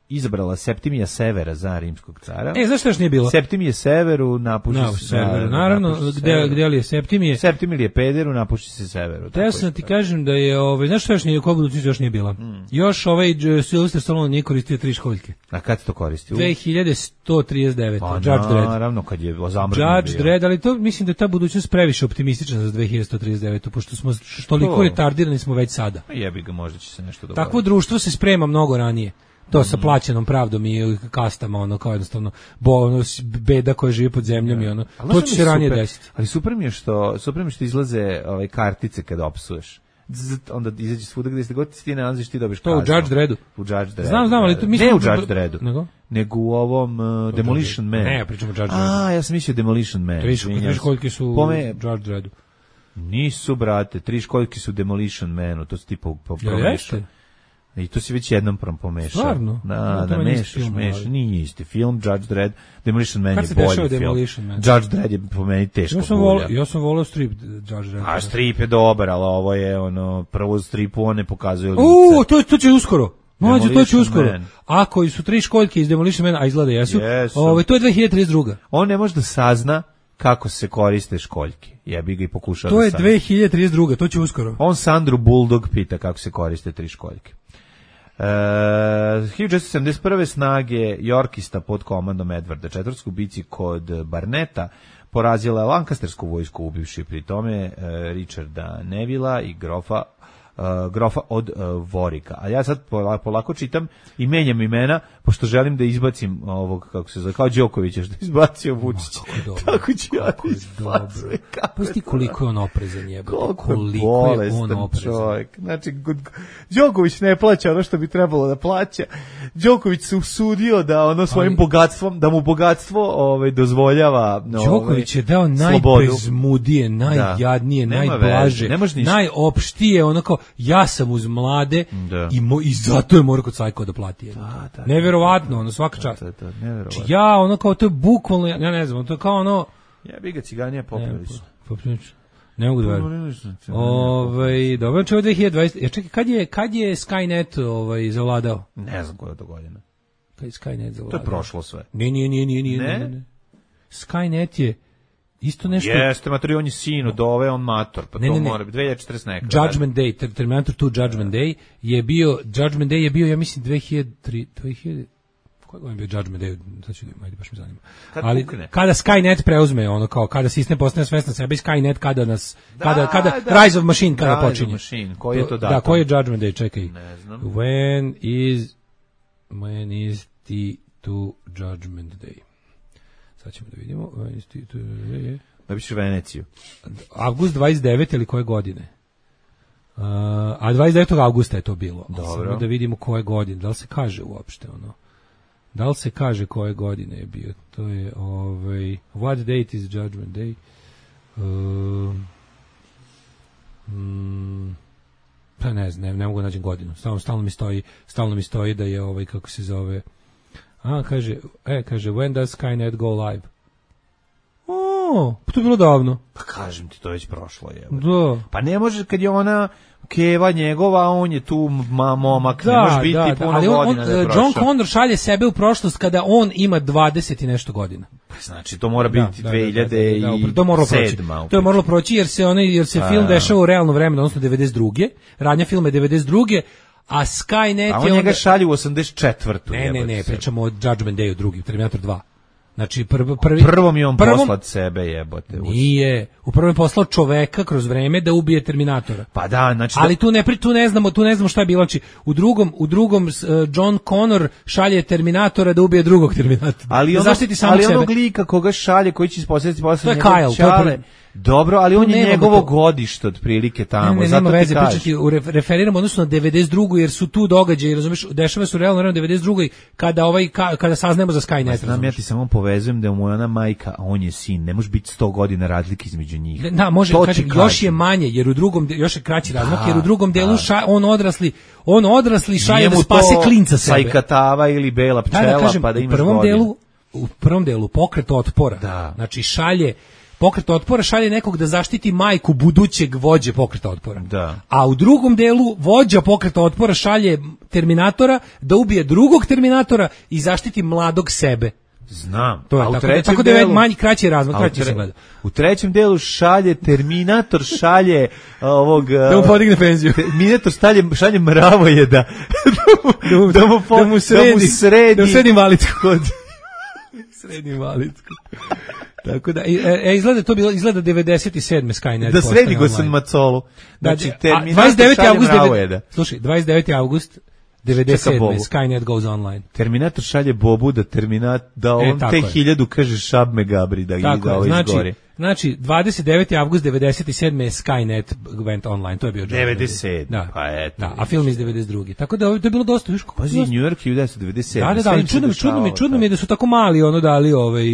izabrala Septimija Severa za rimskog cara. E, zašto još nije bilo? Septimije Severu napuši no, se Severu. Naravno, napuši gde, severu. Gde li je Septimije? Septimije je Pederu, napuši se Severu. Te ja sam ti kažem da je, ovaj, znaš što još nije, ko budućnost još nije bila? Mm. Još ovaj Sylvester Stallone nije koristio tri školjke. A kad to koristio? dve hiljade sto trideset devet. Pa Judge Dredd. Naravno, kad je zamrznuo. Judge Dredd, ali to mislim da je ta budućnost previše optimistična za dve hiljade sto trideset devet, pošto smo toliko retardirani smo već sada. Jebi ga, možda će se nešto dogoditi. Takvo društvo se sprema mnogo ranije. To sa plaćenom pravdom i kastama, ono, kao jednostavno, bo, ono, beda koja živi pod zemljom i ono, to će se ranije desiti. Ali super mi je što, super mi je što izlaze ove kartice kada opsuješ. Zzz, onda izađe svuda gde god ti nalaziš, ti dobiš kaznu. To u Judge Dreddu. U Judge Dreddu. Znam, znam, ali to mislim... Ne u Judge Dreddu, nego? nego u ovom uh, Demolition Man. Ne, ja pričam o Judge Dreddu. A, ja sam mislio Demolition Man. Tri školjke su u Judge Dreddu. Nisu, brate, tri školjke su Demolition Manu, to su tipa promešao. I to si već jednom pomešao. Stvarno? Da, da, mešaš, mešaš. Nije isti film, Judge Dredd. Demolition Man je bolji film. Judge Dredd je po meni teško bulja. Ja sam volao strip Judge Dredd. A strip je dobar, ali ovo je ono, prvo stripu on ne pokazuje lice. Uuu, to, to će uskoro. Mlađe, to će uskoro. Ako su tri školjke iz Demolition Man, a izgleda jesu, ove, to je dve hiljade trideset druga. On ne može da sazna kako se koriste školjke. Ja bih ga i pokušao to da je dve hiljade trideset druga, to će uskoro. On Sandru Bulldog pita kako se koriste tri školjke. Uh, hiljadu šessto sedamdeset prve snage Yorkista pod komandom Edvarda četvrtog u bici kod Barneta porazila je Lancastersku vojsku ubivši pri tome uh, Richarda Nevilla i grofa Uh, grofa od uh, Vorika. A ja sad polako, polako čitam i menjam imena, pošto želim da izbacim ovog, kako se zove, kao Đokovića što izbacio Vučić. Tako ću ja da izbacim. Pusti koliko je on oprezan jebe. Koliko je on oprezan. Čovjek. Znači, Đoković ne plaća ono što bi trebalo da plaća. Đoković se usudio da ono svojim ali, bogatstvom, da mu bogatstvo ovaj, dozvoljava no, Đoković je dao najbezmudije, najjadnije, da. najblaže, najopštije, onako ja sam uz mlade da. i, mo, i zato je mora kod Cajko da plati. Da, da, neverovatno, ono svaka čast. Da, da, da, ja, ono kao, to je bukvalno, ja ne znam, to je kao ono... Ja bi ga ciganija poprilično. Poprilično. Ne mogu da verujem. Ovaj, dobro, čeo dve hiljade dvadeset. Ja čekaj, kad je, kad je Skynet ovaj, zavladao? Ne znam koja je to godina. Kad je Skynet zavladao? To je prošlo sve. Ne, nije, nije, nije, nije. Ne? Ne, ne. Skynet je isto nešto... Jeste, matori, on je sin od ove, on mator, pa ne, to ne, ne. mora biti dve hiljade četrdeset neka. Judgment Day, Terminator dva Judgment Day je bio, Judgment Day je bio, ja mislim, dve hiljade tri, dve hiljade Koji je bio Judgment Day? Sad ću da ajde, baš me zanima. Kad ali pukne. Kada Skynet preuzme, ono kao, kada sistem postane svestan sebe i Skynet, kada nas, da, kada, kada, da. Rise of Machine, kada Rise počinje. Machine. Koji je to datum? Da, koji je Judgment Day, čekaj. Ne znam. When is, when is the to Judgment Day? Sad ćemo da vidimo. When is the to, je. Da biš Veneciju. Avgust dvadeset devete ili koje godine? Uh, a dvadeset devetog avgusta je to bilo. Dobro. Samo da vidimo koje godine. Da li se kaže uopšte ono? Da li se kaže koje godine je bio? To je ovaj what date is Judgment Day? Uh, mm, pa ne znam, ne, ne mogu naći godinu. Stalno, stalno mi stoji, stalno mi stoji da je ovaj kako se zove. A kaže, e kaže when does Skynet go live? O, pa to je bilo davno. Pa kažem ti, to je već prošlo je. Da. Pa ne može kad je ona Keva njegova, on je tu ma, momak, da, ne može biti da, puno ali on, godina. On, John Connor šalje sebe u prošlost kada on ima dvadeset i nešto godina. Pa znači, to mora biti da, dve hiljade sedam. To je moralo proći jer se, onaj, jer se a, film dešava u realno vremenu, odnosno devedeset druge Radnja filma je devedeset druge a Skynet a on je... A on njega onda... šalje u osamdeset četvrtu Ne, ne, ne, pričamo o Judgment Dayu drugim, Terminator dva. Znači prvo prvi prvom je on prvom, poslat sebe jebote. Nije, u prvom je poslao čoveka kroz vreme da ubije Terminatora. Pa da, znači ali da... tu ne tu ne znamo, tu ne znamo šta je bilo. Znači u drugom u drugom uh, John Connor šalje Terminatora da ubije drugog Terminatora. Ali da ono, zaštiti samog ali sebe. onog lika koga šalje, koji će ispostaviti posle njegov Kyle, čale. Dobro, ali on je njegovo to... godište otprilike tamo. Ne, ne, zato nema veze, ti pričati, referiramo odnosno na devedeset drugu jer su tu događaji, razumeš, dešava su realno na devedeset drugoj kada ovaj ka, kada saznajemo za Skynet. Znam, ja ti samo povezujem da je mu ona majka, a on je sin, ne može biti sto godina razlike između njih. Da, može, kažem, još je manje, jer u drugom još je kraći razmak, jer u drugom delu ša, on odrasli, on odrasli šalje da spase klinca sebe. Sajkatava ili bela pčela, da, da, kažem, pa da imaš u prvom godinu. delu, u prvom delu pokret otpora. Da. Znači šalje Pokret otpora šalje nekog da zaštiti majku budućeg vođe pokreta otpora. Da. A u drugom delu vođa pokreta otpora šalje Terminatora da ubije drugog Terminatora i zaštiti mladog sebe. Znam. To je a tako, tako da je manji kraći razmak, kraći se gleda. U trećem delu šalje Terminator šalje ovog da mu podigne penziju. Terminator šalje šalje mravoje da da mu, da mu, po, da mu sredi, da mu sredi, da mu sredi invalidsku kod sredi invalidsku. Tako da e, e, izgleda to bilo izgleda devedeset sedme Skynet. Da sredi go sam macolu. Znači Terminator dvadeset deveti avgust mravoje. Slušaj, dvadeset deveti avgust devedeset sedme Skynet goes online. Terminator šalje Bobu da Terminat da on e, te hiljadu kaže šab me gabri da ide da ovaj znači, izgori. Znači dvadeset deveti avgust devedeset sedme je Skynet went online, to je bio devedeset sedme Da. Pa eto. Da, a film iz devedeset druge Tako da to je bilo dosta viško. Pazi, New York hiljadu devetsto devedeset sedme Da, da, da, čudno mi, čudno mi, čudno mi je da su tako mali ono dali ovaj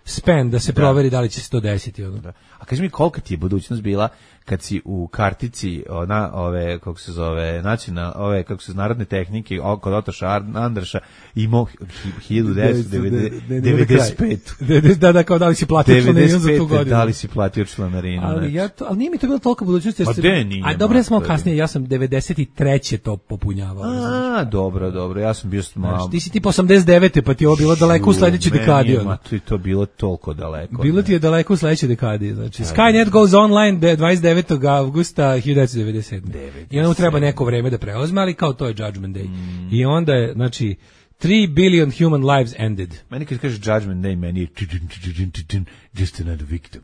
span da se da. proveri da li će se to desiti ono. Da. A kaži mi kolika ti je budućnost bila kad si u kartici na ove kako se zove nacionalne ove kako se narodne tehnike kod Otoša Andraša imao hiljadu devetsto devedeset pet Da, da, kao da li si platio članarinu za tu godinu. Da li si platio članarinu. Ali, ja to, ali nije mi to bilo toliko budućnost. Pa de nije. A dobro, ja sam malo kasnije, ja sam devedeset treće to popunjavao. A, dobro, dobro, ja sam bio malo... Ti si ti po osamdeset devete pa ti je ovo bilo daleko u sledećoj dekadi. Ma, to je to bilo toliko daleko. Bilo ti je daleko u sledećoj dekadi. Znači, Skynet goes online dvadeset devetog avgusta hiljadu devetsto devedeset sedme I onda mu treba neko vreme da preuzme, ali kao to je Judgment Day. Mm. I onda je, znači, three billion human lives ended. Meni kad kažeš Judgment Day, meni je just another victim.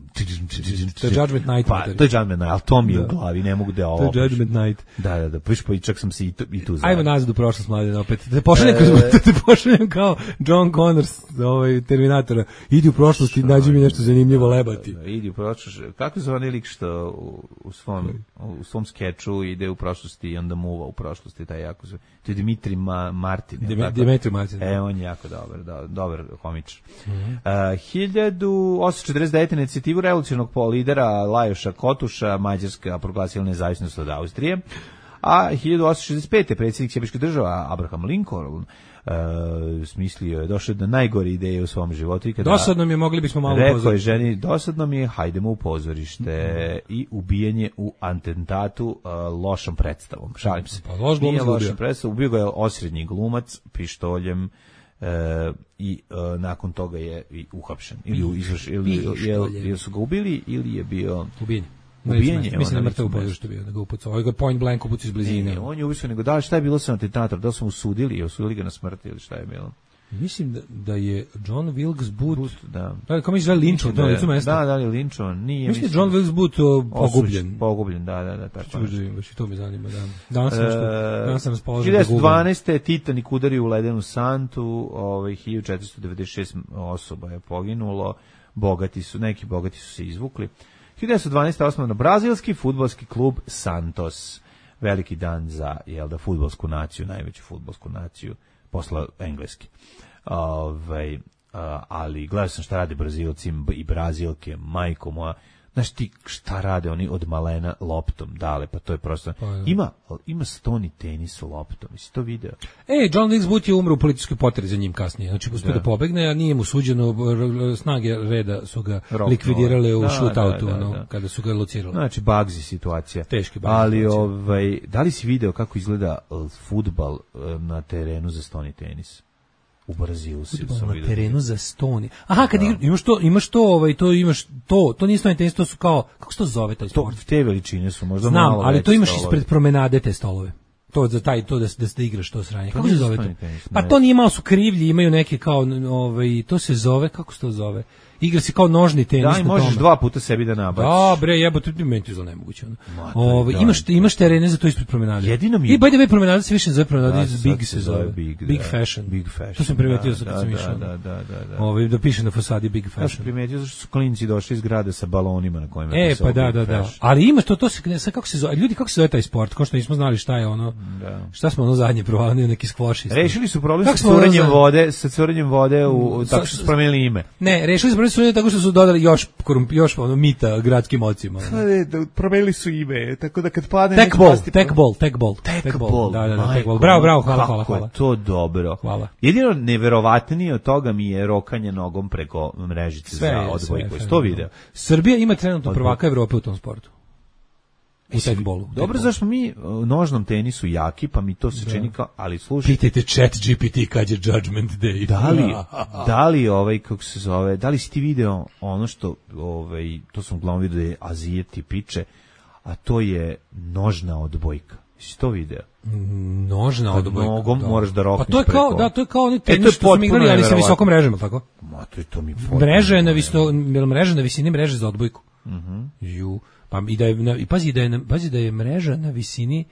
To je Judgment Night. Pa, to je Judgment Night, ali to mi je u glavi, ne mogu da ovo. To je Judgment Night. Da, da, da, piš pa i čak sam se i tu, i tu znao. Ajmo nazad u prošlost, mladine, opet. Te pošaljem, e... te pošaljem kao John Connor, ovaj, Terminatora. Idi u prošlost i nađi mi nešto zanimljivo lebati. Idi u prošlost. Kako zove onaj lik što u, u, svom, u svom skeču ide u prošlosti i onda muva u prošlosti, taj jako zove. To je Dimitri Ma, Martin. Dimitri Martin. E, on je jako dobar, do, dobar homič. Mm -hmm. uh, hiljadu osamsto četrdeset devete inicijativu revolucionarnog lidera Lajoša Kotuša, Mađarska proglasila nezavisnost od Austrije, a hiljadu osamsto šezdeset pete predsjednik Sjemičke država Abraham Lincoln Uh, smislio je, došao do najgore ideje u svom životu i kada dosadno mi je, mogli bismo malo upozoriti. Rekao je ženi, dosadno mi je, hajdemo u pozorište mm. i ubijanje u atentatu uh, lošom predstavom. Šalim se. Pa loš Nije lošom predstavom, ubio ga je osrednji glumac pištoljem uh, i uh, nakon toga je i uhapšen. Ili, izvrš, ili, ili, ili su ga ubili ili je bio ubijen. Ubijenje, mislim da mrtav u pozorištu bio, da ga upucao. Ovaj ga point blank upucao iz blizine. Ne, on je ubišao, nego da li šta je bilo sa atentator, da li su mu sudili i osudili ga na smrt ili šta je bilo? Mislim da, da je John Wilkes Booth, Booth da. Da, kao misliš da je linčovan, to licu mesta? Da, da li je linčovan, nije. Mislim da je John Wilkes Booth pogubljen. Pogubljen, da, da, da. Tako je. Baš i to me zanima, da. Danas sam, što, danas sam raspoložen da gubam. hiljadu devetsto dvanaeste. Titanic udario u ledenu santu, ovaj, hiljadu četiristo devedeset šest osoba je poginulo, bogati su, neki bogati su se izvukli. hiljadu devetsto dvanaeste. osnovno brazilski fudbalski klub Santos. Veliki dan za, jel da, fudbalsku naciju, najveću fudbalsku naciju, posla engleski. Ovaj, ali gledao sam šta rade Brazilci i Brazilke, majko moja, znaš ti šta rade oni od malena loptom, dale, pa to je prosto, pa, ja. ima, ima stoni tenis loptom, jesi to video? E, John Wilkes Booth je umro u političkoj poteri za njim kasnije, znači uspio da. da pobegne, a nije mu suđeno, snage reda su ga Rock likvidirale u da, shootoutu, da, da, no, da. kada su ga locirali. Znači, Bugsy situacija. Teški Bugsy ali, situacija. ovaj, da li si video kako izgleda fudbal na terenu za stoni tenis? U Brazilu si na terenu za stoni. Aha, kad da. imaš to, imaš to, ovaj to imaš to, to nije stoni tenis, to su kao, kako se to zove taj sport? To te veličine su možda Znam, malo ali to imaš stolovi. Ispred promenade te stolove. to za taj to da da se igraš to sranje. Kako se zove to? Pa to nije, malo su krivlji, imaju neke kao ovaj to se zove, kako se to zove? Igra se kao nožni tenis. Da, i možeš dva puta sebi da nabaciš. Da, bre, jebote, ti meni to izgleda nemoguće. Ovaj imaš imaš terene za to ispred promenade. Jedino mi I by the way, promenada se više zove promenada iz Big se zove. Big, Big Fashion. Big Fashion. To sam primetio sa kad sam išao. Da, da, da, da. Ovaj da piše na fasadi Big Fashion. Ja sam primetio zašto su klinci došli iz grada sa balonima na kojima je pisao. E, pa da, da, da. Ali ima to to se sa kako se zove, ljudi kako se zove taj sport, kao što nismo znali šta je ono. Da. Šta smo ono zadnje provalili, neki skvoši. Rešili su problem sa curenjem vode, sa curenjem vode u tako što su promenili ime. Ne, rešili su problem tako što su dodali još korump, još ono mita gradskim ocima. Da, promenili su ime, tako da kad padne Tekbol, tekbol, tekbol, tekbol. Da, da, da, tekbol. Bravo, bravo, hvala, hvala, hvala. To dobro. Hvala. Jedino neverovatnije od toga mi je rokanje nogom preko mrežice za odbojku. Sto video. Srbija ima trenutno prvaka Evrope u tom sportu. U tekbolu. Dobro, zašto mi u nožnom tenisu jaki, pa mi to se da. čini kao, ali slušaj. Pitajte Chat G P T kad je Judgment Day. Da li, da li ovaj, kako se zove, da li si ti video ono što, ovaj, to sam uglavnom vidio da je Azijeti piče, a to je nožna odbojka. Si to video? Nožna odbojka. Nogom da. moraš da rokneš pa to je kao, preko. Da, to je kao oni tenis e, što smo igrali, ali sa visokom mrežama, tako? Ma, to je to mi mreža je na, viso, mreža na visini mreže za odbojku. Mhm. Uh-huh. Ju. Pa i da je i pazi da je pazi da je mreža na visini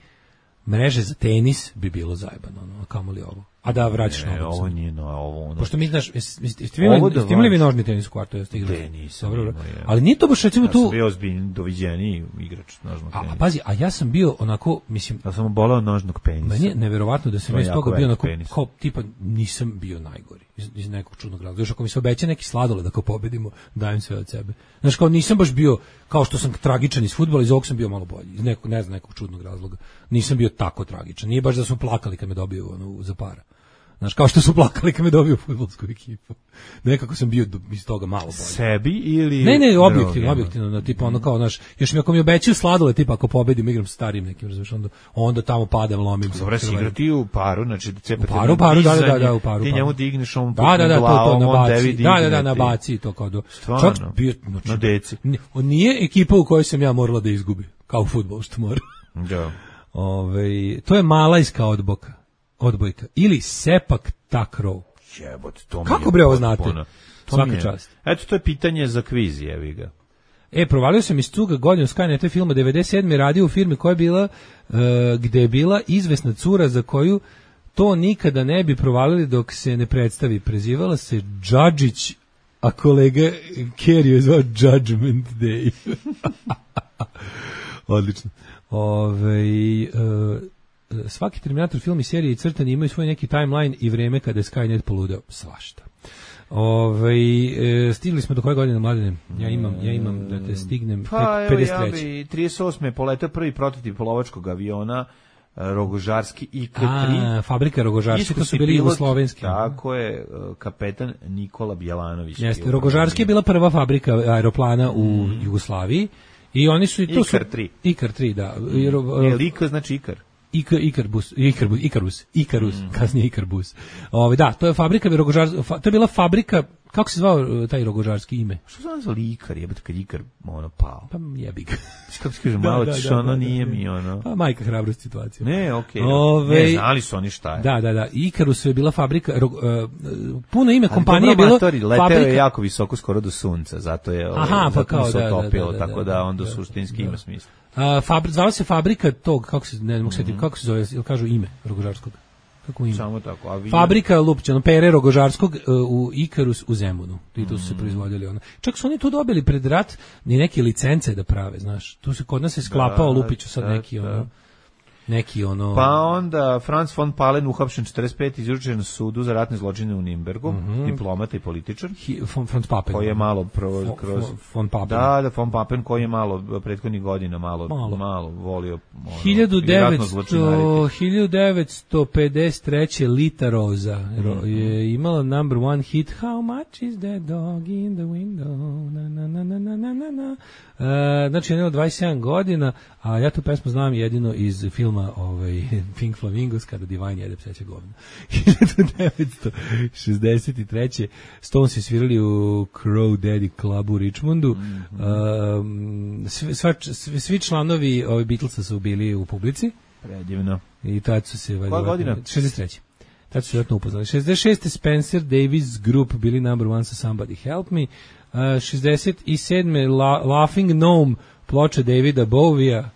mreže za tenis bi bilo zajebano, no, kamoli ovo. A da vraćaš na ovo. Ovo nije no, ovo. Ono pošto mi znaš, jeste vi nožni tenis u kvartu, jeste igrali? Tenis. Dobro, ali nije to baš recimo tu. Ja sam bio ozbiljni doviđeni igrač nožnog tenisa. A pazi, a ja sam bio onako, mislim, ja sam bolao nožnog penisa. Meni je neverovatno da sam iz toga bio onako kao tipa nisam bio najgori iz, iz nekog čudnog razloga. Još ako mi se obeća neki sladoled da kao pobedimo, dajem sve od sebe. Znaš, kao nisam baš bio kao što sam tragičan iz fudbala, iz ovog sam bio malo bolji. Iz nekog, ne znam, nekog čudnog razloga. Nisam bio tako tragičan. Nije baš da smo plakali kad me dobio ono za para. Znaš, kao što su plakali kad me dobio fudbalsku ekipu. Nekako sam bio iz toga malo bolje. Sebi ili... Ne, ne, objektivno, objektivno, no, tipa ono kao, znaš, još mi ako mi obećaju sladole, tipa ako pobedim, igram sa starim nekim, razumiješ, onda, onda tamo padam, lomim se. Dobro, si igrati u paru, znači da cepate... U paru, paru, da, da, da, u paru. Ti njemu digneš ovom da, da, da, glavom, to, to, on tebi digne. Da, da, da, na baci to kao do... Stvarno, čak bio, znači, na deci. On nije ekipa u kojoj sam ja morala da izgubi, kao u fudbalu što mora. Da. Ove, to je malajska odboka, odbojka, ili sepak takraw. Jebot, to mi kako bre ovo znate? Svaka čast. Eto, to je pitanje za kviz, jevi ga. E, provalio sam iz cuga godinu Skynet filma devedeset sedme radio u firmi koja je bila, uh, gde je bila izvesna cura za koju to nikada ne bi provalili dok se ne predstavi. Prezivala se Džadžić, a kolega Kerry je zvao Judgment Day. Odlično. Ove, uh, svaki Terminator film i serije i crtani imaju svoj neki timeline i vreme kada je Skynet poludeo. Svašta. Ove, e, stigli smo do koje godine, Mladene? Ja imam, ja imam da te stignem pa, pedeset treće. Pa evo ja bi trideset osme poletao prvi prototip polovačkog aviona Rogožarski I K tri. A, fabrika Rogožarski, to su bili jugoslovenski. Tako je, kapetan Nikola Bjelanović. Jeste, Rogožarski je bila prva fabrika aeroplana u mm. Jugoslaviji i oni su... To Ikar tri. Ikar tri, da. Je Lika znači Ikar. Ik, Ikarbus, Ikarbus, Ikarus, Ikarus, mm. kasnije Ikarbus. Ove, da, to je fabrika Rogožarski, fa, to je bila fabrika, kako se zvao taj Rogožarski ime? Što se zvao Ikar, jebate kad Ikar ono pao? Pa jebi ga. Kako se kaže, malo da, da, da, ono da, nije da, mi ono. Pa majka hrabrost situacija. Ne, okej. Okay, ne, znali su oni šta je. Da, da, da, Ikarus je bila fabrika, ro, uh, puno ime kompanije je bilo amatori, fabrika. Leteo je jako visoko, skoro do sunca, zato je Aha, pa kao, se da, otopilo, da, da, tako da onda suštinski ima smisla. A fabri, zvala se fabrika tog, kako se, ne mogu setiti, kako se zove, ili kažu ime Rogožarskog? Kako ime? Samo tako, avion. Fabrika Lupčano, Pere Rogožarskog uh, u Ikarus u Zemunu. I tu su se proizvodili ono. Čak su oni tu dobili pred rat ni neke licence da prave, znaš. Tu se kod nas se sklapao da, Lupiću sad da, neki ono. Neki ono... Pa onda Franz von Palen uhapšen četrdeset pete izručen na sudu za ratne zločine u Nimbergu, mm-hmm. diplomata i političar. Hi, von, Franz Papen. Koji je malo pro, kroz... Von, von Papen. Da, da, von Papen koji je malo, prethodnih godina malo, malo. malo volio... Ono, hiljadu devetsto pedeset treće Lita Rosa mm-hmm. je imala number one hit How much is that dog in the window? Na, na, na, na, na, na, na. Uh, znači, jedno dvadeset sedam godina, a ja tu pesmu znam jedino iz filma ovaj, Pink Flamingos, kada Divine jede pseće govno. hiljadu devetsto šezdeset treće Stones je svirali u Crow Daddy Club u Richmondu. Mm-hmm. um, svi, sva, svi, svi članovi ovaj, Beatlesa su bili u publici. Predivno. I tad su se... Koja godina? šezdeset treće Tad su se vratno upoznali. šezdeset šeste Spencer Davis Group bili number one sa Somebody Help Me. Uh, šezdeset sedme La, Laughing Gnome, ploča Davida Bowija,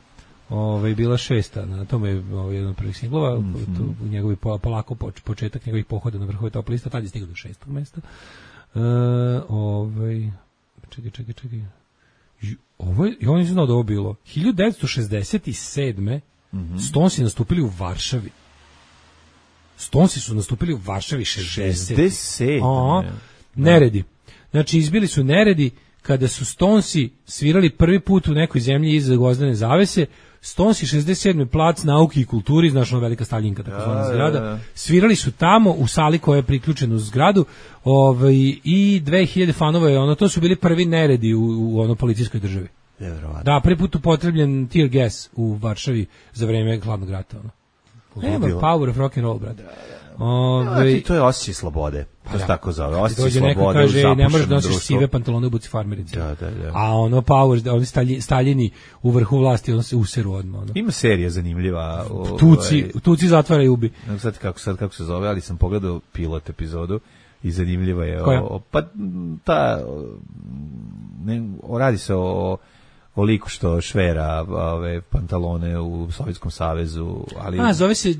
ovaj, bila šesta. Na tome je ovaj, jedan od prvih singlova. Mm -hmm. U njegovi polako početak njegovih pohoda na vrhove top lista. Tad je stigao do šestog mesta. Uh, ovaj, čekaj, čekaj, čekaj. Ovo je, ja nisam znao da ovo bilo. hiljadu devetsto šezdeset sedme Mm-hmm. Stonesi nastupili u Varšavi. Stonesi su nastupili u Varšavi šezdeset šezdeset Aha, neredi. Znači, izbili su neredi kada su Stonesi svirali prvi put u nekoj zemlji iza gvozdene zavese. Stonesi šezdeset sedme plac nauke i kulturi, znaš ono velika Staljinka, tako zvana zgrada. Svirali su tamo u sali koja je priključena uz zgradu, ovaj, i dve hiljade fanova je ono, to su bili prvi neredi u, u ono policijskoj državi. Da, prvi put upotrebljen tear gas u Varšavi za vreme hladnog rata. Ono. Nema power of rock and roll, brate. Ove... To je osjećaj slobode. Pa to se tako zove. Osjećaj slobode neko kaže, ne možeš da nosiš sive pantalone u buci farmerice. Da, da, da. A ono power, oni stalji, staljini u vrhu vlasti, ono se useru odmah. Ono. Ima serija zanimljiva. O, tuci, ovaj, tuci zatvara i ubi. Ne znam kako, sad kako se zove, ali sam pogledao pilot epizodu i zanimljiva je. Koja? O, pa ta, ne, o, radi se o o liku što švera ove pantalone u Sovjetskom savezu, ali a zove se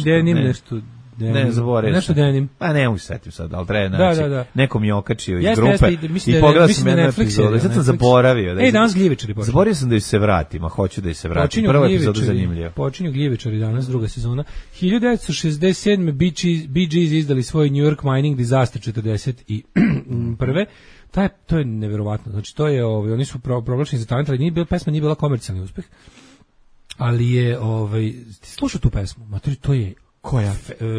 denim nešto, ne zaboravim nešto denim, a ne mogu se setim sad, ali treba naći, da, da, da. nekom je okačio iz grupe i pogledao sam jednu epizodu, sad sam zaboravio, ej, danas gljivičari počinju, zaboravio sam da se vratim, a hoću da se vratim, prva epizoda zanimljiva, počinju gljivičari danas, druga sezona. hiljadu devetsto šezdeset sedme Bee Gees izdali svoj New York Mining Disaster četrdeset prve Taj, to je neverovatno. Znači to je, ovaj, oni su pro, proglašeni za talent, ali nije bila pesma, nije bila komercijalni uspeh. Ali je, ovaj, ti slušao tu pesmu? Matori, to je koja? Uh,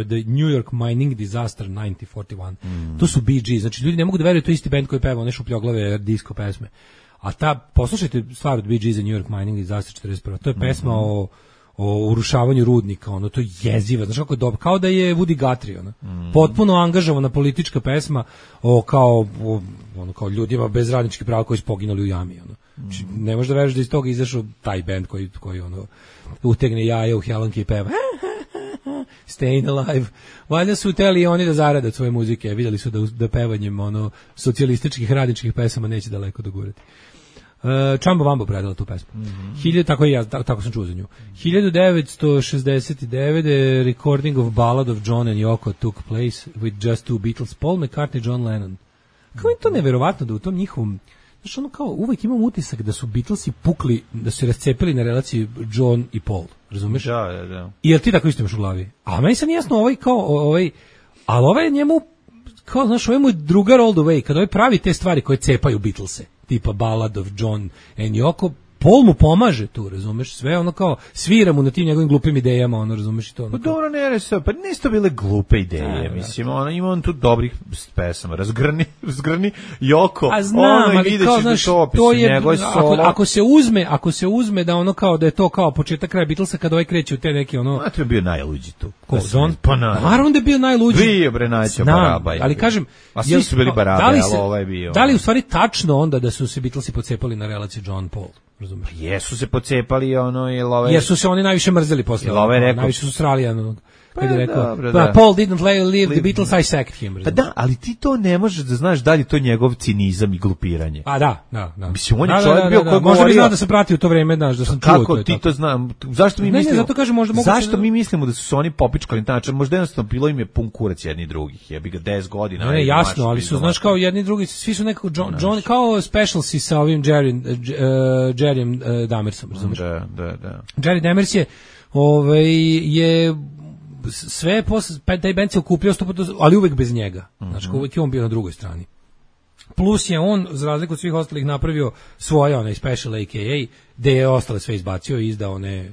the New York Mining Disaster devetnaest četrdeset jedan Mm. To su Bee Gees. Znači ljudi ne mogu da veruju, to je isti bend koji peva one šupljoglave disco pesme. A ta, poslušajte stvar od Bee Gees, New York Mining Disaster četrdeset prva To je pesma mm -hmm. o o urušavanju rudnika, ono, to je jeziva, znaš kako je dobro, kao da je Woody Guthrie, ono, mm. potpuno angažovana politička pesma o kao, o, ono, kao ljudima bez radničkih prava koji su poginuli u jami, ono. Mm. Ne možeš da veriš da iz toga izašao taj bend koji, koji ono, utegne jaja u helanke i peva Staying Alive. Valjda su hteli oni da zarade od svoje muzike, vidjeli su da, da pevanjem ono, socijalističkih radničkih pesama neće daleko dogurati. Uh, Čambo Vambo predala tu pesmu. Mm-hmm. Hiljadu, tako, ja, tako, tako sam čuo za nju. hiljadu devetsto šezdeset devete recording of Ballad of John and Yoko took place with just two Beatles, Paul McCartney, John Lennon. Kako je to neverovatno da u tom njihovom, znaš, ono kao, uvek imam utisak da su Beatlesi pukli, da su se rascepili na relaciji John i Paul, razumeš? Da, da, da. I jel ti tako isto imaš u glavi? A meni sam jasno ovaj kao, ovaj, ali ovaj njemu, kao, znaš, ovaj mu drugar all the way, kad ovaj pravi te stvari koje cepaju Beatlese, tipa Ballad of John and Yoko, Paul mu pomaže tu, razumeš, sve ono kao svira mu na tim njegovim glupim idejama, ono, razumeš i to. Ono, pa dobro, ne reći, pa nisu to bile glupe ideje, da, mislim, ono, ima on tu dobrih pesama, razgrni, razgrni Yoko, a znam, ali kao, znaš, to, to je, ako, ako se uzme, ako se uzme da ono kao, da je to kao početak kraja Beatlesa, kad ovaj kreće u te neke, ono... A to je bio najluđi tu. Ko, John? Pa naravno da je bio najluđi. Bio, bre, najća baraba. Ali kažem... A svi su bili barabe, ali ovaj bio... Da li u stvari tačno onda da su se Beatlesi pocepali na relaciji John-Paul? Razumeš? Jesu se pocepali ono i love. Jesu se oni najviše mrzeli posle. Love rekao, najviše su srali ono. Kad je rekao, dobro, da. Paul didn't leave, leave the Beatles, I sacked him. Pa da, ali ti to ne možeš da znaš da li to njegov cinizam i glupiranje. A da, da, da. Mislim, on je da, čovjek da, da, bio da, koji da. Možda bi znao da se prati u to vreme, znaš, da sam čuo. Kako ti to znam? Zašto mi ne, mislimo? Ne, zato kažem, možda mogu zašto se... mi mislimo da su se oni popičkali na način? Možda jednostavno bilo im je pun kurac jedni drugih. Jebi ga deset godina. Ne, ne jasno, ali su, znaš, kao jedni drugi, svi su nekako John, John kao specialsi sa ovim Jerry, uh, Jerrym uh, Damersom, razumiješ? Da, da, da. Jerry Damers je, ovaj, je sve posle, taj band se okupljao, ali uvek bez njega. Mm-hmm. Znači, uvek je on bio na drugoj strani. Plus je on, za razliku od svih ostalih, napravio svoje, onaj special A K A, gde je ostale sve izbacio i izdao one,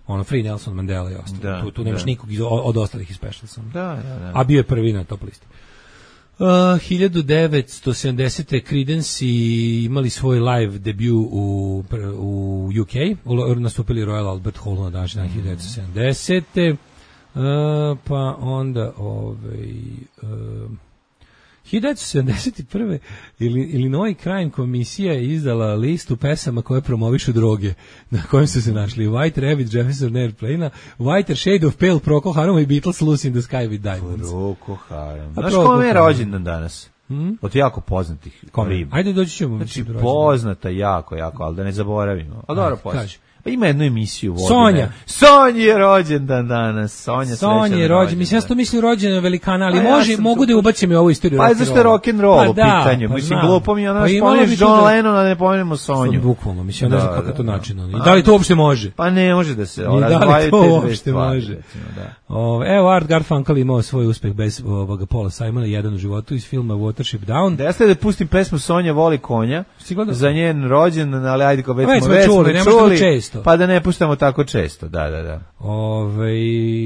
ono, Free Nelson Mandela i ostalo. Da, tu, tu nemaš da. nikog iz, od ostalih iz specialsa. Da, da, da. A bio je prvi na top listi. Uh, hiljadu devetsto sedamdesete Creedence imali svoj live debut u, u U K, u, nastupili Royal Albert Hallu na današnji dan hiljadu devetsto sedamdesete Uh, pa onda ovaj uh, hiljadu devetsto sedamdeset prve. Illinois Crime komisija je izdala listu pesama koje promovišu droge, na kojem su se našli White Rabbit, Jefferson Airplane, Whiter Shade of Pale, Procol Harum i Beatles, Lucy in the Sky with Diamonds. Procol Harum. Znaš kome je rođendan danas? Hmm? Od jako poznatih riba. Ajde, doći ćemo. Znači, poznata jako, jako, ali da ne zaboravimo. A dobro, poznat. Pa ima jednu emisiju vodi. Sonja. Sonja je rođendan danas. Sonja, Sonja je rođendan. Mislim, ja sam to mislim rođendan velikana, ali pa može, ja mogu da ubacim i ovu istoriju. Pa je zašto je rock'n'roll pa u pitanju. Pa mislim, glupo mi je ono, pa spomeneš John Lennon, a ne pomenemo Sonju. Bukvalno, mislim, ja ne znam kako je to način. I da li to uopšte može? Pa ne može da se razdvajaju te dve stvari. Da li to uopšte može? Evo, Art Garfunkel imao svoj uspeh bez ovoga Paula Simona, jedan u životu iz filma Watership Down. Da ja ste da pustim pesmu Sonja voli konja za njen rođendan, ali ajde kao već smo već čuli, ne možemo često. Pa da ne puštamo tako često, da, da, da. Ove,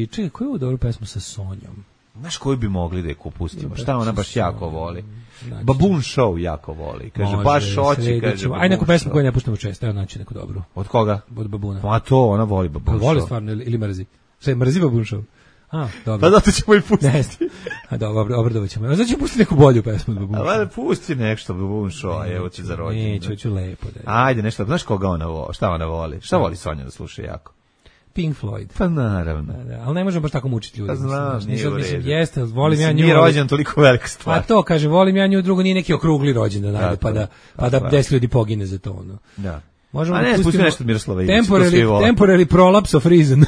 čekaj, koju je ovo dobru pesmu sa Sonjom? Znaš koju bi mogli da je pustimo? Šta ona baš jako voli? Znači, Baboon Show jako voli. Kaže, može, baš oči, kaže. Aj neku pesmu koju ne puštamo često, evo naći neku dobru. Od koga? Od Babuna. Pa to, ona voli Baboon Show. Voli stvarno ili mrzi? Sve, mrzi Baboon Show? A, dobro. Pa zato ćemo i pustiti. A dobro, obradovat ćemo. A znači ćemo pustiti neku bolju pesmu od Baboon Show. Ali pusti nešto Baboon Show, evo ti za rođendan. Neću, hoću lepo. Da. Ajde, nešto, znaš koga ona voli? Šta ona voli? Šta voli Sonja da sluša jako? Pink Floyd. Pa naravno. Da, da, ali ne možemo baš tako mučiti ljudi. Pa znam, mislim, nije u mislim, redu. Jeste, volim mislim, ja nju. Nije rođendan toliko velika stvar. A to, kaže, volim ja nju, drugo nije neki okrugli rođendan, da, pa da, pa da deset ljudi pogine za to. Ono. Da. Možemo a ne, pusti nešto od Miroslava Ilića. Temporary, temporary prolapse of reason.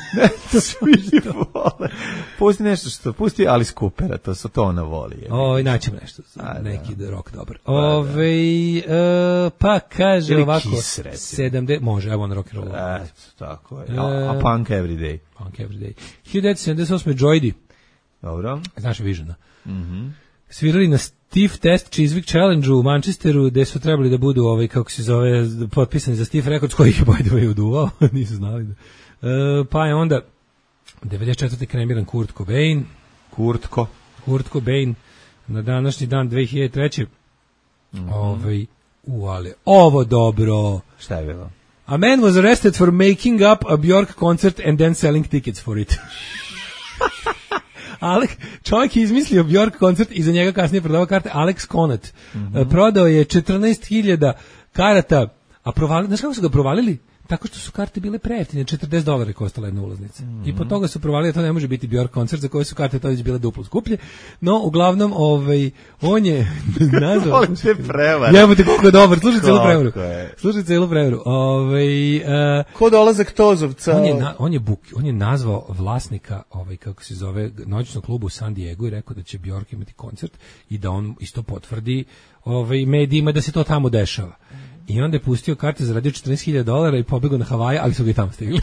To svi vole. Pusti nešto što, pusti Alice Coopera, to su to ona voli. O, naćemo nešto, a, neki da. rock dobar. Ove, uh, pa kaže ili ovako, sedamdeset, može, evo on rock and roll. Eto, tako je. A, a punk every day. Punk every day. hiljadu devetsto sedamdeset osme. Joydi. Dobro. Znaš Visiona. Mhm. Mm svirali na Steve Test Chiswick Challenge u Manchesteru, gde su trebali da budu ovaj, kako se zove, potpisani za Steve Records, koji je by the way uduvao, nisu znali da. E, pa je onda devedeset četvrte kremiran Kurt Cobain. Kurtko. Kurt Cobain na današnji dan dve hiljade treće. Mm-hmm. Ovaj, u, ali, ovo dobro. Šta je bilo? A man was arrested for making up a Bjork concert and then selling tickets for it. Alek, čovjek je izmislio Bjork koncert i za njega kasnije prodavao karte. Alex Conant. Mm-hmm. Prodao je četrnaest hiljada karata, a provalili, znaš kako su ga provalili? Tako što su karte bile prejeftine, četrdeset dolara je koštala jedna ulaznica. Mm-hmm. I po toga su provalili, to ne može biti Bjork koncert za koje su karte to već bile duplo skuplje. No, uglavnom, ovaj, on je nazvao... Volim te prevare. Jebote, koliko je dobar, slušaj celu prevaru. Slušaj celu prevaru. Ovaj, uh, ko dolazak Tozovca? On je, na, on, je buk, on je nazvao vlasnika, ovaj, kako se zove, noćnog kluba u San Diego i rekao da će Bjork imati koncert i da on isto potvrdi ovaj, medijima da se to tamo dešava. I onda je pustio karte, zaradio četrnaest hiljada dolara i pobegao na Havaje, ali su ga i tamo stigli.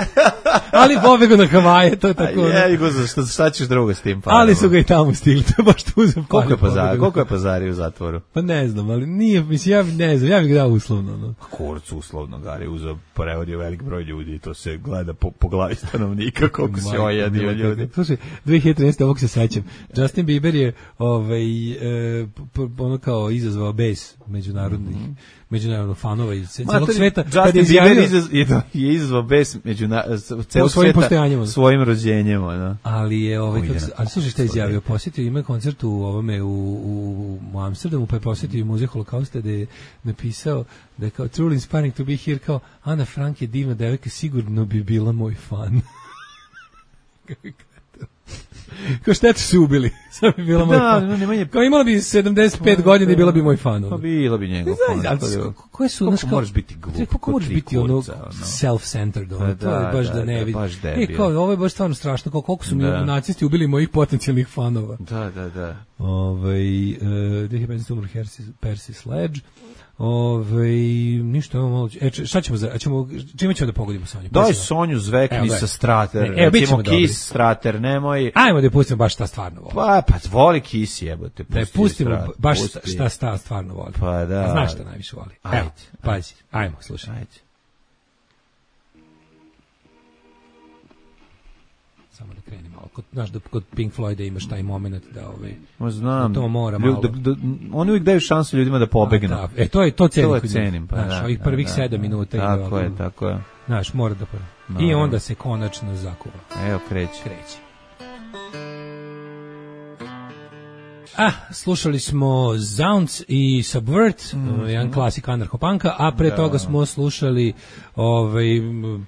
Ali pobegao na Havaje, to je tako. A je, go, šta, šta ćeš drugo s tim? Pa, ali su ga i tamo stigli, to je baš tu za koliko je pazari, koliko je pazari u zatvoru? Pa ne znam, ali nije, mislim, ja ne znam, ja bih ga dao uslovno. No. Kurc uslovno, Gari, uzeo, prevodio velik broj ljudi i to se gleda po, po glavi stanovnika, koliko se ojadio ljudi. Slušaj, dve hiljade trinaeste. ovog se sećam. Justin Bieber je ovaj, e, ono kao izazvao bes međunarodnih, mm-hmm. međunarodnog fanova iz celog sveta. Justin Bieber izaz, je, je izazvao bes međuna, celog svojim sveta svojim rođenjem. No. Ali je, ovaj, kako, ali slušaj šta je izjavio, posjetio ima koncert u, ovome, u, u, u Amsterdamu, pa je posjetio i muzej Holokausta, da je napisao da je kao truly inspiring to be here, kao Ana Frank je divna devojka, sigurno bi bila moj fan. Kao šteta su ubili. Sad bi bila moj da, fan. Nemanje... Kao imala bi sedamdeset pet godina i bila bi moj fan. Pa bila bi njegov fan. Koje su, koliko moraš biti glup? Kako moraš biti ono self-centered? Ono, to je baš da, da ne vidi. E, kao, ovo je baš stvarno strašno. Kao, koliko su mi nacisti ubili mojih potencijalnih fanova. Da, da, da. Ovaj, uh, dve hiljade petnaeste. umro Percy Sledge. Ove, ništa, ovo malo... E, šta ćemo za... Ćemo, čime ćemo da pogodimo Sonju? Daj Sonju zvekni sa Strater. Ne, recimo Kiss Strater, nemoj... Ajmo da pustimo baš šta stvarno voli. Pa, pa voli Kiss, jebote. Da pustimo baš šta, šta stvarno voli. Pa da. A znaš šta najviše voli? Ajde. Evo, pazi, ajmo, slušaj. Ajde. Samo da krenim malo. Kod, znaš, da kod Pink Floyda imaš taj moment da ovaj... Ma znam. Da to mora malo. Da, da, oni uvijek daju šansu ljudima da pobegnu. Da, e, to je to cenim. To je cenim, pa znaš, da. Ovih prvih da, sedam da, minuta. Tako i je, tako je. Znaš, mora da prvo. No, I onda se konačno zakuva. Evo, kreće. Kreće. Ah, slušali smo Zounds i Subvert, mm-hmm. jedan klasik anarcho-punka, a pre da. toga smo slušali ovaj,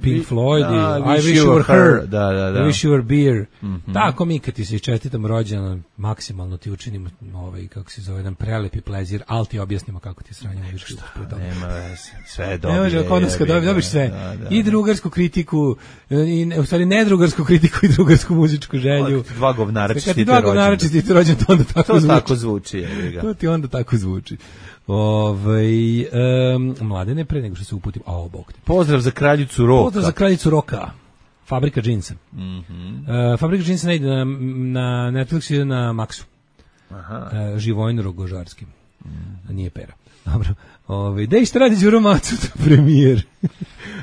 Pink Floyd da, i I Wish You Were Her, da, da, da. I Wish You Were Beer. Mm-hmm. Tako mi kad ti se čestitam rođendan, maksimalno ti učinimo ovaj, kako se zove, jedan prelepi plezir, ali ti objasnimo kako ti sranje ne viš nema sve dobije. Ne može, kod nas kad dobiš sve. Da, da. I drugarsku kritiku, i, u stvari ne drugarsku kritiku i drugarsku muzičku želju. Dva govnara čestite Dva govnara čestite rođendan, to onda tako to zvuči. tako zvuči. Je, to ti onda tako zvuči. Ovaj um, Mladene, pre nego što se uputim, a bog te. Pozdrav za kraljicu roka. Pozdrav za kraljicu roka. Fabrika džinsa. Mhm. Uh, Fabrika džinsa ne ide na, na Netflixu, ide na Maxu. Aha. Uh, Živojin Rogožarski. Mm. Nije pera. Dobro. Ovaj dej šta radi Đuro Macuta premijer.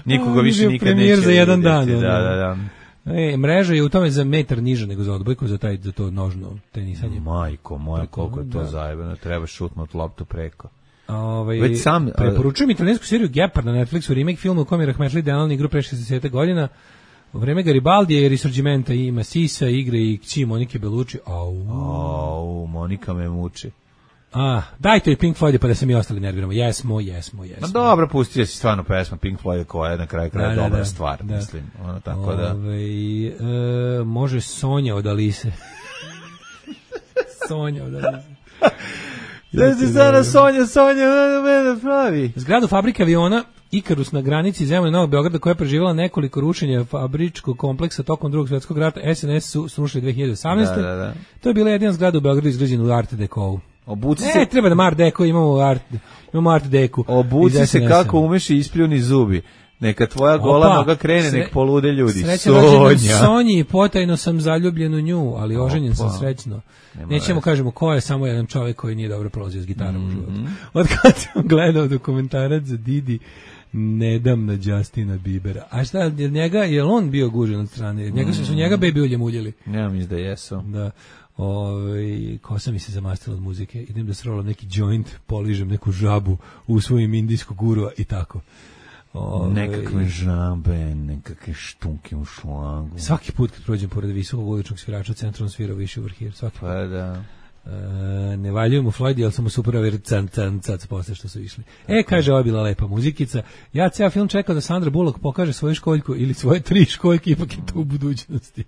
Nikoga više nikad neće. Premijer za jedan dan. Da, da, da. E, mreža je u tome za metar niže nego za odbojku, za taj za to nožno tenisanje. Majko moja, koliko je to da. Zajebano, treba šutnuti loptu preko. Ovaj već sam preporučujem italijansku seriju Gepard na Netflixu, remake film u kome je Rahmetli Delali igru pre šezdeset godina. U vreme Garibaldija i Risorgimenta ima Sisa, igre i kći Monike Bellucci. Au, au, Monika me muči. A, dajte i Pink Floyd pa da se mi ostali nerviramo. Jesmo, jesmo, jesmo. Ma dobro, pustio si stvarno pesma Pink Floyd koja je na kraju kraja da, dobra da, stvar, da. Mislim. Ono, tako Ove, da. E, može Sonja od Alise. Sonja od Alise. Da si sada Sonja, Sonja, mene pravi. Zgradu fabrike aviona Ikarus na granici Zemlje Novog Beograda koja je preživjela nekoliko rušenja fabričkog kompleksa tokom Drugog svjetskog rata S N S su srušili dve hiljade osamnaeste. Da, da, da. To je bila jedina zgrada u Beogradu izgrađena u Art Deco. Obuci ne, se... treba da Art Deco, imamo Art, imamo Art Deco. Obuci se kako umeš i ispljuni zubi. Neka tvoja gola Opa, noga krene, sre... nek polude ljudi. Srećan rođendan Sonji, potajno sam zaljubljen u nju, ali oženjen sam srećno. Nema Nećemo res. Kažemo ko je samo jedan čovjek koji nije dobro prolazio s gitarom mm-hmm. u životu. Od kad sam gledao dokumentarac za Didi, ne dam na Justina Biebera. A šta, je njega, je on bio gužen od strane? Njega mm-hmm. su njega baby uljem uljeli. Ja mislim da jesu. Da. Ove, kosa mi se zamastila od muzike, idem da srolam neki joint, poližem neku žabu u svojim indijskog gurua i tako. Ove, nekakve žabe, nekakve štunke u šlangu. Svaki put kad prođem pored visokog uličnog svirača, centrom svira Wish You Were Here. Svaki pa da. E, ne valjujem u Floydi, ali sam mu super ver can can cac posle što su išli. E, kaže, ovo je bila lepa muzikica. Ja ceo film čekao da Sandra Bullock pokaže svoju školjku ili svoje tri školjke, ipak je to u budućnosti.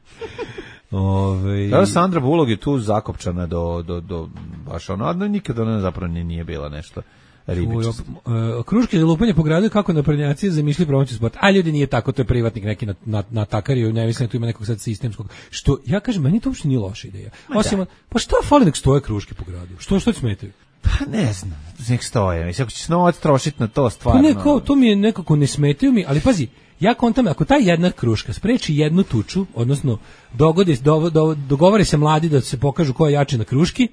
Ove... Da, Sandra Bullock je tu zakopčana do, do, do baš ono, a nikada ona zapravo nije bila nešto ribičica. Uh, kruške za lupanje po gradu kako naprednjaci zamišljaju promociju sporta. A ljudi nije tako, to je privatnik neki na, na, na takariju, ne mislim da tu ima nekog sad sistemskog. Što, ja kažem, meni to uopšte nije loša ideja. Osim, pa šta fali nek stoje kruške po gradu? Što, što ti smetaju? Pa ne znam, nek stoje. Mislim, ako ćeš novac trošiti na to stvarno. Pa neko, to mi je nekako ne smetaju mi, ali pazi, ja kontam, ako ta jedna kruška spreči jednu tuču, odnosno dogodi, do, do, dogovore se mladi da se pokažu ko je jači na kruški,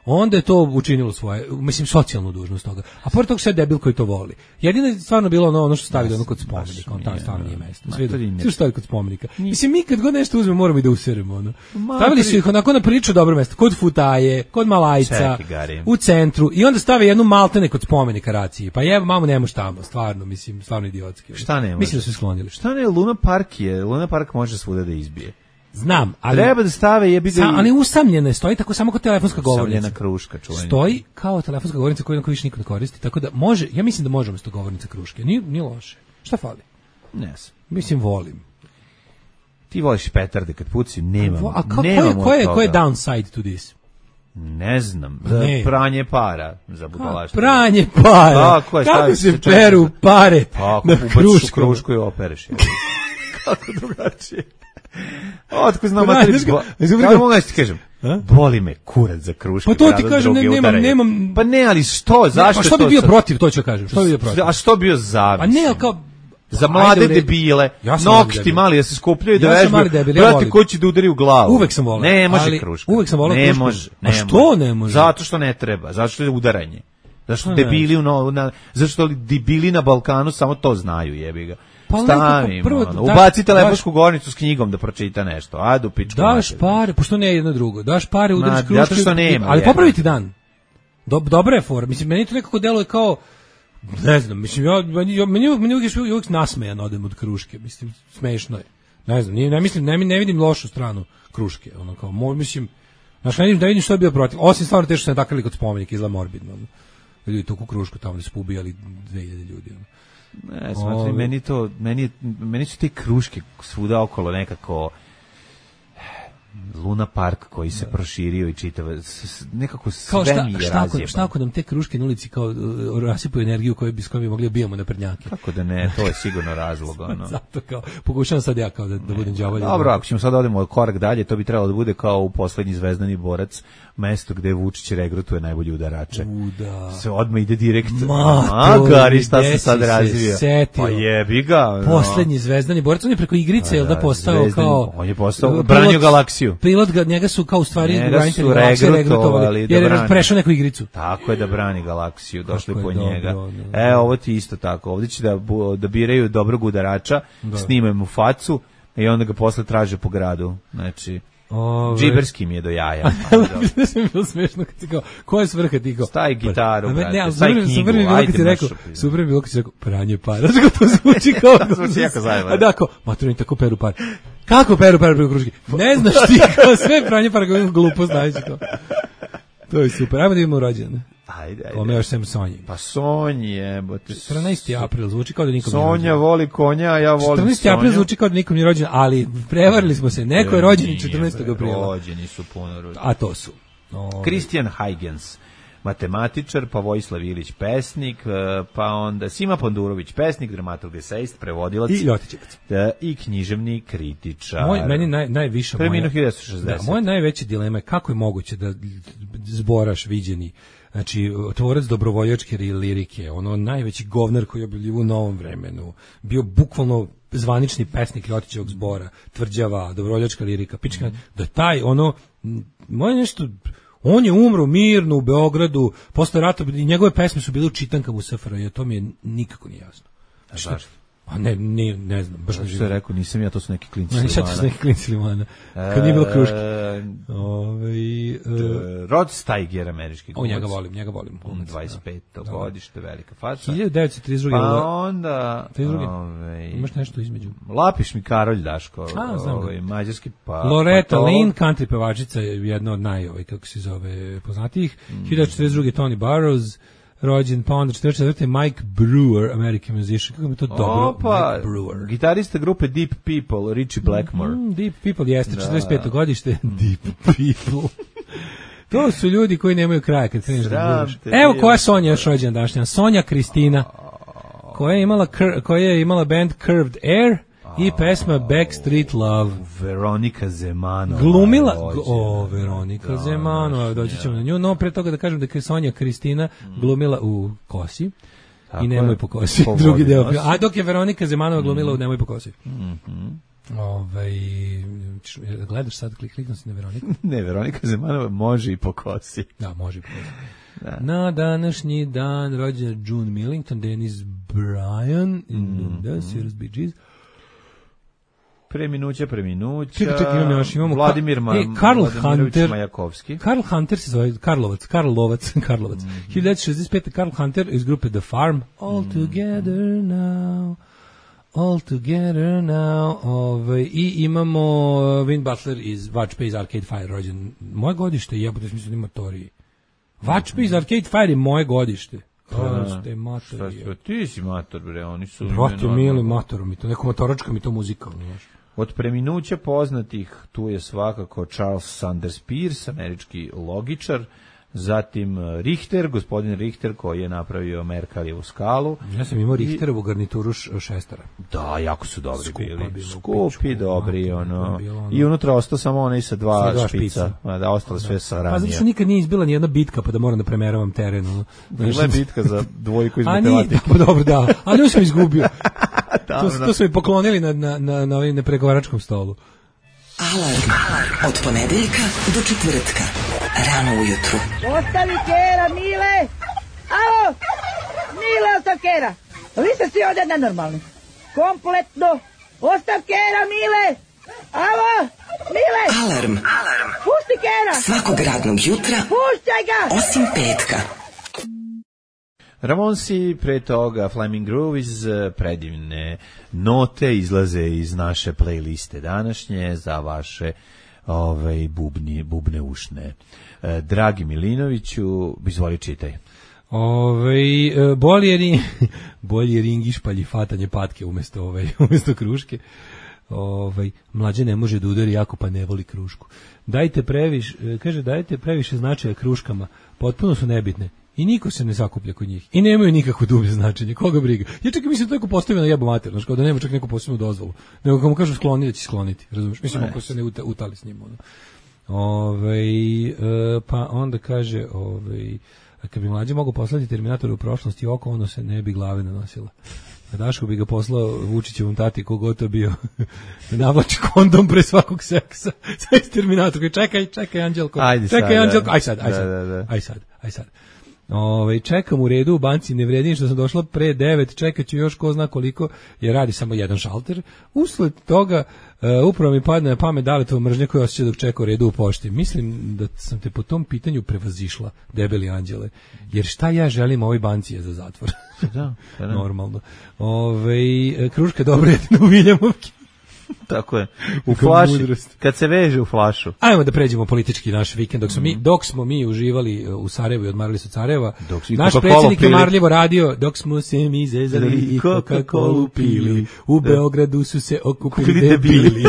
onda je to učinilo svoje, mislim, socijalnu dužnost toga. A pored toga sve debil koji to voli. Jedino je stvarno bilo ono, ono što stavili ono kod spomenika, on tamo stvarno nije mesto. Sve što stavili kod spomenika. Mislim, mi kad god nešto uzmemo, moramo i da useremo. Ono. Stavili su ih onako na priču dobro mesto, kod Futaje, kod Malajca, u centru, i onda stave jednu maltene kod spomenika Raciji. Pa je, mamo, ne može tamo, stvarno, mislim, stvarno idiotski. Šta ne može? Mislim da su sklonili. Šta ne, Luna Park je, Luna Park može svuda da izbije. Znam, ali treba da stave jebi ga. Ali usamljena stoji tako samo kao telefonska govornica. Usamljena kruška, čuvena. Stoji kao telefonska govornica koju niko više nikad ne koristi, tako da može, ja mislim da možemo s to govornica kruške. Nije nije loše. Šta fali? Ne znam. Mislim volim. Ti voliš petarde kad puci, nema. A kako je ko je ko je downside to this? Ne znam, za ne. Pranje para za budalaštvo. Pranje para. Kako, je, kako se peru pare pa, na krušku, krušku i opereš. Kako drugačije? Otko znam matričko. Kako mogu da ti kažem? Boli me kurac za kruške. Pa to ti kažem, ne, nemam, nemam... Pa ne, ali što? Zašto? Pa što bi bio protiv, to ću kažem. Što bi bio protiv? A što bio za? A ne, kao... Za mlade debile, ja nokti mali da se skupljaju da vežbaju, brate, ko će da udari u glavu. Uvek sam volao. Ne može kruška. Uvek sam volao krušku. Ne može. A što ne može? Zato što ne treba, zato što je udaranje. Zašto debili, no, na, zašto debili na Balkanu samo to znaju, jebi ga. Pa stavi, prvo, da, ubaci telefonsku govornicu s knjigom da pročita nešto. Ajde u pičku. Daš pare, pošto ne je jedno drugo. Daš pare, udariš krušku. Zato što nema. Ali popraviti dan. Dobra je fora. Mislim, meni to nekako deluje kao, ne znam, mislim, ja, meni, meni, meni uvijek, uvijek nasmejan odem od kruške. Mislim, smešno je. Ne znam, ne, ne mislim, ne, ne vidim lošu stranu kruške. Ono kao, mislim, Znaš, ne vidim da vidim što je bio protiv. Osim stvarno te što se natakali kod spomenika, izla morbidno. Ljudi tu u krušku tamo da su ubijali dve hiljade ljudi. Ne, smatri, meni to, meni, meni su te kruške svuda okolo nekako Luna Park koji se da. proširio i čitava, nekako sve šta, mi je šta, razjebano. Šta ako nam te kruške na ulici kao uh, rasipaju energiju koju bi, s kojom bi mogli bijemo na prednjake? Kako da ne, to je sigurno razlog. Ono. Zato kao, pokušavam sad ja kao da, da budem đavolj. Dobro, ako ćemo sad odemo korak dalje, to bi trebalo da bude kao u poslednji Zvezdani borac, mesto gde Vučić regrutuje najbolji udarače. U, da. Se odmah ide direkt. Magari, šta se sad razvija? Pa jebi ga. No. Poslednji Zvezdani borac, on je preko igrice, jel da postao Zvezdani, kao... On je postao, branio galaksiju. Pilot ga, njega su kao u stvari branitelji galaksije regrutovali, jer je prešao neku igricu. Tako je da brani galaksiju, došli po njega. E, ovo ti isto tako. Ovdje će da, da biraju dobrog udarača, da. Snimaju mu facu i onda ga posle traže po gradu. Znači... Ove... Džiberski mi je do jaja. Ne sam bilo smešno kad ti kao, koja je svrha ti kao? Stavi gitaru, brate, ne, stavi knjigu, super mi ajde rekao, super mi bilo kad ti rekao, pranje para. Znaš kako to zvuči kao... To zvuči jako zajedno. A da, kao, maturni tako peru par. Kako peru par preko kruške? Ne znaš ti, kao sve pranje para, kao glupo znaš to. To je super, ajmo da imamo rođene. Ajde, ajde. Kome još sem Sonji. Pa Sonji jebote. četrnaesti april zvuči kao da nikom nije rođen. Sonja voli konja, ja volim Sonju. četrnaesti april zvuči kao da nikom nije rođen, ali prevarili smo se. Neko je rođen četrnaestog aprila. Rođeni su puno rođeni. A to su. Christian Huygens, matematičar, pa Vojislav Ilić, pesnik, pa onda Sima Pandurović, pesnik, dramaturg, esejist, prevodilac. I Ljotićevac. Da, i književni kritičar. Moj, meni naj, najviša moja... Preminuo hiljadu devetsto šezdeset. Da, moja najveća dilema je kako je moguće da Zboraš viđeni, znači tvorac dobrovoljačke lirike, ono najveći govnar koji je objavljivo u Novom vremenu, bio bukvalno zvanični pesnik Ljotićevog zbora, tvrđava, dobrovoljačka lirika, pička, mm. da taj, ono, moje nešto... On je umro mirno u Beogradu, posle rata, i njegove pesme su bile u čitankama u S F R J, to mi je nikako nije jasno. A zašto? Pa ne, ne, ne znam, baš ne živim. Što je rekao, nisam ja, to su neki klinci Limana. Ne, to su neki klinci Limana. Kad nije bilo kruške. Ove, e, Rod Steiger, američki glumac. O, njega volim, njega volim. dvadeset peto godište, velika faca. hiljadu devetsto trideset druge. Pa onda... Ove, imaš nešto između. Lapiš mi Karolj Daško. A, znam ove, mađarski pa... Loretta pa Lynn, country pevačica, jedna od naj, ovaj, kako se zove, poznatijih. Mm. hiljadu četrdeset druge. Tony Burrows, rođen, pa onda četrdeset četvrte. Mike Brewer, American musician. Kako mi to dobro? Opa, Mike Brewer. Gitarista grupe Deep People, Richie Blackmore. Mm, Deep People jeste, četrdeset peto godište. Deep People. To su ljudi koji nemaju kraja kad kreneš da budeš. Evo koja je Sonja još rođena današnja. Sonja Kristina, koja je imala, koja je imala band Curved Air i pesma Backstreet Love. Veronika Zemanova. Glumila, o, Veronika da, Zemanova, doći ćemo na nju, no pre toga da kažem da je Sonja Kristina glumila u Kosi. Tako i Nemoj po kosi, po drugi deo. Nosi. A dok je Veronika Zemanova glumila mm. u Nemoj po kosi. Mm-hmm. Ove, gledaš sad, klik, klikno si na Veroniku. Ne, Veronika Zemanova može i po kosi. Da, može i po kosi. Da. Na današnji dan rođen June Millington, Dennis Bryan, mm-hmm. da, Cyrus Bee Gees. Preminuća, preminuća. Čekaj, čekaj, imamo još, imamo... Vladimir, Ma, e, Karl Vladimir Hunter, Majakovski. Karl Hunter se zove, Karlovac, Karlovac, Karlovac. Mm-hmm. hiljadu devetsto šezdeset pete. Karl Hunter iz grupe The Farm. All mm-hmm. together now, all together now. Ove, I imamo Win Butler iz Watch iz Arcade Fire, rođen. Moje godište, jebote, mislim da ima Tori. Watch iz Arcade Fire je moje godište. Šta ste mator? Ti si mator, bre, oni su... Brate, mili mator, mi to, neko motoračka mi to muzika, znaš. Od preminuća poznatih tu je svakako Charles Sanders Peirce, američki logičar, zatim Richter, gospodin Richter koji je napravio Merkalijevu skalu. Ja sam imao Richterovu garnituru šestara. Da, jako su dobri Skupa bili. Bilo, Skupi, pičku, dobri, ono. ono. I unutra ostao samo onaj sa dva, dva špica. špica. Da, ostalo sve sa ranije. Pa zato što nikad nije izbila ni jedna bitka, pa da moram da premeravam teren. Ono. Bila je bitka za dvojku iz matematike. Pa dobro, da. Ali nju sam izgubio. to, to su mi poklonili na, na, na, na ovim nepregovaračkom stolu. Alarm. Alarm. Od ponedeljka do četvrtka. Rano ujutru. Ostavi kera, Mile! Alo! Mile, ostav kera! Vi ste svi ovdje nenormalni. Kompletno! Ostav kera, Mile! Alo! Mile! Alarm. Alarm. Pusti kera! Svakog radnog jutra. Puštaj ga! Osim petka. Ramonsi, pre toga Flaming Groove iz predivne note izlaze iz naše playliste današnje za vaše ovaj bubni, bubne ušne. E, Dragi Milinoviću, izvoli čitaj. Ove, bolje ring, bolje ring išpalji fatanje patke umjesto, ove, umjesto kruške. Ovaj mlađe ne može da udari jako pa ne voli krušku. Dajte previše, kaže dajte previše značaja kruškama. Potpuno su nebitne. I niko se ne zakuplja kod njih. I nemaju nikakvo dublje značenje. Koga briga? Ja čekam, mislim da neko postavio na jebu mater, znači kao da nema čak neku posebnu dozvolu. Nego kad mu kažu skloni, da će skloniti. Razumiješ? Mislim ako se ne utali s njim. Ono. Ovaj, e, pa onda kaže, ovaj, kad bi mlađe mogu poslati Terminatora u prošlosti oko, ono se ne bi glave nanosila. A Daško bi ga poslao Vučićevom tati kogod to bio da navlači kondom pre svakog seksa. Sad Terminator, čekaj, čekaj Anđelko, ajde čekaj sad, Anđelko, aj sad, aj da, sad, da, da. aj sad, aj sad. Ove, čekam u redu u banci, ne vredim što sam došla pre devet, čekat ću još ko zna koliko, jer radi samo jedan šalter. Usled toga uh, upravo mi padne na pamet Daletova mržnja koja osjeća dok čeka u redu u pošti. Mislim da sam te po tom pitanju prevazišla, debeli anđele, jer šta ja želim ovoj banci je za zatvor. Da, da. Normalno. Ove, kruška dobro je u Viljamovki. Tako je. U flaši, kad se veže u flašu. Ajmo da pređemo politički naš vikend. Dok smo mi, dok smo mi uživali u Sarajevu i odmarali se od Sarajeva, naš predsjednik je marljivo radio, dok smo se mi zezali i Coca-Colu pili, u Beogradu su se okupili debili.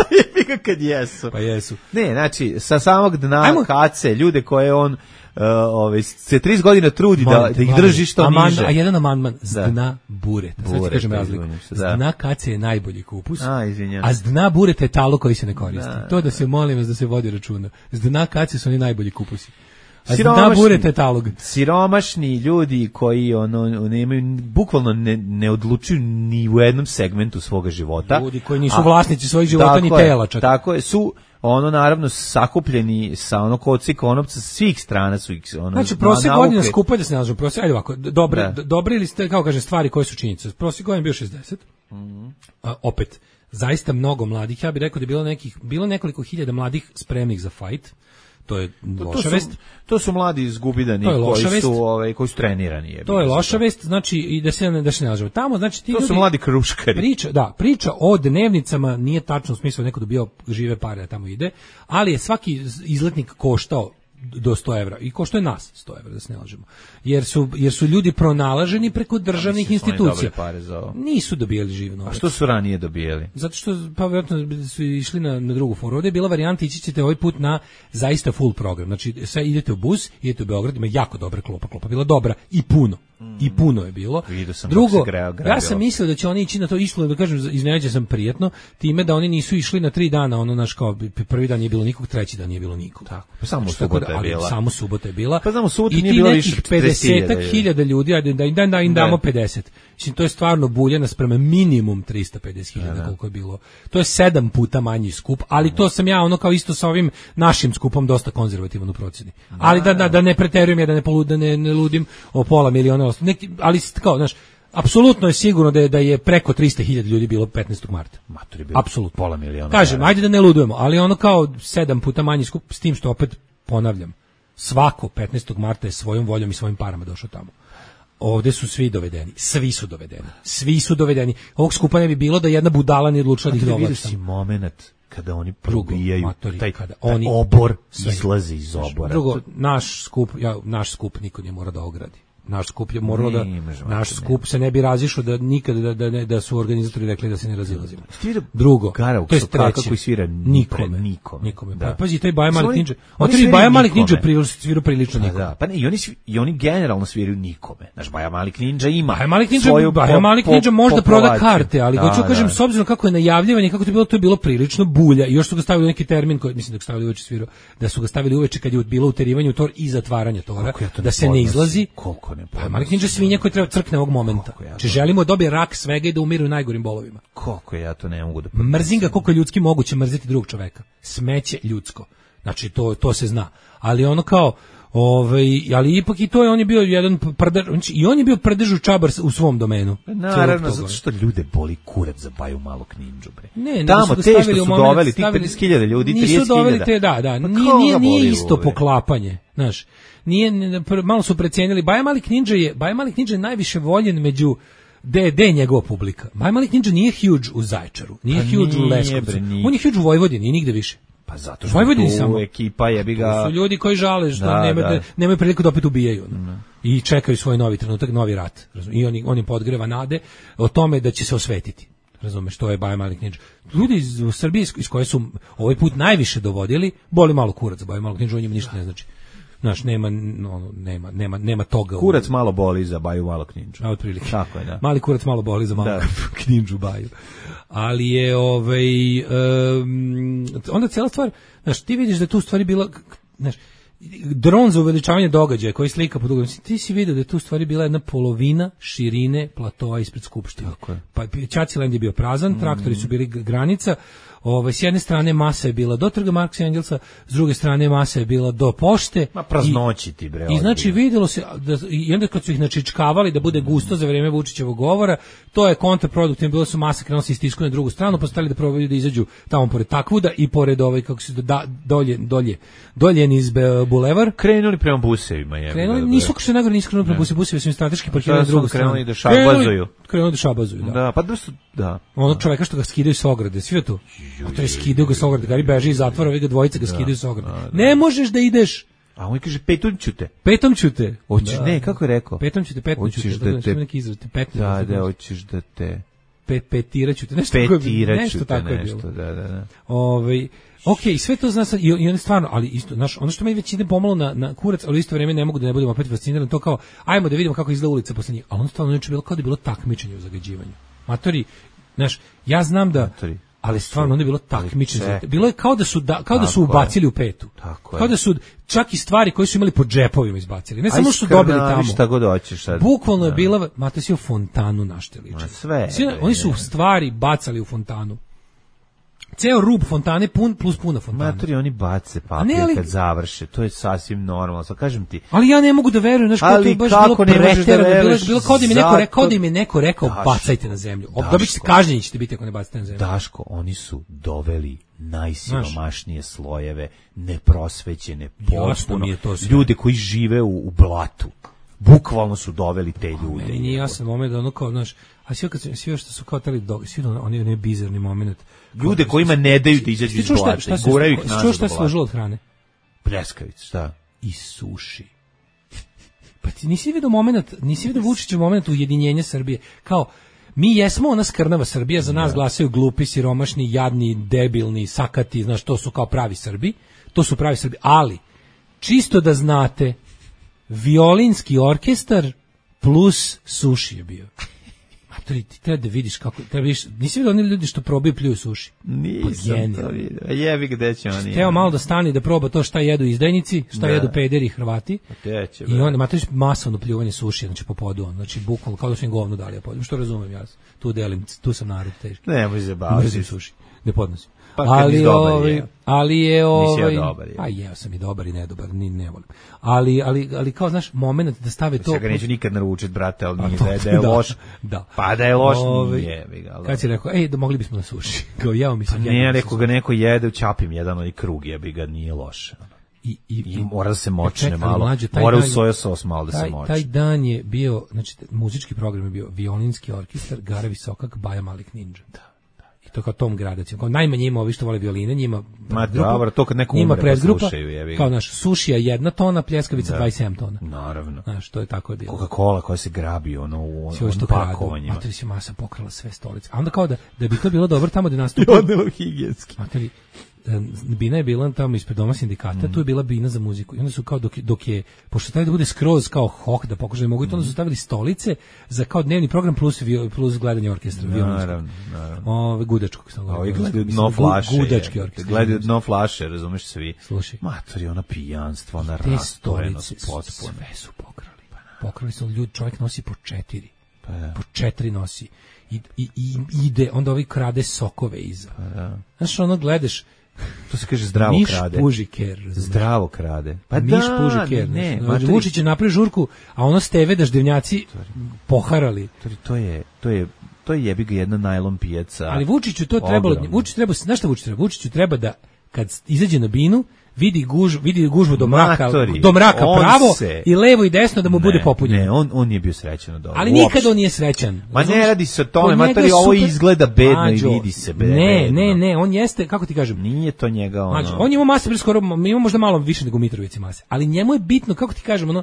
Kad jesu. Pa jesu. Ne, znači, sa samog dna Ajmo. kace, ljude koje on Uh, ove, se trideset godina trudi da, da ih drži što Aman, niže. A jedan amandman, z dna bureta. Sad ti kažem razliku. Z dna kace je najbolji kupus, a, a z dna bureta je talo koji se ne koristi. Da, to da se molim vas da se vodi računa. Z dna kace su oni najbolji kupusi. A z dna bureta je talog. Siromašni ljudi koji ono, nemaju, bukvalno ne, ne odlučuju ni u jednom segmentu svoga života. Ljudi koji nisu a, vlasnici svojih života ni tela čak. Tako je, su ono naravno sakupljeni sa ono koci konopca svih strana su ih ono. Znači prosjek godina skupa da se nalažu prosjek, ajde ovako, dobre da. Dobri ili ste kao kaže stvari koje su činjenice. Prosjek godina bio šezdeset. Mm-hmm. A, opet zaista mnogo mladih, ja bih rekao da je bilo nekih bilo nekoliko hiljada mladih spremnih za fight. To je loša vest. To su mladi izgubidani koji su ovaj koji su trenirani je. To je loša vest, znači i da se ne da se ne lažemo. Tamo znači ti to ljudi, su mladi kruškari. Priča, da, priča o dnevnicama nije tačno u smislu neko dobio žive pare da tamo ide, ali je svaki izletnik koštao do sto evra i košto je nas sto evra da se ne lažemo. Jer su, jer su ljudi pronalaženi preko državnih institucija. Pare za ovo. Nisu dobijali živ novac. A što su ranije dobijali? Zato što pa vjerojatno su išli na, na drugu foru. Ovdje je bila varijanta, ići ćete ovaj put na zaista full program. Znači, sve idete u bus, idete u Beograd, ima jako dobra klopa, klopa bila dobra i puno. Mm. I puno je bilo. Drugo, greo, ja sam mislio da će oni ići na to, išlo, da kažem, iznenađen sam prijetno, time da oni nisu išli na tri dana, ono naš kao, prvi dan nije bilo nikog, treći dan nije bilo nikog. Tako, pa samo subota je bila. Samo subota je bila. Pa znamo, subota nije bilo više pedeset hiljada ljudi, ajde da im da, da im damo pedeset. Mislim, to je stvarno buljena sprema minimum tristo pedeset hiljada koliko je bilo. To je sedam puta manji skup, ali to sam ja ono kao isto sa ovim našim skupom dosta konzervativan u procjeni. Ali da, da, da ne preterujem ja, da ne, polud, da ne, ne ludim o pola miliona, neki, ali kao, znaš, apsolutno je sigurno da je, da je preko tristo hiljada ljudi bilo petnaestog marta. Matori bilo apsolutno pola miliona. Kažem, ajde da ne ludujemo, ali ono kao sedam puta manji skup, s tim što opet ponavljam, svako petnaestog marta je svojom voljom i svojim parama došao tamo. Ovde su svi dovedeni, svi su dovedeni, svi su dovedeni. Ovog skupa ne bi bilo da jedna budala nije odlučila da ih dovlači. Vidiš si moment kada oni probijaju, matori, taj, kada taj oni obor izlazi iz obora. Drugo, naš skup, ja, naš skup niko nije mora da ogradi. Naš skup je moralo da naš skup se ne bi razišao da nikada da da ne, da su organizatori rekli da se ne razilazimo. Drugo, to je treće, koji svira nikome, nikome. nikome. Da. Pa pazi taj Baja Malik Ninja. On tri Baja Malik Ninja svira prilično nikome. Da, pa ne, i oni i oni generalno sviraju nikome. Naš Baja Malik Ninja ima. Baja Malik Ninja, Baja Malik Ninja možda proda karte, ali hoću da kažem s obzirom kako je najavljivanje, kako to je bilo, to je bilo prilično bulja i još su ga stavili neki termin koji mislim da ga stavili uveče svirao, da su ga stavili uveče kad je bilo uterivanje u tor i zatvaranje tora, da se ne izlazi. Pa Malik Ninja svinja koji treba crkne ovog momenta. Ja Či želimo da dobije rak svega i da umiru u najgorim bolovima. Koliko ja to ne mogu da... Mrzim ga koliko je ljudski moguće mrziti drugog čoveka. Smeće ljudsko. Znači to to se zna. Ali ono kao ovaj ali ipak i to je on je bio jedan prdež, i on je bio prdežu čabar u svom domenu. Naravno zato što ljude boli kurac za Baju Malog Ninđu bre. Ne, tamo te što su moment, doveli tih pedeset hiljada ljudi, trideset hiljada. Nisu doveli te, da, da, pa nije, nije, nije isto poklapanje, znaš. Nije, malo su precijenili. Baja Malik Ninja je, Baja Malik Ninja je najviše voljen među de de njegova publika. Baja Malik Ninja nije huge u Zaječaru, nije pa huge nije, u Leskovcu. On je huge u Vojvodini i nigde više. Pa zato što tu samo ekipa jebi ga. To su ljudi koji žale što da, nema, da. nemaju priliku da opet ubijaju. No. I čekaju svoj novi trenutak, novi rat. Razumiješ? I oni, oni podgreva nade o tome da će se osvetiti. Razumeš, to je Baja Mali Knidža. Ljudi iz Srbije iz koje su ovaj put najviše dovodili, boli malo kurac za Baja Mali Knidžu, on njima ništa ne znači. Znaš, nema, no, nema, nema, nema toga. Kurac malo boli za Baju Malo Knidžu. A otprilike. Tako je, da. Mali kurac malo boli za Malo Knidžu Baju. Ali je, ovaj, um, onda cijela stvar, znaš, ti vidiš da je tu stvari bila, znaš, dron za uveličavanje događaja koji slika pod uglom. Ti si vidio da je tu stvari bila jedna polovina širine platoa ispred Skupštine. Pa Ćaćiland je bio prazan, mm. traktori su bili granica. Ovaj, s jedne strane masa je bila do trga Marksa i Engelsa, s druge strane masa je bila do pošte. Ma praznoći ti bre. I znači vidjelo se da, i onda kad su ih načičkavali da bude gusto za vrijeme Vučićevog govora, to je kontraproduktivno, bilo su masa krenula se istisku na drugu stranu, postali da probaju da izađu tamo pored Takvuda i pored ovaj kako se da, dolje dolje dolje niz bulevar, krenuli prema busevima je. Krenuli nisu kako se nagore nisu krenuli prema busevima, busevi su im strateški parkirali na drugu stranu. Krenuli da šabazuju. Krenuli da šabazuju, da. Da, pa da su da. Ono čoveka što ga skidaju s ograde, sve to. A to je skidaju ga s ograde, Gari beži iz zatvora, vi ga dvojica ga skidaju s ograde. Ne možeš da ideš. A on kaže petom ću te. Petom ću te. Hoćeš ne, kako je rekao? Petom ću te, petom ću te. Da te neki izraz, petom. Da, da, hoćeš da te Pe, petiraću te, nešto petiraću tako je, nešto, tako nešto, je bilo. Da, da, da. Ovaj, okej, okay, sve to zna sad, i, i on stvarno, ali isto, znaš, ono što me već ide pomalo na, na kurac, ali u isto vrijeme ne mogu da ne budem opet fasciniran, to kao, ajmo da vidimo kako izgleda ulica posle njih, ali ono stvarno neče bilo kao da je bilo takmičenje u zagađivanju. Matori, znaš, ja znam da, Matori. Ali stvarno onda je bilo takmičenje. Bilo je kao da su da, kao da su ubacili u petu. Tako kao da su čak i stvari koje su imali po džepovima izbacili. Ne samo što su dobili tamo. Šta god hoćeš sad. Bukvalno je bila, mate si u fontanu našteliče. Sve. Svi, oni su stvari bacali u fontanu. Ceo rub fontane pun plus puna fontana. Matori, oni bace papir ali, kad završe, to je sasvim normalno, sad kažem ti. Ali ja ne mogu da verujem, znaš kako to je baš bilo preterano, da bilo, bilo kao da mi neko rekao, da mi neko rekao Daško, bacajte na zemlju. Dobit ćete kažnjeni ćete biti ako ne bacite na zemlju. Daško, oni su doveli najsiromašnije slojeve, neprosvećene, potpuno, ljude koji žive u, u blatu. Bukvalno su doveli te ljude. Meni nije jasan moment da ono kao, znaš, a sve kad sve što su kao tali dog, svi oni ne bizarni moment. Ljude kojima ne daju da izađu iz blata, guraju ih nazad. Što šta se složilo od hrane? Pljeskavice, šta? I suši. Pa ti nisi vidio moment, nisi vidio Vučićev moment ujedinjenja Srbije. Kao mi jesmo ona skrnava Srbija, za nas glasaju glupi, siromašni, jadni, debilni, sakati, znaš, to su kao pravi Srbi. To su pravi Srbi, ali čisto da znate, violinski orkestar plus suši je bio. Matori, ti treba da vidiš kako, treba vidiš, nisi vidio oni ljudi što probaju pljuju suši? Nisam to vidio. Jebi gde će oni. Teo malo da stani da proba to šta jedu izdajnici, šta da. jedu pederi Hrvati. Će, I onda, matori, masovno pljuvanje suši, znači po podu on, znači bukvalno kao da su im govno dali, ja podim, što razumem ja, tu delim, tu sam narod teški. Ne, može se baviti. Suši, ne podnosim. Pa ali, dobar, ovaj, je. ali je ovaj ja dobar, je. a jeo sam i dobar i nedobar, ni ne volim. Ali ali ali kao znaš momenat da stave to. Ja ga neću nikad naručiti, brate, al nije da je, da je loš. Da. Pa da je loš, ovaj, nije, ga. Kad si rekao, ej, da mogli bismo na suši. Kao jeo mi se. Pa ne, rekao ga neko jede, čapim jedan onaj krug, jebi ga, nije loše. I, i, I mora da se močne čekaj, malo, mlađe, mora u soja sos malo da taj, se močne. Taj dan je bio, znači muzički program je bio violinski orkestar, Gara Visokak, Baja Mali Knidža. Da. To kao tom gradacijom, kao najmanje ima ovi što vole violine, njima Ma dobro, to kad neko umre pa slušaju, jebi. Kao naš sušija jedna tona, pljeskavica da. dvadeset sedam tona. Naravno. Znaš, to je tako je bilo. Coca-Cola koja se grabi ono u onom pakovanjima. Materi se masa pokrala sve stolice. A onda kao da, da bi to bilo dobro tamo da nastupi. Odnelo higijenski. Materi, bina je bila tamo ispred doma sindikata, mm. tu je bila bina za muziku. I onda su kao dok, dok je, pošto taj da bude skroz kao hoh, da pokušaju da mogu, mm. onda su stavili stolice za kao dnevni program plus, plus gledanje orkestra. Naravno, naravno. Ove, gudačkog sam govorio. Ovi gledaju dno flaše. Gudački orkestar. Gledaju dno flaše, razumeš svi. Slušaj. Matori, ona pijanstvo, ona rastorenost potpuno. Sve su pokrali. Pokrali su ljudi, čovjek nosi po četiri. Pa ja. Po četiri nosi. I, i, i ide, onda ovi krade sokove iza. Pa ja. Znaš, ono gledaš, to se kaže zdravo miš krade. Miš puži ker. Zdravo krade. Pa miš da, puži ker. Ne, ne. Vučić je napravi žurku, a ono steve daždevnjaci poharali. To je, to je, to je jebi ga jedna najlon pijaca. Ali Vučiću to trebalo, Vučić treba, znaš šta Vučić treba? Vučiću treba da kad izađe na binu, vidi guž, vidi gužvu do mraka, do mraka pravo se, i levo i desno da mu ne, bude popunjeno. Ne, on on nije bio srećan od ovoga. Ali nikad on nije srećan. Ma ne radi se o tome, matori, ovo izgleda bedno Mađo, i vidi se bedno. Ne, ne, ne, on jeste, kako ti kažem, nije to njega ono. Mađo, on ima mase, skoro, ima možda malo više nego Mitrovici mase, ali njemu je bitno, kako ti kažem, ono,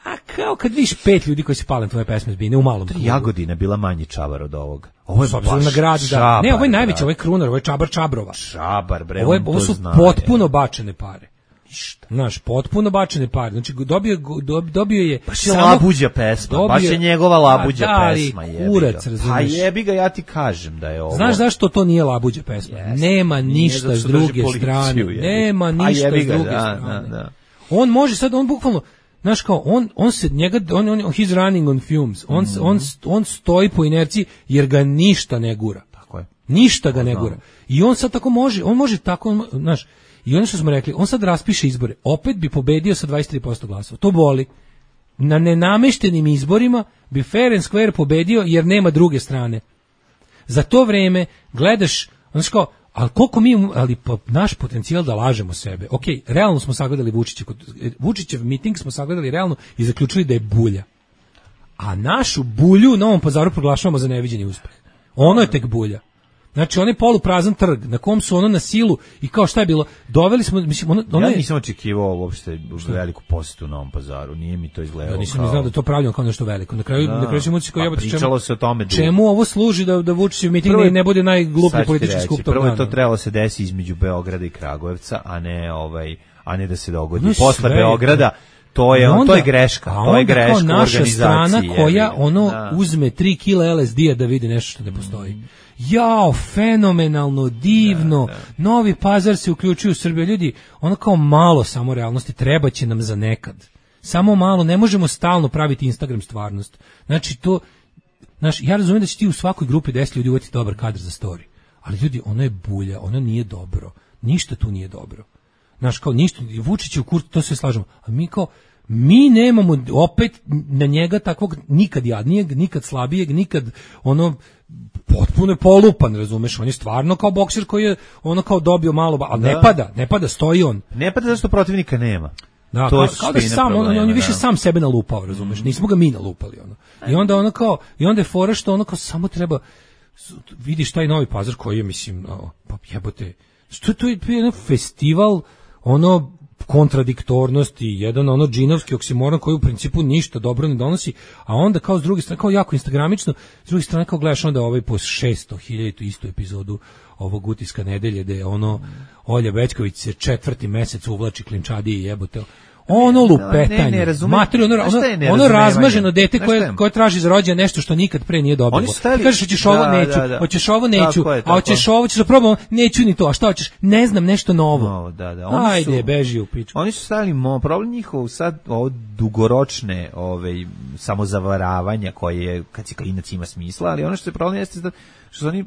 a kao kad vidiš pet ljudi koji se pale tvoje pesme zbine u malom klubu. Jagodina bila manji čabar od ovoga. Ovo je baš na grad, da. Ne, ovo je najveći, ovo je Krunar, ovo je Čabar Čabrova. Čabar, bre, ovo, je, ovo su zna, potpuno je. bačene pare. Ništa. Znaš, potpuno bačene pare. Znači, dobio, dobio je... Baš je samo, labuđa pesma, dobio, baš je njegova labuđa da, pesma. Da, kurac, razumiješ. Pa jebi ga, ja ti kažem da je ovo... Znaš zašto to nije labuđa pesma? Yes. Nema ništa s druge strane. Jebi. Nema ništa s druge da, strane. Da, da. On može sad, on bukvalno... Znaš kao, on, on se, njega, on, on, he's running on fumes. On, mm. on, on stoji po inerciji jer ga ništa ne gura. Tako je. Ništa ga ne gura. I on sad tako može, on može tako, znaš, i ono što smo rekli, on sad raspiše izbore, opet bi pobedio sa dvadeset tri posto glasova. To boli. Na nenameštenim izborima bi fair and square pobedio jer nema druge strane. Za to vreme gledaš, znaš kao, ali koliko mi, ali pa naš potencijal da lažemo sebe. Ok, realno smo sagledali Vučića, Vučićev miting smo sagledali realno i zaključili da je bulja. A našu bulju u Novom Pazaru proglašavamo za neviđeni uspeh. Ono je tek bulja. Znači, on je poluprazan trg, na kom su ono na silu i kao šta je bilo, doveli smo, mislim, ono, ono ja je... nisam očekivao uopšte veliku posetu u Novom Pazaru, nije mi to izgledalo ja nisam kao... ni znao da je to pravljeno kao nešto veliko. Na kraju, da, na kraju ćemo kao jebati pričalo čemu, se o tome dugo. Čemu ovo služi da, da Vučićev miting prvo, ne bude najgluplji politički skup tog prvo je dana. to trebalo se desi između Beograda i Kragujevca, a ne, ovaj, a ne da se dogodi no, posle Beograda. To je, onda, to je greška, to je greška kao naša strana koja je, ono da. uzme tri kila L S D-a da vidi nešto što ne postoji. Mm. Jao, fenomenalno, divno, da, da. Novi Pazar se uključuju u Srbiju. Ljudi, ono kao malo samo realnosti, treba će nam za nekad. Samo malo, ne možemo stalno praviti Instagram stvarnost. Znači to, znaš, ja razumijem da će ti u svakoj grupi deset ljudi uvati dobar kadar za story. Ali ljudi, ono je bulja, ono nije dobro. Ništa tu nije dobro. Znaš, kao ništa, Vučić je u kurtu, to sve slažemo. A mi kao, mi nemamo opet na njega takvog nikad jadnijeg, nikad slabijeg, nikad ono potpuno je polupan, razumeš, on je stvarno kao bokser koji je ono kao dobio malo, ali da. ne pada, ne pada, stoji on. Ne pada zašto protivnika nema. Da, to kao, kao da sam, problema, on, on je više da. sam sebe nalupao, razumeš, mm. nismo ga mi nalupali, ono. I onda ono kao, i onda je fora što ono kao samo treba, vidiš taj Novi Pazar koji je, mislim, o, pa jebote, što to je, to je jedan festival, ono, kontradiktornosti, jedan ono džinovski oksimoron koji u principu ništa dobro ne donosi, a onda kao s druge strane, kao jako instagramično, s druge strane kao gledaš onda ovaj po šesto hiljadu istu epizodu ovog Utiska nedelje, gde ono Olja Bećković se četvrti mesec uvlači klinčadi i jebote. Ono lupetanje, ne, ne, ne materi, ono, ono, ono razmaženo dete koje, koje traži za rođendan nešto što nikad pre nije dobilo. Ti kažeš, hoćeš ovo, neću, da, da. hoćeš ovo, neću, tako je, tako. a hoćeš ovo, ćeš da probamo, neću ni to, a šta hoćeš, ne znam, nešto novo. No, da, da. Oni Ajde, su, beži u pičku. Oni su stavili, mo, problem njihov sad, ovo dugoročne ove, samozavaravanja koje, kad si klinac ima smisla, ali ono što je problem jeste da što su oni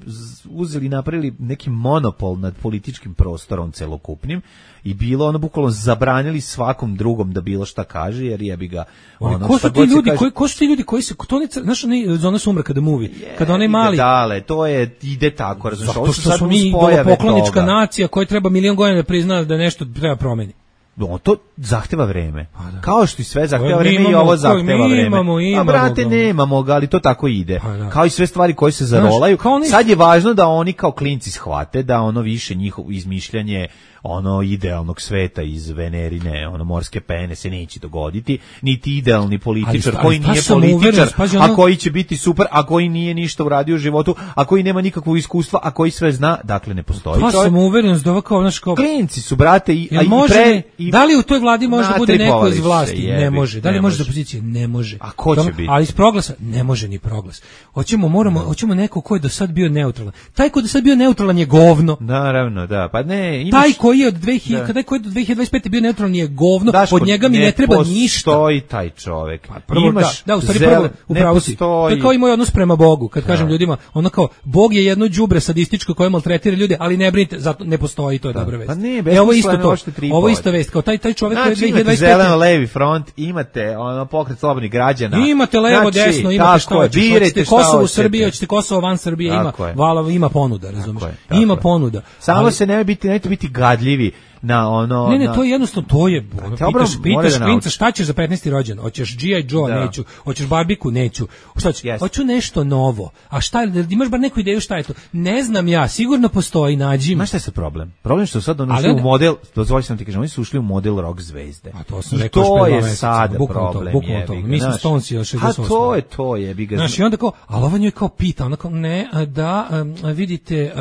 uzeli i napravili neki monopol nad političkim prostorom celokupnim i bilo ono bukvalno zabranili svakom drugom da bilo šta kaže jer jebi ga ono ko su ti ljudi koji ko su ti ljudi koji se to ne znaš ne zona sumraka da movie je, kada onaj mali dale to je ide tako razumiješ zato što smo mi poklonička nacija koja treba milion godina da prizna da nešto treba promeni. No, to zahteva vreme. Da. Kao što i sve zahteva vreme imamo, i ovo zahteva vreme. Imamo, imamo, a brate, ga. nemamo ga, ali to tako ide. Da. Kao i sve stvari koje se zarolaju. Znaš, oni... Sad je važno da oni kao klinci shvate da ono više njihovo izmišljanje ono idealnog sveta iz Venerine, ono morske pene se neće dogoditi, niti idealni političar ali, koji ali, nije političar, pazi, ono... a koji će biti super, a koji nije ništa uradio u životu, a koji nema nikakvog iskustva, a koji sve zna, dakle ne postoji. Pa sam uveren da ovako naš kao klinci su brate i, a i može, pre i... da li u toj vladi može da bude neko iz vlasti? Jebi, ne može. Da li ne može može. da opozicije? Ne može. A ko će biti? Ali iz proglasa ne može ni proglas. Hoćemo moramo, hoćemo neko ko je do sad bio neutralan. Taj ko je do sad bio neutralan je govno. Naravno, da. Pa ne, imaš... taj koji je od dve hiljade kada koji je do dve hiljade dvadeset pete bio neutralan je govno, Daško, od njega mi ne, ne treba ništa. Postoji taj čovjek. Pa prvo, imaš da, da, u stvari prvo, upravo si. To je kao i moj odnos prema Bogu, kad da. kažem ljudima, ono kao, Bog je jedno đubre sadističko koje maltretira ljude, ali ne brinite, zato ne postoji, to je da. dobra vest. Pa ne, e, ovo isto to, ovo isto vest, kao taj, taj čovjek koji je znači, dve hiljade dvadeset pete zeleno levi front, imate ono pokret slobodnih građana. Imate levo, znači, desno, imate šta hoćete. Hoćete Kosovo u Srbiji, hoćete Kosovo van Srbije, ima, vala, ima ponuda, razumiješ? Ima ponuda. Samo se ne biti, nemojte biti gadljivi. kladljivi na ono... Ne, ne, na... to je jednostavno, to je, ono, pitaš, pitaš klinca, šta ćeš za petnaesti rođendan? Hoćeš G I. Joe? Da. Neću. Hoćeš Barbiku? Neću. Šta ću? Yes. Hoću nešto novo. A šta, imaš bar neku ideju šta je to? Ne znam ja, sigurno postoji, nađi. Znaš šta je sa problem? Problem je što sad oni ušli u model, dozvoli sam ti kažem, oni su ušli u model rock zvezde. A to sam rekao to je sad problem. Bukvalno to. Mi smo Stonesi još šezdeset osam. A to je to je, bi ga. Znaš, i onda kao, ali ova njoj kao pita, ona kao, ne, da, vidite,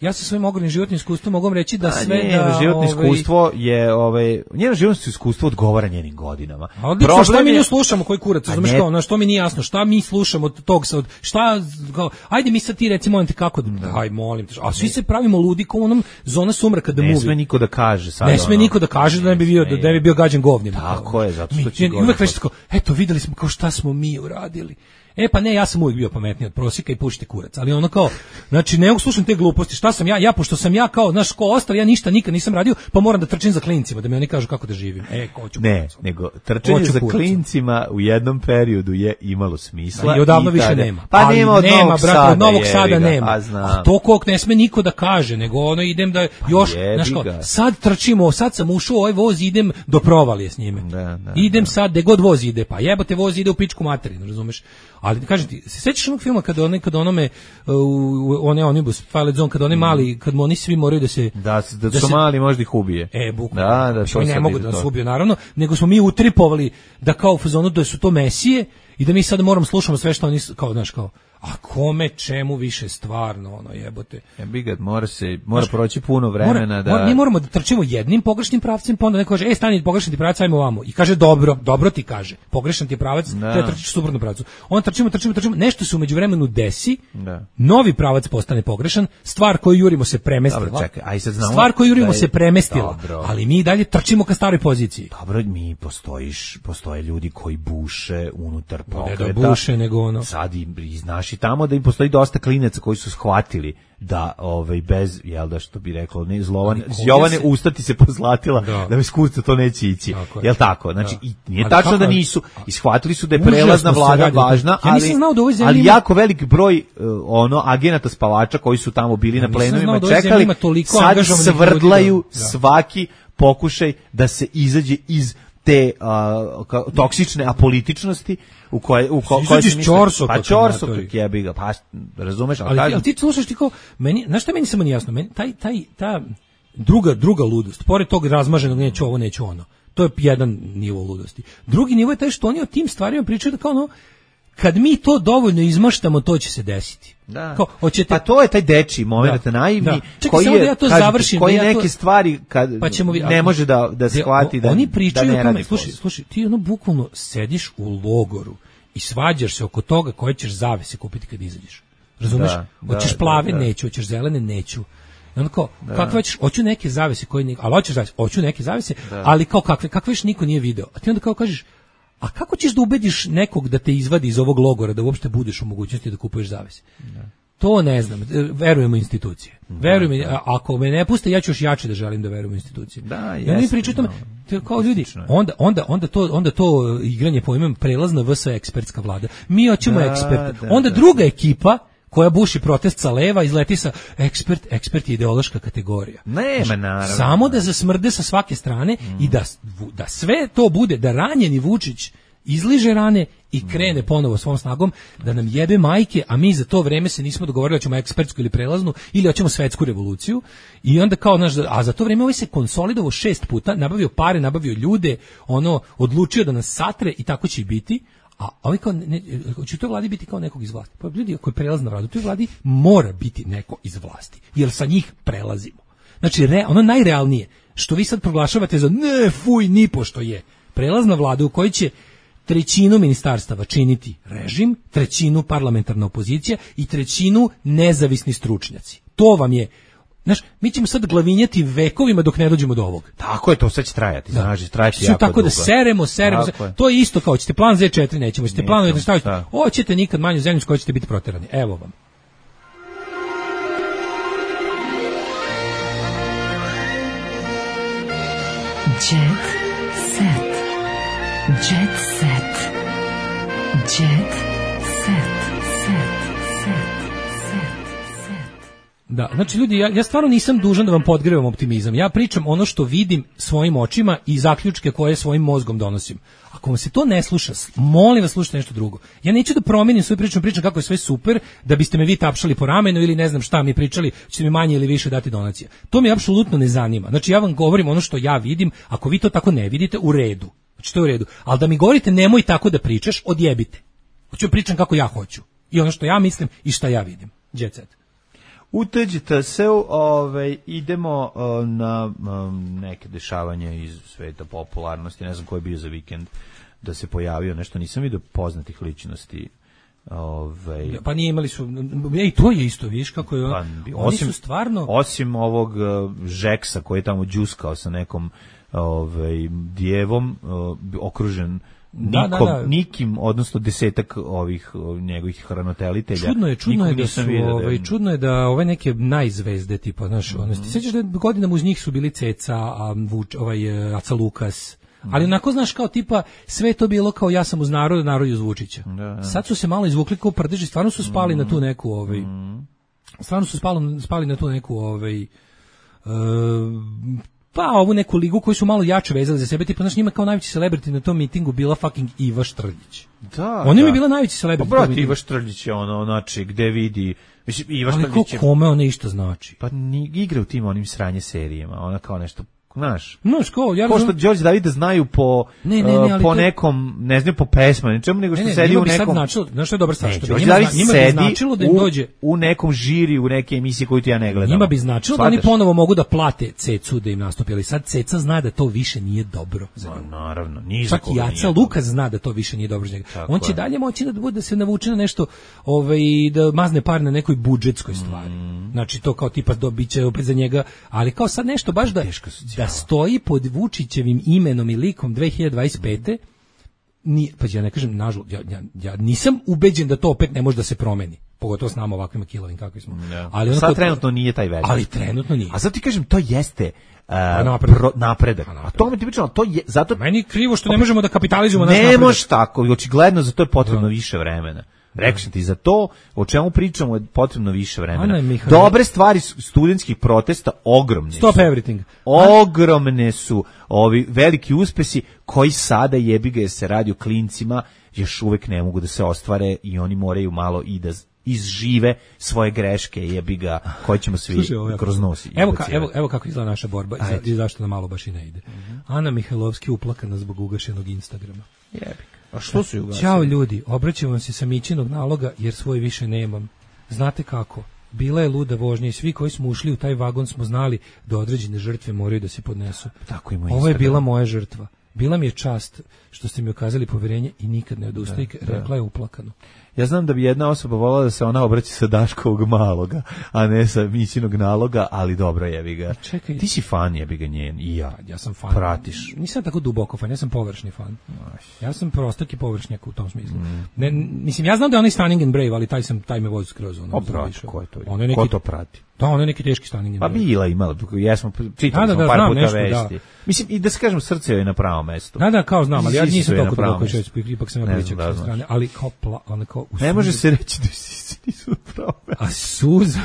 ja sa svojim ogromnim životnim iskustvom mogu reći da sve njeno da... životno iskustvo je, ovaj, njeno životno iskustvo odgovara njenim godinama. A odlično, šta mi nju slušamo, koji kurac, razumeš kao, na što mi nije jasno, šta mi slušamo od tog sad, šta, kao, ajde mi sad ti reci, molim te kako, da, aj molim te, a svi se pravimo ludi kao onom zona sumraka da ne movie. Ne sme niko da kaže sad. Ne sme ono, niko da kaže da ne bi bio, da ne bi bio gađan govnjem. Tako je, zato što će uvek reći tako, eto, videli smo kao šta smo mi uradili. E pa ne, ja sam uvijek bio pametniji od prosjeka i pušite kurac, ali ono kao, znači ne mogu slušam te gluposti, šta sam ja, ja pošto sam ja kao, znaš, ko ostali, ja ništa nikad nisam radio, pa moram da trčim za klincima, da mi oni kažu kako da živim. E, ko ću ne, kurac. Nego trčanje za kurac. Klincima u jednom periodu je imalo smisla. I odavno više nema. Pa ali nema od nema, Novog brate, Sada. Od Novog je, Sada ga, nema. A, a to kog ne sme niko da kaže, nego ono idem da još, pa znaš kao, sad trčimo, sad sam ušao u ovaj voz, idem do provalije s njime. Da, da, idem da. sad, gde god voz ide, pa jebote voz ide u pičku materinu, razumeš? Ali kažem ti, se sećaš onog filma kada onaj kada onome uh, one Omnibus Twilight Zone kada oni mali, kad oni svi moraju da se da da, da su se, mali možda ih ubije. E, bukvalno. Da, da, to ne mogu da nas ubiju naravno, nego smo mi utripovali da kao u fazonu da su to mesije i da mi sad moramo slušamo sve što oni kao, znaš, kao a kome čemu više stvarno ono jebote. Ja bi ga mora se mora znaš, proći puno vremena mora, da mora, mi moramo da trčimo jednim pogrešnim pravcem, pa onda neko kaže ej stani pogrešni ti pravac, ajmo ovamo. I kaže dobro, dobro ti kaže. Pogrešan ti je pravac, treba trčiš suprotno pravcu. On trčimo, trčimo, trčimo, nešto se u međuvremenu desi. Da. Novi pravac postane pogrešan, stvar koju jurimo se premestila. Dobro, čekaj, aj sad znamo. Stvar koju jurimo je, se premestila, dobro. Ali mi dalje trčimo ka staroj poziciji. Dobro, mi postojiš, postoje ljudi koji buše unutar pokreta. Ne da buše, nego ono. Sad i znaš i tamo da im postoji dosta klinaca koji su shvatili da ovaj bez jel da što bi reklo ne zlovane Jovane se... ustati se pozlatila da, da bez kurca to neće ići. Tako jel tako? Znači da. I nije ali tačno kako, da nisu i shvatili su da je prelazna vlada važna, ja ali da ali jako velik broj uh, ono agenata spavača koji su tamo bili ja na plenovima da čekali sad svrdlaju da. Svaki pokušaj da se izađe iz te uh, toksične apolitičnosti u koje u ko, koje se čorso pa čorso jebi ga pa razumeš ali, ali, ali ti slušaš ti kao meni znaš šta meni samo nije jasno meni taj taj ta druga druga ludost pored tog razmaženog neću ovo neću ono to je jedan nivo ludosti drugi nivo je taj što oni o tim stvarima pričaju da kao ono kad mi to dovoljno izmaštamo to će se desiti. Da. Kao, hoćete... Pa to je taj dečiji moment da. Naivni da. Čekaj, koji je da ja to kažete, završim, koji da ja neke to... stvari kad pa ćemo vi... ne može da da shvati da oni pričaju da ne tome, slušaj, slušaj, ti ono bukvalno sediš u logoru i svađaš se oko toga koje ćeš zavese kupiti kad izađeš. Razumeš? Da, hoćeš da, plave, da, da. Neću, hoćeš zelene, neću. I onda kao, da. Kakve ćeš, hoću neke zavese koje niko, ali hoćeš zavese, hoću neke zavese, da. Ali kao kakve, kakve još niko nije video. A ti onda kao kažeš, a kako ćeš da ubediš nekog da te izvadi iz ovog logora, da uopšte budeš u mogućnosti da kupuješ zavese? Da. To ne znam, verujemo u institucije. Da, verujem, da. Ako me ne puste, ja ću još jače da želim da verujem u institucije. Da, ja mi pričam tome, kao ljudi, onda, onda, onda, to, onda to igranje pojmem prelazna V S ekspertska vlada. Mi hoćemo da, eksperte. Da, onda da, druga ekipa koja buši protest sa leva izleti sa ekspert, ekspert je ideološka kategorija. Nema, naravno. Samo da zasmrde sa svake strane mm. i da, da sve to bude, da ranjeni Vučić izliže rane i krene ponovo svom snagom da nam jebe majke, a mi za to vreme se nismo dogovorili da ćemo ekspertsku ili prelaznu ili hoćemo svetsku revoluciju i onda kao naš, a za to vreme ovaj se konsolidovao šest puta, nabavio pare, nabavio ljude, ono odlučio da nas satre i tako će i biti. A ovaj kao, ne, će u toj vladi biti kao nekog iz vlasti. Pa ljudi, ako je prelazna vlada, u toj vladi mora biti neko iz vlasti, jer sa njih prelazimo. Znači, re, ono najrealnije, što vi sad proglašavate za ne, fuj, ni pošto je, prelazna vlada u kojoj će trećinu ministarstava činiti režim, trećinu parlamentarna opozicija i trećinu nezavisni stručnjaci. To vam je. Znaš, mi ćemo sad glavinjati vekovima dok ne dođemo do ovog. Tako je, to sad će trajati, da. Znači, trajati jako tako dugo. Da seremo, seremo, seremo. To je isto kao, ćete plan Z četiri, nećemo, ćete plan da staviti, hoćete nikad manju zemlju s kojoj ćete biti proterani. Evo vam. Jet set. Jet set. Jet set. Set. Set. Set. Da, znači ljudi, ja, ja stvarno nisam dužan da vam podgrevam optimizam. Ja pričam ono što vidim svojim očima i zaključke koje svojim mozgom donosim. Ako vam se to ne sluša, molim vas slušajte nešto drugo. Ja neću da promenim svoju priču, pričam kako je sve super, da biste me vi tapšali po ramenu ili ne znam šta mi pričali, ćete mi manje ili više dati donacija. To me apsolutno ne zanima. Znači ja vam govorim ono što ja vidim, ako vi to tako ne vidite, u redu. Znači to je u redu. Ali da mi govorite nemoj tako da pričaš, odjebite. Hoću pričam kako ja hoću. I ono što ja mislim i šta ja vidim. Jet set. Uteđite se, ovaj, idemo uh, na um, neke dešavanja iz sveta popularnosti, ne znam ko je bio za vikend da se pojavio, nešto nisam vidio poznatih ličnosti. Ovaj. Pa nije imali su, ej, to je isto, viš kako je, pa, oni osim, su stvarno... Osim ovog uh, Žeksa koji je tamo džuskao sa nekom ovaj, djevom, uh, okružen Nikom, da, da, da. nikim, odnosno desetak ovih njegovih hranitelitelja. Čudno je, čudno je da su, ovaj, čudno je da ove neke najzvezde tipa, znaš, mm -hmm. ti sećaš da godinama uz njih su bili Ceca, a Vuč, ovaj Aca Lukas. Mm -hmm. Ali onako znaš kao tipa sve to bilo kao ja sam uz narod, narod uz Vučića. Da, da. Sad su se malo izvukli kao prdeži, stvarno su spali mm -hmm. na tu neku ovaj. Mm -hmm. Stvarno su spali, spali na tu neku ovaj uh, pa ovu neku ligu koju su malo jače vezali za sebe, tipa, znaš, njima kao najveći celebrity na tom mitingu bila fucking Iva Štrljić. Da, ona da. je bila najveći celebrity. Pa brat, Iva Štrljić je ono, znači, gde vidi, mislim, Iva Štrljić je... Ali kome ona isto znači? Pa ni, igra u tim onim sranje serijama, ona kao nešto... Znaš, no, ško, ja ko što Đorđe Davida znaju po, ne, ne, ne, uh, po to... nekom, ne znam, po pesma, ničemu, nego što ne, ne, sedi u nekom... Značilo, znaš što je dobra stvar, što Đorđe David sedi da im dođe... u, u nekom žiri, u neke emisije koju ti ja ne gledam. Njima bi značilo Svataš? Da oni ponovo mogu da plate Cecu da im nastupi, ali sad Ceca zna da to više nije dobro za njega. No, naravno, nije čak i Aca Lukas zna da to više nije dobro za njega. On će je. dalje moći da bude da se navuče na nešto, ovaj, da mazne par na nekoj budžetskoj stvari. Mm. Znači to kao tipa dobiće opet za njega, ali kao sad nešto baš da, da stoji pod Vučićevim imenom i likom dve hiljade dvadeset pete Ni, pa ja ne kažem, nažalost, ja, ja, ja nisam ubeđen da to opet ne može da se promeni. Pogotovo s nama ovakvim kilovim kakvi smo. Ja. Ali sad trenutno nije taj velik. Ali trenutno nije. A sad ti kažem, to jeste uh, napredak. Pro, napredak. A to mi ti pričam, to je zato meni krivo što ne možemo da kapitalizujemo naš napredak. Ne može tako, očigledno za to je potrebno više vremena. Rekao sam ti, za to o čemu pričamo je potrebno više vremena. Dobre stvari studentskih protesta ogromne Stop su. Everything. Ogromne su ovi veliki uspesi koji sada jebi ga jer se radi o klincima, još uvek ne mogu da se ostvare i oni moraju malo i da izžive svoje greške, jebi ga, koje ćemo svi Slušaj, kroz nos. Evo, ka, evo, evo kako izgleda naša borba i zašto nam malo baš i ne ide. Uh-huh. Ana Mihajlovski uplakana zbog ugašenog Instagrama. Jebi. A što su ugasili? Ćao ljudi, obraćam vam se sa Mićinog naloga jer svoj više nemam. Znate kako? Bila je luda vožnja i svi koji smo ušli u taj vagon smo znali da određene žrtve moraju da se podnesu. Tako i moj Ovo je bila moja žrtva. Bila mi je čast što ste mi ukazali poverenje i nikad ne odustaje, rekla je uplakano. Ja znam da bi jedna osoba volala da se ona obraća sa Daškovog maloga, a ne sa Mićinog naloga, ali dobro, jebi ga. Čekaj. Ti si fan, jebi ga njen, i ja. Ja sam fan. Pratiš. Nisam tako duboko fan, ja sam površni fan. Ja sam prostak i površnjak u tom smislu. Mm. Ne, mislim, ja znam da je onaj Stunning and Brave, ali taj, sam, taj me vozi skroz. Ono, o, prati, ko je to? Ono je neki, ko to prati? Da, ono je neki teški Stunning and Brave. Pa bila imala, jesmo, čitali da, smo da, par puta nešto, vesti. Da. Mislim, i da se kažem, srce je na pravom mestu. Da, da, kao znam, ali ja nisam toliko duboko čovjek, ipak sam ja pričak sa strane, ali kao, pla, ali kao ne može se reći da si nisu na pravom mestu. A suza,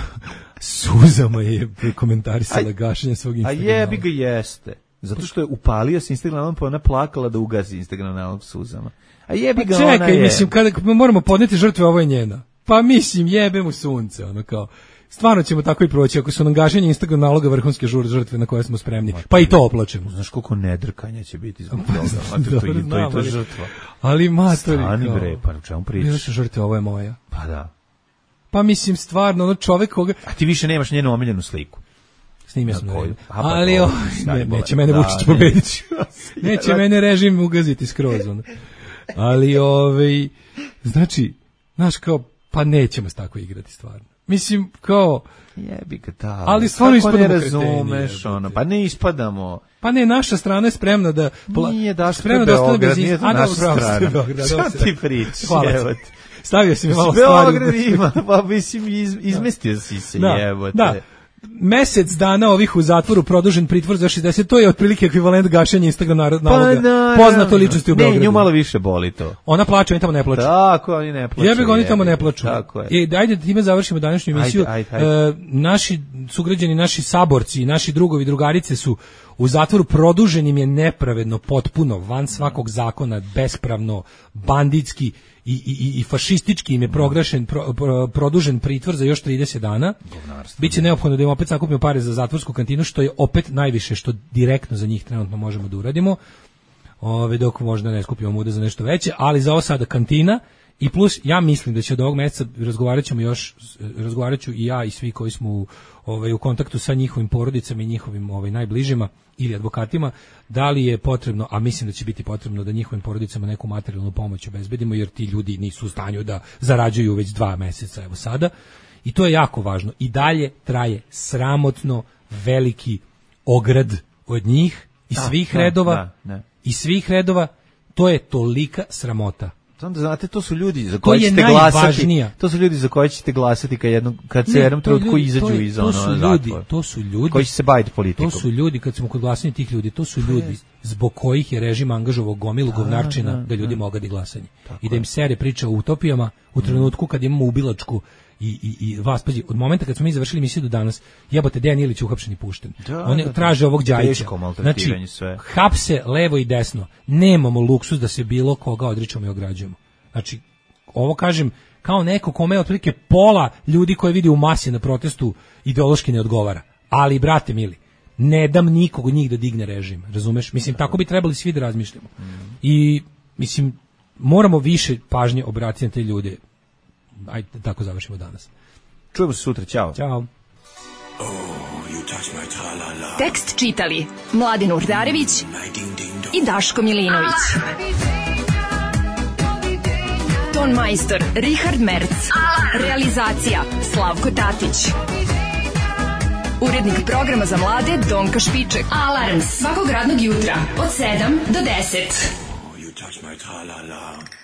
suzama je komentarisala gašenje svog Instagrama. A jebi ga jeste. Zato što je upalio se Instagramom, pa ona plakala da ugasi Instagram nalog suzama. A jebi ga, čekaj, ona je. Mislim, kada moramo podneti žrtve, ovo je njena. Pa mislim, jebe mu sunce, ono kao. Stvarno ćemo tako i proći, ako su nam gašenje Instagram naloga vrhunske žur žrtve na koje smo spremni, pa i to oplačemo. Znaš koliko nedrkanja će biti zbog toga, a to, to, to, to je to žrtva. Ali matori, stani bre, pa u čemu pričaš? Bila su žrtve, ovo je moja. Pa da. Pa mislim, stvarno, ono čovek koga... A ti više nemaš njenu omiljenu sliku. Snimio sam na redu. Ali, o, ne, neće mene Vučić pobediti. Neće mene režim ugaziti skroz. Ono. Ali, ovaj, znači, znaš kao, pa nećemo se tako igrati stvarno. Mislim, kao... Jebi ga da. Ali stvarno ispadamo ne razumeš, ono, pa ne ispadamo. Pa ne, naša strana je spremna da... Pla, nije daš spremna da ostane bez njih. A naša strana. Šta ti pričaš? Hvala ti. Stavio si mi malo stvari. Beograd ima, pa mislim, iz, izmestio si se, da, jebote. Da. mesec dana ovih u zatvoru, produžen pritvor za šezdeset, to je otprilike ekvivalent gašenja Instagram naloga pa, poznato ličnosti u Beogradu. Ne, nju malo više boli to. Ona plače, oni tamo ne plaču. Tako, oni ne plaču. Jebe ga, oni tamo ne plaču. Tako je. I ajde da time završimo današnju emisiju. Ajde, ajde, ajde. E, naši sugrađani, naši saborci, naši drugovi, drugarice su u zatvoru, produžen im je nepravedno, potpuno, van svakog zakona, bespravno, banditski i, i, i fašistički im je proglašen, pro, pro, produžen pritvor za još trideset dana. Biće neophodno da im opet sakupimo pare za zatvorsku kantinu, što je opet najviše što direktno za njih trenutno možemo da uradimo. Ove, dok možda ne skupimo muda za nešto veće, ali za ovo sada kantina. I plus, ja mislim da će od ovog meseca, razgovarat ćemo još, razgovarat ću i ja i svi koji smo u, ovaj, u kontaktu sa njihovim porodicama i njihovim ovaj, najbližima ili advokatima, da li je potrebno, a mislim da će biti potrebno da njihovim porodicama neku materijalnu pomoć obezbedimo, jer ti ljudi nisu u stanju da zarađuju već dva meseca, evo sada. I to je jako važno. I dalje traje sramotno veliki ograd od njih i svih da, redova, da, da. i svih redova, to je tolika sramota. Onda znate, to su ljudi za koje ćete glasati. To su ljudi za koje ćete glasati kad jednom kad se jednom trenutku izađu iz ono zatvora. To su ljudi koji će se baviti politikom. To su ljudi, kad smo kod glasanja tih ljudi, to su ljudi zbog kojih je režim angažovao gomilu govnarčina da ljudi mogu da glasaju. I da im sere priča o utopijama u trenutku kad imamo ubilačku i i i vas pazi, od momenta kad smo mi završili emisiju do danas, jebote, Dejan Ilić uhapšen i pušten. Da, Oni da, traže ovog Đajića. Znači, sve. Hapse levo i desno. Nemamo luksus da se bilo koga odričemo i ograđujemo. Znači, ovo kažem kao neko kome otprilike pola ljudi koje vidi u masi na protestu ideološki ne odgovara. Ali, brate mili, ne dam nikog od njih da digne režim, razumeš? Mislim, tako bi trebali svi da razmišljamo. Mm. I, mislim, moramo više pažnje obratiti na te ljude. Ajde, tako završimo danas. Čujemo se sutra, ćao. Ćao. Oh, tekst čitali Mladin Urdarević i Daško Milinović. Ton majstor Richard Merc. Realizacija Slavko Tatić. Urednik programa za mlade Donka Špiček. Alarms svakog radnog jutra od sedam do deset. Oh, you touch my tra-la-la.